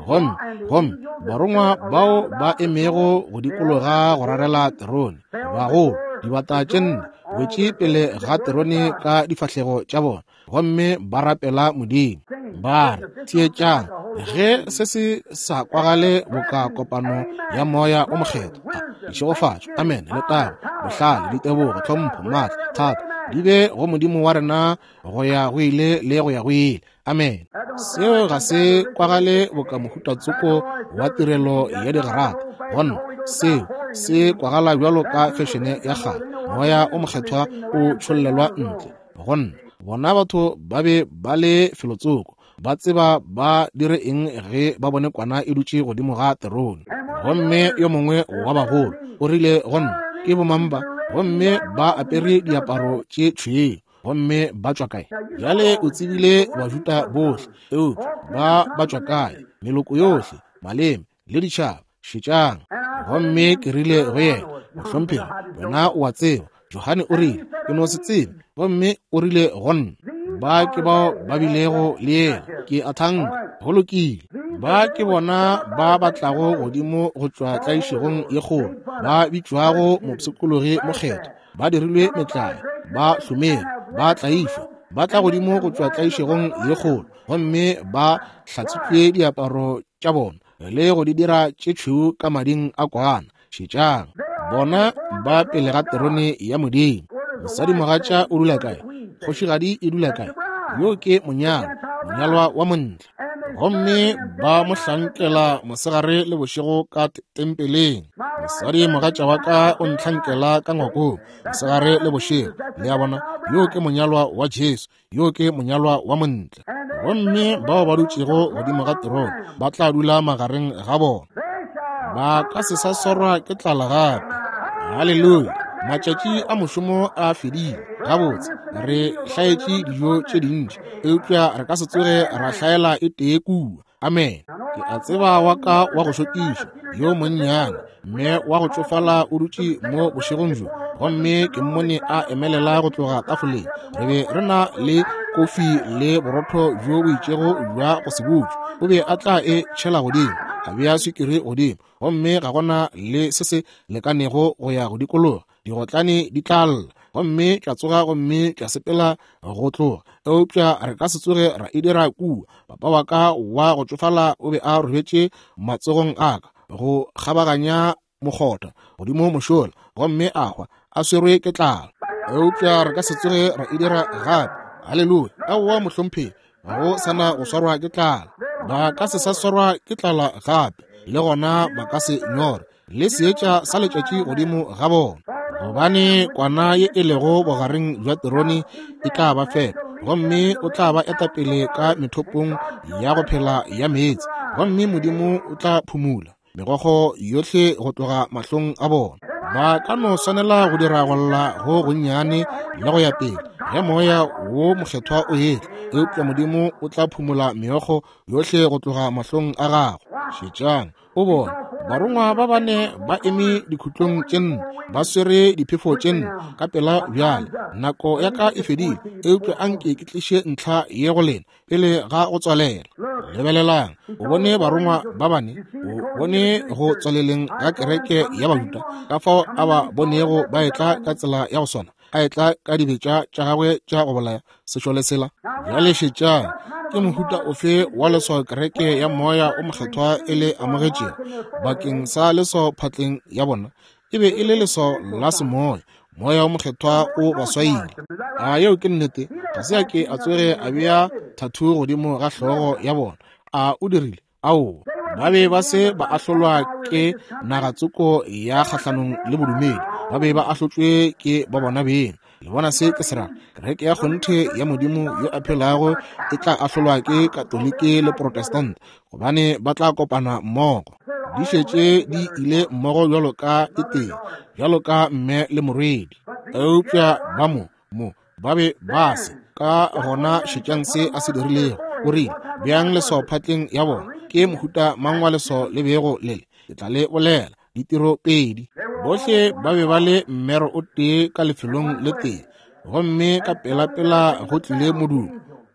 Gomme, gomme barongwa bao ba emego go dikologa go rarela terone, bagolo, dibata tše nne, wetše pele ga terone ka difahlego tša bona, gomme ba rapela Modimo, ba re, Theetšang, ge se se sa kwagale boka kopano ya Moya o Mokgethwa, ditšhegofatšo, amen, letago, bohlale, ditebogo, tlhompho, maatla, thato, di be go Modimo wa rena go ya go ile le go ya go ile. Amen. Seo ga se kwagale boka mohuta tsoko wa tirelo ya digarata. Gonna seo se kwagala bjalo ka fešene ya kgale, Moya o Mokgethwa o tšhollelwa ntle. Gonna bona batho ba be ba le felotsoko, ba tseba ba dire eng ge ba bone kwana e dutše godimo ga terone. Gomme yo mongwe wa bagolo o rile go nna, Ke bomang ba? Gomme ba apere diaparo tše tšhweu, gomme ba tšwa kae? Bjale o tsebile Bajuda bohle, eupša ba ba tšwa kae? Meloko yohle, maleme le ditšhaba. Šetšang. Gomme ke rile go yena, Mohlomphegi, wena o a tseba. Johane o rile, Ke no se tsebe. Gomme o rile go nna, Ba ke bao ba bilego le yena. Ke a thanka. Go lokile. Ba ke bona ba ba tlago godimo go tšwa tlaišegong ye kgolo, ba bitšwago mopshikologi mokgethwa, ba dirilwe metlae, ba hlomere, ba tlaišwa, ba tla godimo go tšwa tlaišegong ye kgolo, gomme ba hlatswitšwe diaparo tša bona le go di dira tše tšhweu ka mading a kwana. Šetšang, bona ba pele ga terone ya Modimo. Mosadimogatša o dula kae? Kgošigadi e dula kae? Yo ke monyalwa, monyalwa wa montle. Gomme ba mo hlankela mosegare le bošego ka tempeleng. Mosadimogatša wa ka o ntlhankela ka ngwakong mosegare le bošego. Le a bona, yo ke monyalwa wa Jesu. Yo ke monyalwa wa montle. Gomme bao ba dutšego godimo ga terone ba tla dula magareng ga bona. Ba ka se sa swarwa ke tlala gape. Haleluya! Matšatši a mošomo a fedile. Gabotse, re hlaetše dijo tše dintši, eupša re ka se tsoge ra hlaela e tee kua. Amen. Ke a tseba wa ka wa go šokiša yo monnyane mme wa go tšofala o dutše mo bošegong bjo, gomme ke mmone a emelela go tloga tafoleng. Re be re na le kofi le borotho bjo bo itšego bja go se butšwe. O be a tla e tšhela godimo, a bea swikiri godimo, gomme ga gona le se se lekanego go ya go dikologa. Digotlane di tla lla, gomme tša tsoga gomme tša sepela go tloga, eupša re ka se tsoge ra e dira kua. Papa wa ka wa go tšofala o be a robetše matsogong a ka go kgabaganya mokgotha godimo mošola, gomme a hwa a swerwe ke tlala. Eupša re ka se tsoge ra e dira gape. Haleluya! Aowa, mohlomphegi, ga go sa na go swarwa ke tlala. Ba ka se sa swarwa ke tlala gape, le gona ba ka se nyore le seetša sa letšatši godimo ga bona, gobane kwana ye e lego bogareng bja terone e tla ba fepa, gomme o tla ba etapele ka methopong ya go phela ya meetse, gomme Modimo o tla phumula megokgo yohle go tloga mahlong a bona. Ba ka no swanela go dira go lla go gonnyane le go ya pele ge Moya wo Mokgethwa o etla, eupša Modimo o tla phumola meokgo yohle go tloga mahlong a gago. Šetšang. O bona Barongwa ba bane ba eme dikhutlong tše nne, ba swere diphefo tše nne, ka pela bjale. Nako ya ka e fedile, eupša anke ke tliše ntlha ye go lena pele ga go tswalela. Lebelelang, o bone barongwa ba bane, o bone go tswaleleng ga kereke ya Bajuda, ka fao a ba bonego ba etla ka tsela ya go swana, a etla ka dibetša tša gagwe tša go bolaya sešole sela. Bjale šetšang, ke mohuta ofe wa leswao kereke ya Moya o Mokgethwa e le amogetšego bakeng sa leswao phatleng ya bona? E be e le leswao la semoya. Moya o Mokgethwa o ba swaile. A yeo ke nnete? Ga se a ke a tsoge a bea thathu godimo ga hlogo ya bona. A o dirile? Aowa. Ba be ba se ba ahlolwa ke nagatsoko ya kgahlanong le bodumedi. Ba be ba ahlotšwe ke ba bona beng. Le bona se ke se rago? Kereke ya kgonthe ya Modimo yo a phelago e tla ahlolwa ke Katoliki le Protestant, gobane ba tla kopana mmogo. Di šetše di ile mmogo bjalo ka e tee, bjalo ka mme le morwedi. Eupša ba mo, mo, ba be ba se. Ka gona šetšang se a se dirilego. O rile, Beang leswao phatleng ya bona. Ke mohuta mang wa leswao le bego le le? Ke tla le bolela. Ditiro pedi. Bohle ba be ba le mmero o tee ka lefelong le tee. Gomme ka pelapela go tlile modumo.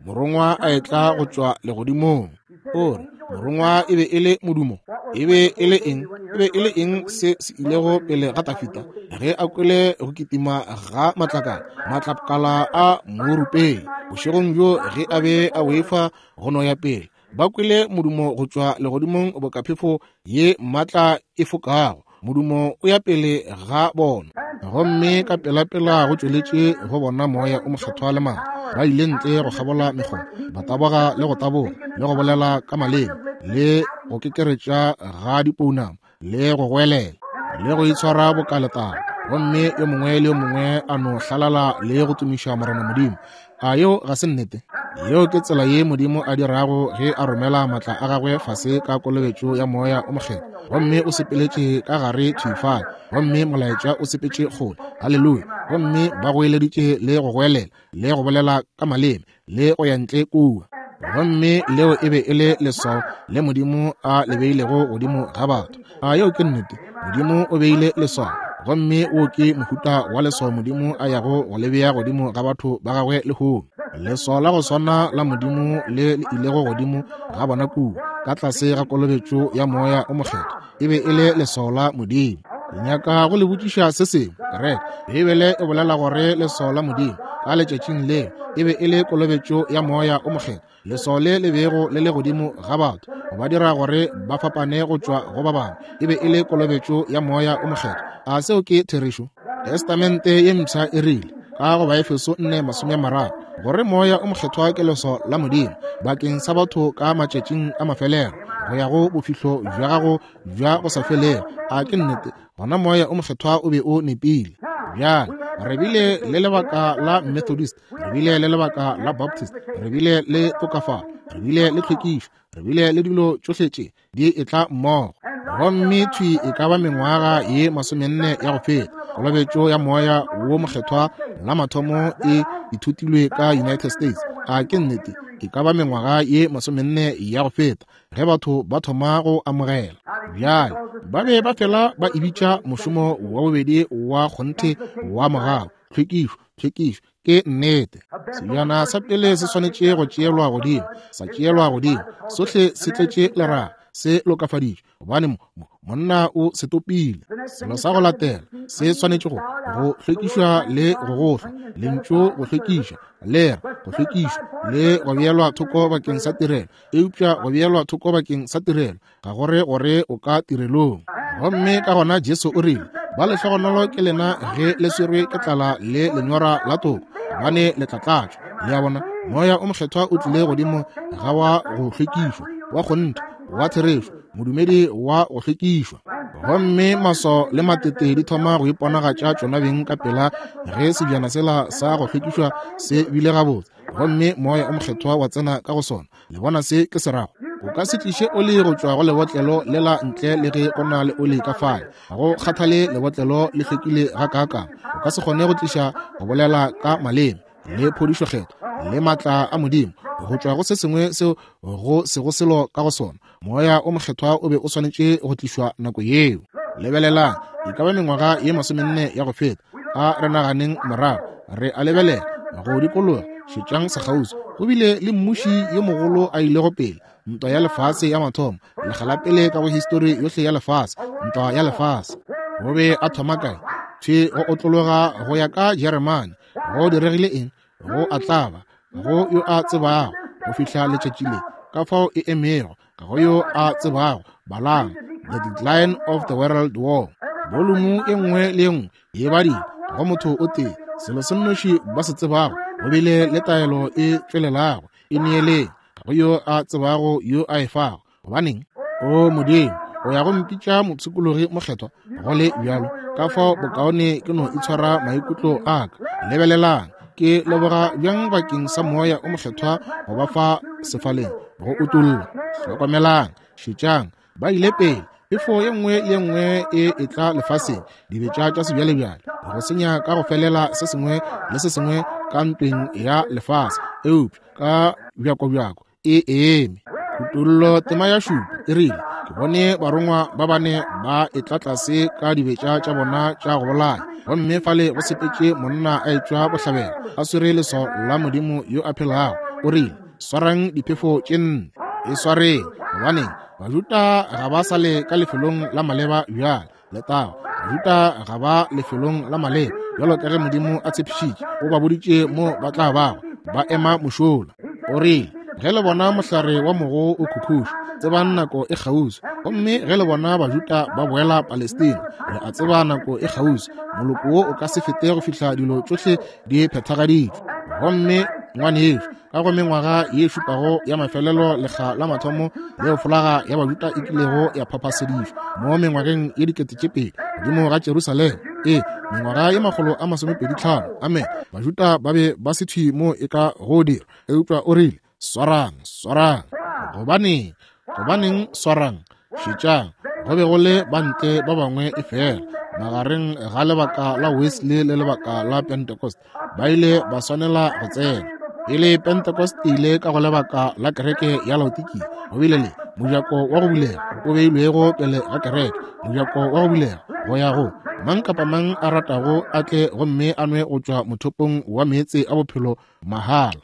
Morongwa a etla go tšwa legodimong. O re, Morongwa e be e le modumo. E be e le eng? E be e le eng se se ilego pele ga Tafita ge a kwele go kitima ga matlakala, matlakala a morupeng bošegong bjo ge a be a boifa go no ya pele? Ba kwele modumo go tšwa legodimong boka phefo ye maatla e fokago. Modumo o ya pele ga bona. Gomme ka pelapela go tšweletše go bona Moya o Mokgethwa le maatla. Ba ile ntle go kgabola mekgoba, ba taboga le go taboga, le go bolela ka maleme, le go kekeretša ga dipounama, le go goelela, le go itshwara boka letaba. Gomme yo mongwe le yo mongwe a no hlalala le go tumiša Morena Modimo. A yeo ga se nnete? Yeo ke tsela ye Modimo a dirago ge a romela maatla a gagwe fase ka kolobetšo ya Moya o Mokgethwa. Gomme o sepeletše ka gare thwi fale, gomme molaetša o sepetše kgole. Haleluya! Gomme ba goeleditše le go goelela, le go bolela ka maleme, le go ya ntle kua. Gomme leo e be e le leswao le Modimo a le beilego godimo ga batho. A yeo ke nnete? Modimo o beile leswao, gomme wo ke mohuta wa leswao Modimo a yago go le bea godimo ga batho ba gagwe lehono. Leswao la go swana la Modimo le le ilego godimo ga bona kua, ka tlase ga kolobetšo ya Moya o Mokgethwa, e be e le leswao la Modimo. Ke nyaka go le botšiša se sengwe, kereke. Beibele e bolela gore leswao la Modimo ka letšatšing leo e be e le kolobetšo ya Moya o Mokgethwa. Leswao le le bego le le godimo ga batho go ba dira gore ba fapane go tšwa go ba bangwe e be e le kolobetšo ya Moya o Mokgethwa. A seo ke therešo? Testamente ye Mpsha e rile ka go Baefeso 4:30 gore Moya o Mokgethwa ke leswao la Modimo bakeng sa batho ka matšatšing a mafelelo go ya go bofihlo bja gago bja go sa felego. A ke nnete? Gona Moya o Mokgethwa o be o nepile. Bjale re bile le lebaka la Methodist, re bile le lebaka la Baptist, re bile le tokafalo, re bile le tlhwekišo, re bile le dilo tšohle tše di etla mmogo. Gomme thwi e ka ba mengwaga ye 40 ya go feta, kolobetšo ya Moya wo Mokgethwa la mathomo e ithutilwe ka United States. A ke nnete? E ka ba mengwaga ye 40 ya go feta, ge batho ba thoma go amogela. Bjale ba be ba fela ba e bitša mošomo wa bobedi wa kgonthe wa mogau, tlhwekišo, tlhwekišo. Ke nnete, sebjana sa pele se swanetše go tšeelwa godimo, sa tšeelwa godimo, sohle se tletše leraga, se lokafaditšwe, gobane monna o se topile. Selo sa go latela se swanetše go go hlwekišwa le go gohlwa. Lentšu go hlwekišwa le re go hlwekišwa le go beelwa thoko bakeng sa tirelo, eupša go beelwa thoko bakeng sa tirelo ga go re gore o ka tirelong. Gomme ka gona Jesu o rile, Ba lehlogonolo ke lena ge le swerwe ke tlala le lenyora la toko, gobane le tla tlatšwa. Le a bona, Moya o Mokgethwa o tlile godimo ga wa go hlwekišwa, wa kgonthe, wa therešo, modumedi wa go hlwekišwa. Gomme maswao le matete di thoma go iponagatša tšona beng ka pela ge sebjana sela sa go hlwekišwa se bile gabotse, gomme Moya o Mokgethwa wa tsena ka go sona. Le bona se ke se rago? O ka se tliše oli go tšwa go lebotlelo lela ntle le ge go na le oli ka fale. Ga go kgathale lebotlelo le hlwekile gakaakang, o ka se kgone go tliša go bolela ka maleme le phodišo kgethwa le maatla a Modimo Go tšwa go se sengwe seo go sego selo ka go sona, Moya o Mokgethwa o be o swanetše go tlišwa nako yeo. Lebelelang, e ka ba mengwaga ye masomenne ya go feta, a re naganeng morago, re a lebelela go dikologa, šetšang sekgauswi. Go bile le mmuši yo mogolo a ilego pele, ntwa ya lefase ya mathomo, lekga la pele ka go histori yohle ya lefase, ntwa ya lefase. O be a thoma kae? Thwi go otlologa go ya ka Jeremane. Go diregile eng? Go a tlaba go yo a tsebago go fihla letšatši le, ka fao e emego, ga go yo a tsebago. Balang The Decline of the World War, bolumu e nngwe le e nngwe e badile go motho o tee. Selo se nnoši ba se tsebago, go bile le taelo e tšwelelago e neeleng, ga go yo a tsebago yo a e fago. Gobaneng? O Modimo, o ya go mpitša mopshikologi mokgethwa, go le bjalo, ka fao bokaone ke no itshwara maikutlo a ka. Lebelelang, ke leboga bjang bakeng sa Moya o Mokgethwa go ba fa sefaleng, go utolla. Hlokomelang, šetšang, ba ile pele. Phefo ye nngwe le ye nngwe e etla lefaseng, dibetša tša sebjalebjale, go senya ka go felela se sengwe le se sengwe ka ntweng ya lefase, eupša ka bjakobjako e eme. Kutollo tema ya šupa e rile, Ke bone barongwa ba bane ba etla tlase ka dibetša tša bona tša go bolaya, gomme fale go sepetše monna a etšwa bohlabela a swere leswao la Modimo yo a phelago. O rile, Swarang diphefo tše nne, e swareng, gobaneng Bajuda ga ba sa le ka lefelong la maleba bjale. Letago, Bajuda ga ba lefelong la maleba bjalo ka ge Modimo a tshepišitše. O ba boditše mo ba tla bago ba ema mošola. O rile, Ge le bona mohlare wa mogo o khukhuša, tsebang nako e kgauswi. Gomme ge le bona Bajuda ba boela Palestina, le a tseba nako e kgauswi. Moloko wo o ka se fete go fihla dilo tšohle di phethagaditšwe. Gomme ngwanešu, ka go mengwaga ye šupago ya mafelelo lekga la mathomo leo folaga ya Bajuda e kilego ya phaphaseditšwe mo mengwageng ye 2000 godimo ga Jerusalema, ee, mengwaga ye 125, amen, Bajuda ba be ba se thwi mo e ka go dira. Eupša o rile, Swarang, swarang. Gobaneng? Gobaneng swarang? Šetšang, go be go le bantle ba bangwe e fela magareng ga lebaka la Wesley le lebaka la Pentecost, ba ile ba swanela go tsena. Pele Pentecost e ile ka go lebaka la kereke ya Laodikia, go bile le mojako wa go bulega o beilwego pele ga kereke, mojako wa go bulega go ya go mang kapa mang a ratago a tle gomme a nwe go tšwa mothopong wa meetse a bophelo mahala.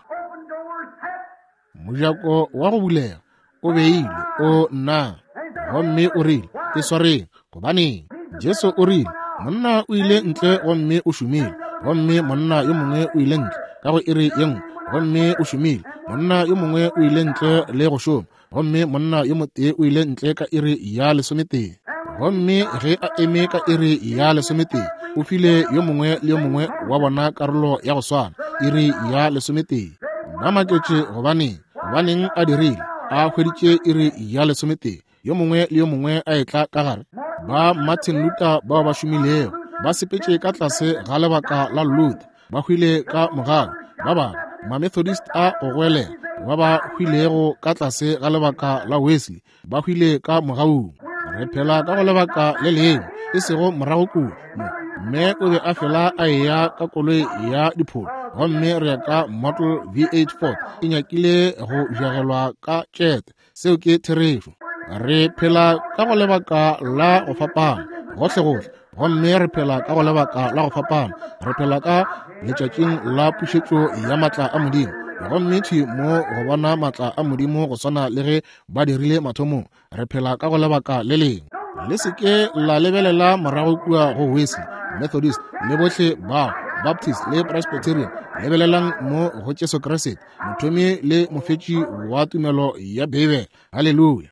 Mojako wa go bulega o beilwe, o nna, gomme o rile, E swareng. Gobaneng? Jesu o rile, Monna o ile ntle gomme o šomile, gomme monna yo mongwe o ile ntle ka go iri ye nngwe gomme o šomile, monna yo mongwe o ile ntle le go šoma, gomme monna yo motee o ile ntle ka iri ya lesometee. Gomme ge a eme ka iri ya lesometee, o file yo mongwe le yo mongwe wa bona karolo ya go swana, iri ya lesometee. Ba maketše gobaneng, gobaneng a dirile, a hweditše iri ya lesometee, yo mongwe le yo mongwe a etla ka gare. Ba Martin Luther bao ba šomilego, ba sepetše ka tlase ga lebaka la Luther, ba hwile ka mogau. Ba bangwe Mamethodist a go goelela, ba ba hwilego ka tlase ga lebaka la Wesley, ba hwile ka mogaung. Re phela ka go lebaka le lengwe, e sego morago kua. Mme o be a fela a eya ka koloi ya dipholo, gomme re ya ka Model V8 Ford e nyakile go jagelwa ka tšete. Seo ke therešo. Re phela ka go lebaka la go fapana gohlegohle, gomme re phela ka go lebaka la go fapana. Re phela ka letšatšing la pušetšo ya maatla a Modimo, gomme thwi mo go bona maatla a Modimo go swana le ge ba dirile mathomong. Re phela ka go lebaka le lengwe. Le se ke la lebelela morago kua go Wesley, Methodist, le bohle bao, Baptist le Presbyterian. Lebelelang mo go Jesu Kriste, mothomi le mofetši wa tumelo ya Beibele. Haleluya!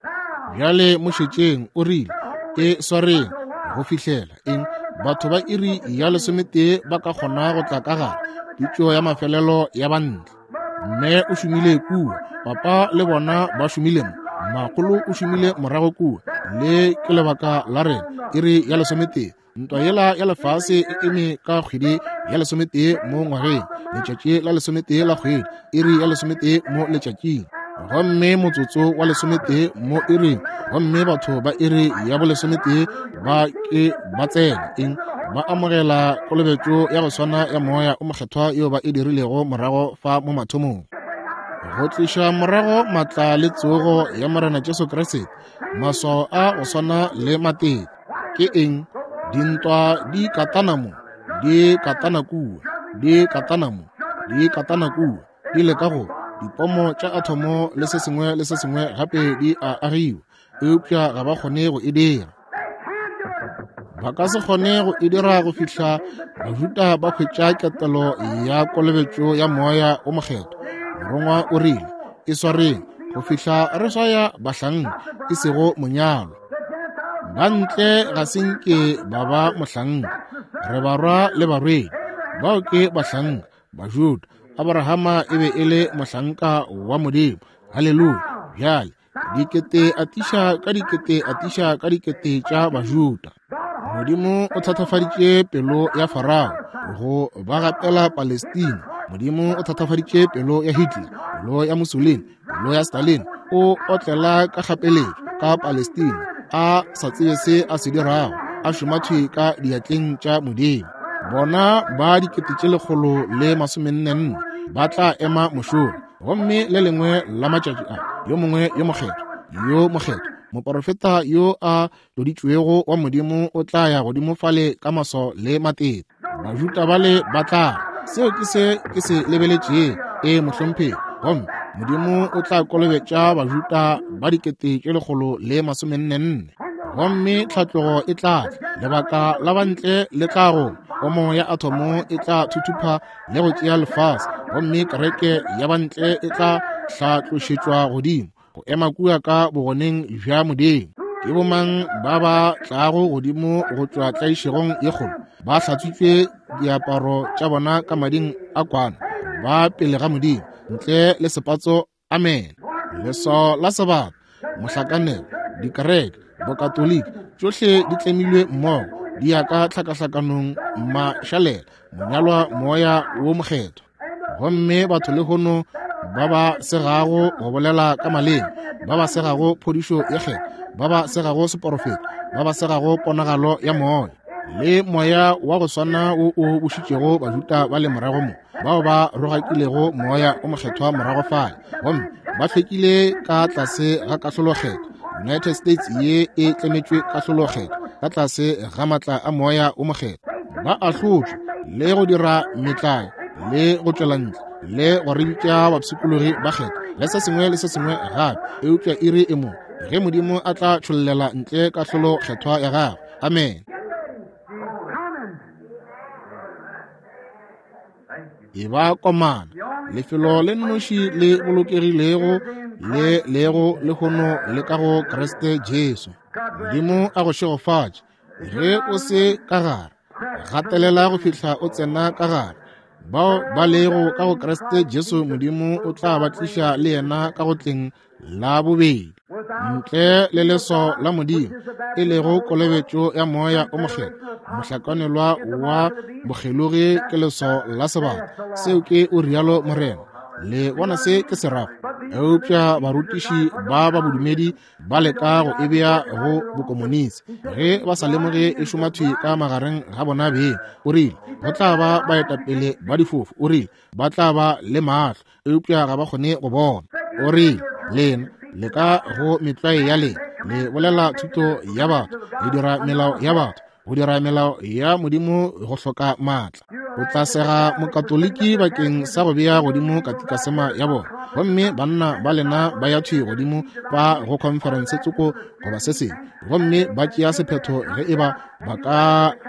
Bjale mo šetšeng, o rile, E swareng go fihlela eng? Batho ba iri ya lesometee ba ka kgona go tla ka gare, pitšo ya mafelelo ya bantle. Mme o šomile kua, papa le bona ba šomile mo, makgolo o šomile morago kua. Le ke lebaka la rena, iri ya lesometee. Ntwa yela ya lefase e eme ka kgwedi ya lesometee mo ngwageng, letšatši la lesometee la kgwedi, iri ya lesometee mo letšatšing, gomme motsotso wa lesometee mo iring, gomme batho ba iri ya bolesometee ba ke ba tsena eng, ba amogela kolobetšo ya go swana ya Moya o Mokgethwa yeo ba e dirilego morago fa mo mathomong. Go tliša morago maatla le tsogo ya Morena Jesu Kriste, maswao a go swana le matete. Ke eng? Dintwa di katana mo, di katana kua, di katana mo, di katana kua, di leka go dipomo tša athomo le se sengwe le se sengwe gape di a agiwa, eupša ga ba kgone go e dira. Ba ka se kgone go e dira go fihla Bajuda ba hwetša ketelo ya kolobetšo ya Moya wo Mokgethwa. Morongwa o rile, E swareng go fihla re swaya bahlanka, e sego monyalwa. Ba ntle ga se nke ba ba mohlanka. Re barwa le barwedi. Bao ke bahlanka, Bajuda. Abrahama e be e le mohlanka wa Modimo. Haleluya! Bjale, dikete atiša ka dikete atiša ka dikete tša Bajuda. Modimo o thatafaditše pelo ya Farao go ba gapela Palestina. Modimo o thatafaditše pelo ya Hitler, pelo ya Mussolini, pelo ya Stalin. O otlela ka kgapeletšo ka Palestina, a sa tsebe se a se dirago, a šoma thwi ka diatleng tša Modimo. Bona ba 144,000 ba tla ema mošola. Gomme le lengwe la matšatši a, yo mongwe yo mokgethwa, yo mokgethwa, moporofeta yo a tloditšwego wa Modimo o tla ya godimo fale ka maswao le matete. Bajuda bale ba tla re, Seo ke se ke se lebeletšego. Ee, mohlomphegi. Gomme Modimo o tla kolobetša Bajuda ba 144,000. Gomme tlhatlogo e tla tla, lebaka la bantle le tla goma, pomo ya athomo e tla thuthupa le go tšea lefase, gomme kereke ya bantle e tla hlatlošetšwa godimo go ema kua ka bogoneng bja Modimo. Ke bomang ba ba tlago godimo go tšwa tlaišegong ye kgolo? Ba hlatswitšwe diaparo tša bona ka mading a kwana, ba pele ga Modimo ntle le sepatso. Amen. Leswao la sebata, mohlakanelo, dikereke, Bokatoliki, tšohle di tlemilwe mmogo, di ya ka tlhakahlakanong, mašalela, monyalwa Moya wo Mokgethwa. Gomme batho lehono ba ba segago go bolela ka maleme, ba ba segago phodišo ye kgethwa, ba ba segago seporofeto, ba ba segago ponagalo ya moya, le moya wa go swana wo o bušitšego Bajuda ba le morago mo, bao ba rogakilego Moya o Mokgethwa morago fale, gomme ba hlwekile ka tlase ga kahlolokgethwa. United States ye e tlemetšwe kahlolokgethwa ka tlase ga maatla a Moya o Mokgethwa. Ba ahlotšwe le go dira metlae le go tšwela ntle le go re bitša bapshikologi ba kgethwa le se sengwe le se sengwe gape, eupša iri e mo ge Modimo a tla tšhollela ntle kahlolokgethwa ya gagwe. Amen. E ba komana, lefelo le nnoši le bolokegilego le lego lehono le ka go Kriste Jesu. Modimo a go šegofatše. Ge o se ka gare, gatelela go fihla o tsena ka gare. Bao ba lego ka go Kriste Jesu, Modimo o tla ba tliša le yena ka go tleng la bobedi, ntle le leswao la Modimo, e lego kolobetšo ya Moya o Mokgethwa. Mohlakanelwa wa bokgelogi ke leswao la sebata. Seo ke o rialo Morena. Le bona se ke se rago? Eupša barutiši ba ba bodumedi ba leka go e bea go bokomonisi ge ba sa lemoge e šoma thwi ka magareng ga bona beng. O rile go tla ba baetapele ba difofu. O rile ba tla ba le mahlo eupša ga ba kgone go bona. O rile lena le ka go metlwae ya lena, le bolela thuto ya batho, le dira melao ya batho, go dira melao ya Modimo go hloka maatla. O tla sega Mokatoliki bakeng sa go bea godimo katikasema ya bona, gomme banna ba lena ba ya thwi godimo ba go khonferense tsoko goba se sengwe, gomme ba tšea sephetho ge eba ba ka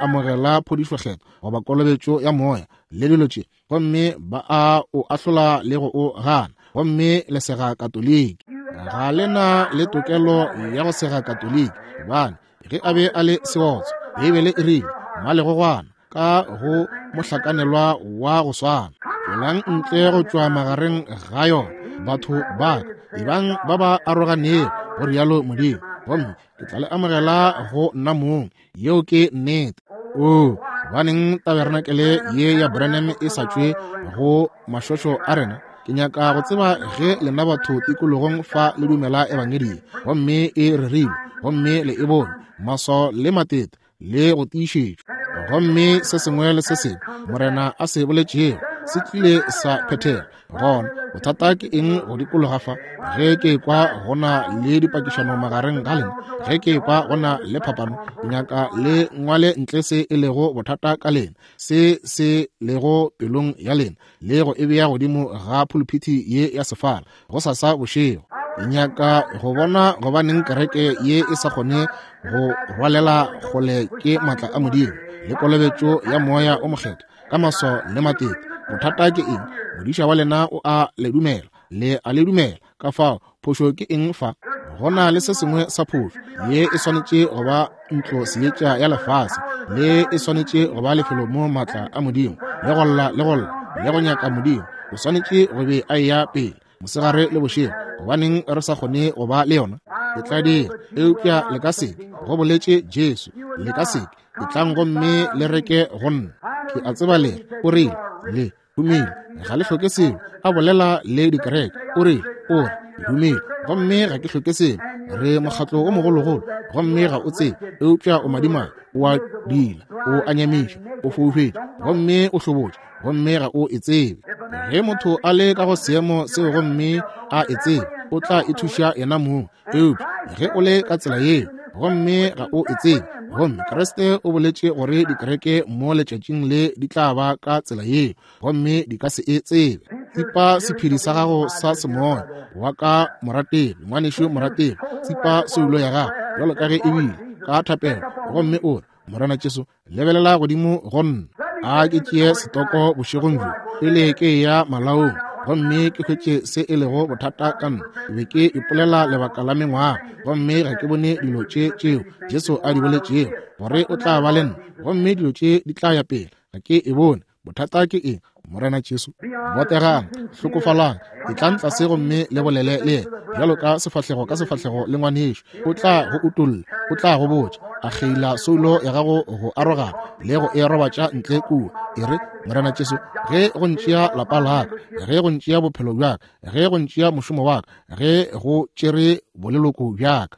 amogela phodišo kgethwa goba kolobetšo ya Moya le dilo tše, gomme ba a o ahlola le go o gana, gomme le sega Katoliki. Ga le na le tokelo ya go sega Katoliki, gobane ge a be a le seotswa, Beibele e rile, mmalegogwana ka go mohlakanelwa wa go swana. Tšwelang ntle go tšwa magareng ga yona, batho ba ka, ebang ba ba aroganego, go rialo Modimo, gomme ke tla le amogela go nna mong. Yeo ke nnete. Oo, gobaneng taberenakele ye ya Branham e sa tšwe go mašošo a rena? Ke nyaka go tseba ge lena batho tikologong fa le dumela ebangedi ye, gomme e rerilwe, gomme le e bone, maswao le matete le go tiišetšwa, gomme se sengwe le se sengwe Morena a se boletšego se tlile sa phethega. Gona Bothata ke eng go dikologa fa? Ge ke ekwa go na le dipakišano magareng ga lena, ge ke ekwa go na le phapano, ke nyaka le ngwale ntle se e lego bothata ka lena, se se lego pelong ya lena, le go e bea godimo ga phuluphithi ye ya sefala gosasa bošego. Ke nyaka go bona gobaneng kereke ye e sa kgone go rwalela kgole ke maatla a Modimo le kolobetšo ya Moya o Mokgethwa ka maswao le matete. Bothata ke eng? Modiša wa lena o a le dumela, le a le dumela. Ka fao phošo ke eng fa? Go na le se sengwe sa phošo. Ye e swanetše go ba ntlo seetša ya lefase, le e swanetše go ba lefelo mo maatla a Modimo le go lla le go lla le go nyaka Modimo o swanetše go be a eya pele mosegare le bošego. Gobaneng re sa kgone go ba le yona? Ke tla dira, eupša le ka seke, go boletše Jesu, le ka seke. Etlang gomme le reke go nna. Ke a tseba le o rile le humile, ga le hloke selo. A bolela le dikereke, o rile, o re humile gomme ga ke hloke selo. Re mokgatlo o mogologolo gomme ga o tsebe, eupša o madimabe, o a dila, o a nyamiša, o foufetše gomme o hlobotše gomme ga o e tsebe. Ge motho a le ka go seemo seo gomme a e tsebe, o tla e thuša yena mong. Eupša ge o le ka tsela yeo gomme ga o e tsebe, gomme Kriste o boletše gore dikereke mo letšatšing le di tla ba ka tsela yeo gomme di ka se e tsebe. Tsipa sephedi sa gago sa semoya wa ka morategi, ngwanešu morategi, tsipa soulo ya gago bjalo ka ge e bile ka thapelo gomme o re, Morena Jesu, lebelela godimo go nna. A ke tšee setoko bošegong bjo pele ke eya malaong gomme ke hwetše se e lego bothata ka nna. Ke be ke ipolela lebaka la mengwaga gomme ga ke bone dilo tše tšeo Jesu a di boletšego gore o tla ba le nna, gomme dilo tše di tla ya pele. Ga ke e bone. Bothata ke eng? Morena Jesu, botegang, hlokofalang, etlang tlase gomme le bolele le yena bjalo ka sefahlego ka sefahlego le ngwanešo. O tla go utolla, o tla go botša, a kgeila soulo ya gago go arogana le go e robatša ntle kua. E re, Morena Jesu, ge go ntšea lapa la ka, ge go ntšea bophelo bja ka, ge go ntšea mošomo wa ka, ge go tšere boleloko bja ka,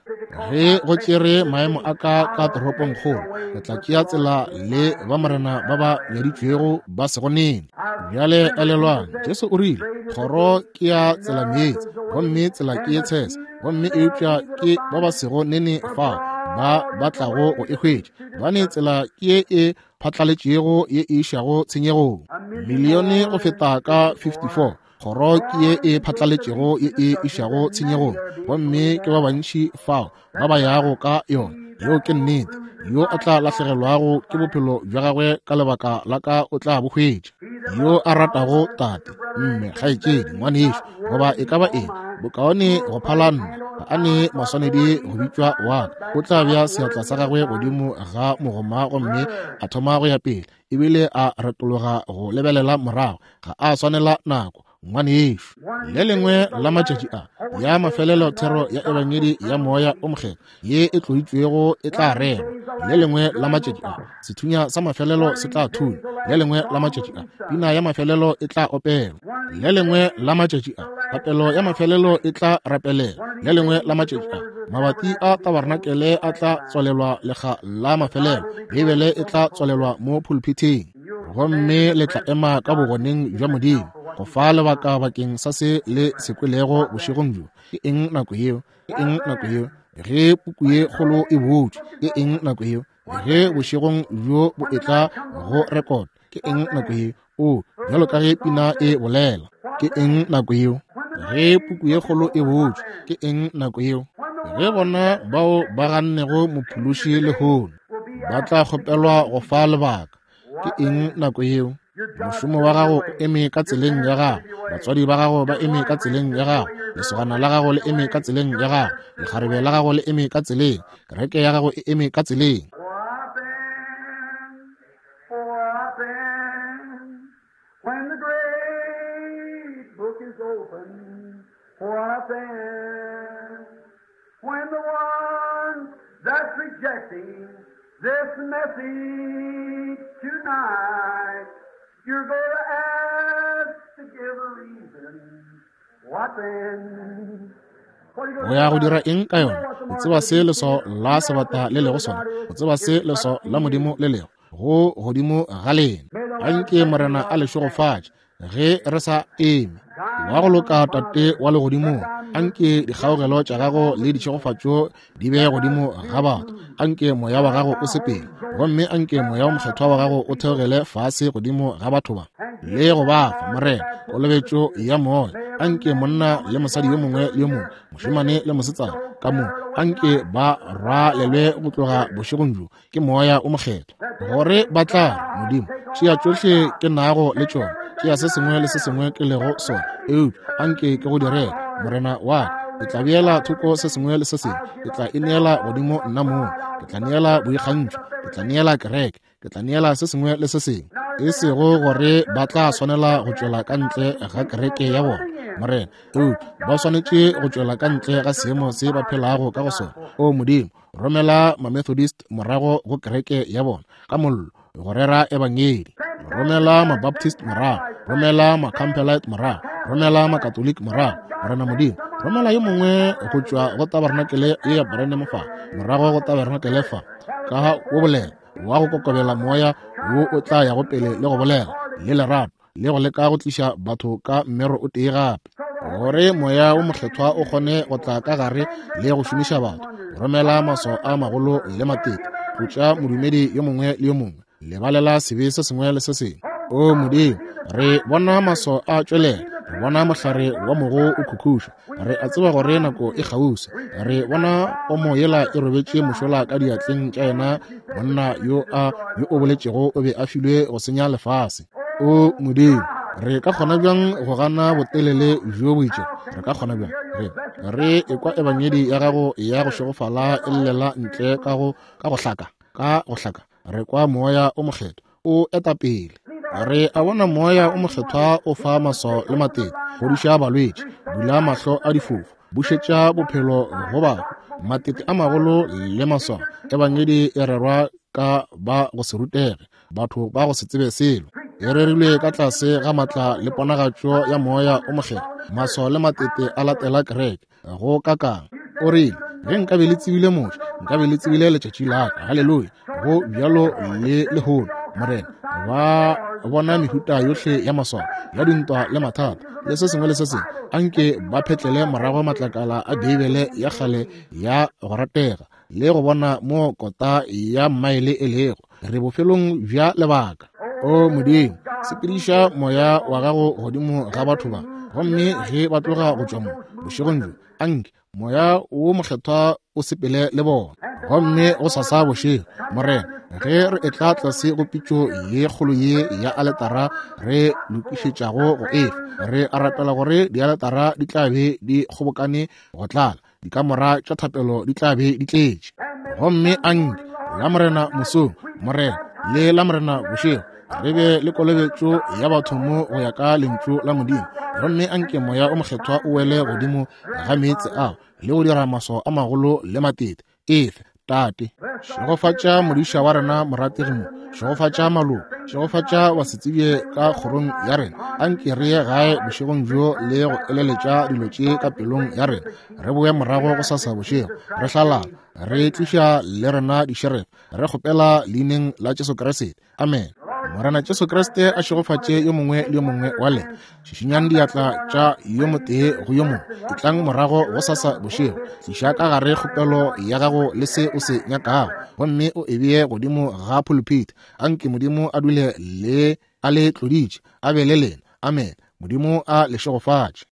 ge go tšere maemo a ka ka toropongkgolo, ke tla tšea tsela le ba Morena ba ba nyaditšwego ba sego nene. Bjale elelwang, Jesu o rile, kgoro ke ya tsela meetse, gomme tsela ke ye tshese, gomme eupša ke ba ba sego nene fao ba ba tlago go e hwetša, gobane tsela ke ye e phatlaletšego ye e išago tshenyegong. Milione go feta ka 54 Kgoro ke ye e phatlaletšego ye e išago tshenyegong, gomme ke ba bantši fao ba ba yago ka yona. Yeo ke nnete. Yo a tla lahlegelwago ke bophelo bja gagwe ka lebaka la ka o tla bo hwetša. Yo a ratago tate, mme, kgaetšedi, ngwanešo, goba e ka ba eng, bokaone go phala nna, ga a ne maswanedi go bitšwa wa ka. O tla bea seatla sa gagwe godimo ga mogoma gomme a thoma go ya pele. Ebile a retologa go lebelela morago, ga a swanela nako, ngwanešu. Le lengwe la matšatši a ya mafelelo thero ya Ebangedi ya Moya o Mokgethwa ye e tloitšwego e tla rerwa. Le lengwe la matšatši a sethunya sa mafelelo se tla thunya. Le lengwe la matšatši a pina ya mafelelo e tla opelwa. Le lengwe la matšatši a thapelo ya mafelelo e tla rapelelwa. Le lengwe la matšatši a mabati a tabarnakele a tla tswalelwa lekga la mafelelo. Beibele e tla tswalelwa mo pulpithing, gomme le tla ema ka bogoneng bja Modimo go fa lebaka bakeng sa se le se kwelego bošegong bjo. Ke eng nako yeo? Ke eng nako yeo? Ge puku ye kgolo e butšwe, ke eng nako yeo? Ge bošegong bjo bo etla go rekota, ke eng nako yeo? O, bjalo ka ge pina e bolela, ke eng nako yeo? Ge puku ye kgolo e butšwe, ke eng nako yeo? Ge bona bao ba gannego Mophološi lehono ba tla kgopelwa go fa lebaka, ke eng nako yeo? Mošomo wa gago o eme ka tseleng ya gago, batswadi ba gago ba eme ka tseleng ya gago, lesogana la gago le eme ka tseleng ya gago, lekgarebe la gago le eme ka tseleng, kereke ya gago e eme ka tseleng. When the great book is opened, what then? When the one that's rejecting this message tonight, you're going to ask to give a reason. What then? O ya go dira eng ka yona? O tseba se leswao la sebata le lego sona. O tseba se leswao la Modimo le lego go godimo ga lena. Anke Morena a le šegofatše ge re sa eme. Wa go loka Tate wa Legodimong, anke dikgaogelo tša Gago le ditšhegofatšo di be godimo ga batho. Anke Moya wa Gago o sepele, gomme anke Moya wo Mokgethwa wa Gago o theogele fase godimo ga batho ba le go ba fa, Morena, kolobetšo ya Moya. Anke monna le mosadi yo mongwe le yo mongwe, mošemane le mosetsana, ka mo, anke ba rwalelwe go tloga bošegong bjo ke Moya o Mokgethwa, gore ba tla re, Modimo, tšea tšohle ke nago le tšona, tšea se sengwe le se sengwe ke lego sona, eupša anke ke go direle, Morena wa ka. Ke tla beela thoko se sengwe le se sengwe, ke tla ineela godimo nna mong, ke tla neela boikgantšho, ke tla neela kereke, ke tla neela se sengwe le se sengwe. E sego gore ba tla swanela go tšwela ka ntle ga kereke ya bona, Morena, eupša ba swanetše go tšwela ka ntle ga seemo se ba phelago ka go sona. O Modimo, romela Mamethodist morago go kereke ya bona ka mollo go rera ebangedi, romela Mabaptist morago, romela Macampbellite morago, romela Makatoliki morago, Morena Modimo, romela yo mongwe go tšwa go tabarenakele ye ya Branham fa, morago go tabarenakele fa, ka go bolela wa go kokobela moya wo o tla yago pele le go bolela le lerato le go leka go tliša batho ka mmero o tee gape, gore Moya wo Mokgethwa o kgone go tla ka gare le go šomiša batho, romela maswao a magolo le matete, tlotša modumedi yo mongwe le yo mongwe, lebalela sebe se sengwe le se sengwe. O Modimo, re bona maswao a tšwelela, re bona mohlare wa mogo o khukhuša, re a tseba gore nako e kgauswi, re bona pomo yela e robetše mošola ka diatleng tša yena monna yo a yo o boletšego o be a filwe go senya lefase. O Modimo, re ka kgona bjang go gana botelele bjo bo itšego? Re ka kgona bjang? Re re ekwa ebangedi ya gago ya go šegofala e llela ntle ka go ka go hlaka, ka go hlaka. Re kwa Moya o Mokgethwa o eta pele. Re a bona Moya o Mokgethwa o fa maswao le matete, fodiša balwetši, bula mahlo a difofu, bušetša bophelo go bahu, matete a magolo le maswao. Ebangedi e rerwa ka ba go se rutege, batho ba go se tsebe selo. E rerilwe ka tlase ga matla le ponagatšo ya Moya o Mokgethwa. Maswao le matete a latela kereke go kakang. O rile, ge nkabe le tsebile Moshe, nkabe le tsebile letšatši la ka. Haleluya! Go bjalo le lehono, Morena. Ba bona mehuta yohle ya maswao, ya dintwa le mathata, le se sengwe le se sengwe. Anke ba phetlele morago matlakala a Beibele ya kgale ya go ratega, le go bona mo kota ya mmaele e lego. Re bofelong bja lebaka. O Modimo, sepediša Moya wa gago godimo ga batho ba, gomme ge ba tloga go tšwa mo bošegong bjo, anke Moya wo Mokgethwa o sepele le bona. Gomme go sasa bošego, Morena, ge re etla tlase go pitšo ye kgolo ye ya aletara re lokišetšago go efa, re a rapela gore dialetara di tla be di kgobokane go tlala, dikamora tša thapelo di tla be di tletše. Gomme anke la Morena mosong, Morena, le la Morena bošego, re be le kolobetšo ya batho mo go ya ka lentšu la Modimo. Gomme anke Moya o Mokgethwa o wele godimo ga meetse ao le go dira maswao a magolo le matete. Efe, Tate. Šegofatša modiša wa rena morategi mo, šegofatša maloko, šegofatša basetsebje ka kgorong ya rena. Anke re ye gae bošegong bjo le go eleletša dilo tše ka pelong ya rena, re boe morago go sasa bošego re hlalala, re tliša le rena dišerefe, re kgopela leineng la Jesu Kriste. Amen. Morena Jesu Kriste a šegofatše yo mongwe le yo mongwe wa lena. Šišinyang diatla tša yo motee go yo mongwe. Etlang morago go sasa bošego. Tliša ka gare kgopelo ya gago le se o se nyakago, gomme o e bee godimo ga pulpit. Anke Modimo a dule le a le tloditše, a be le lena. Amen. Modimo a le šegofatše.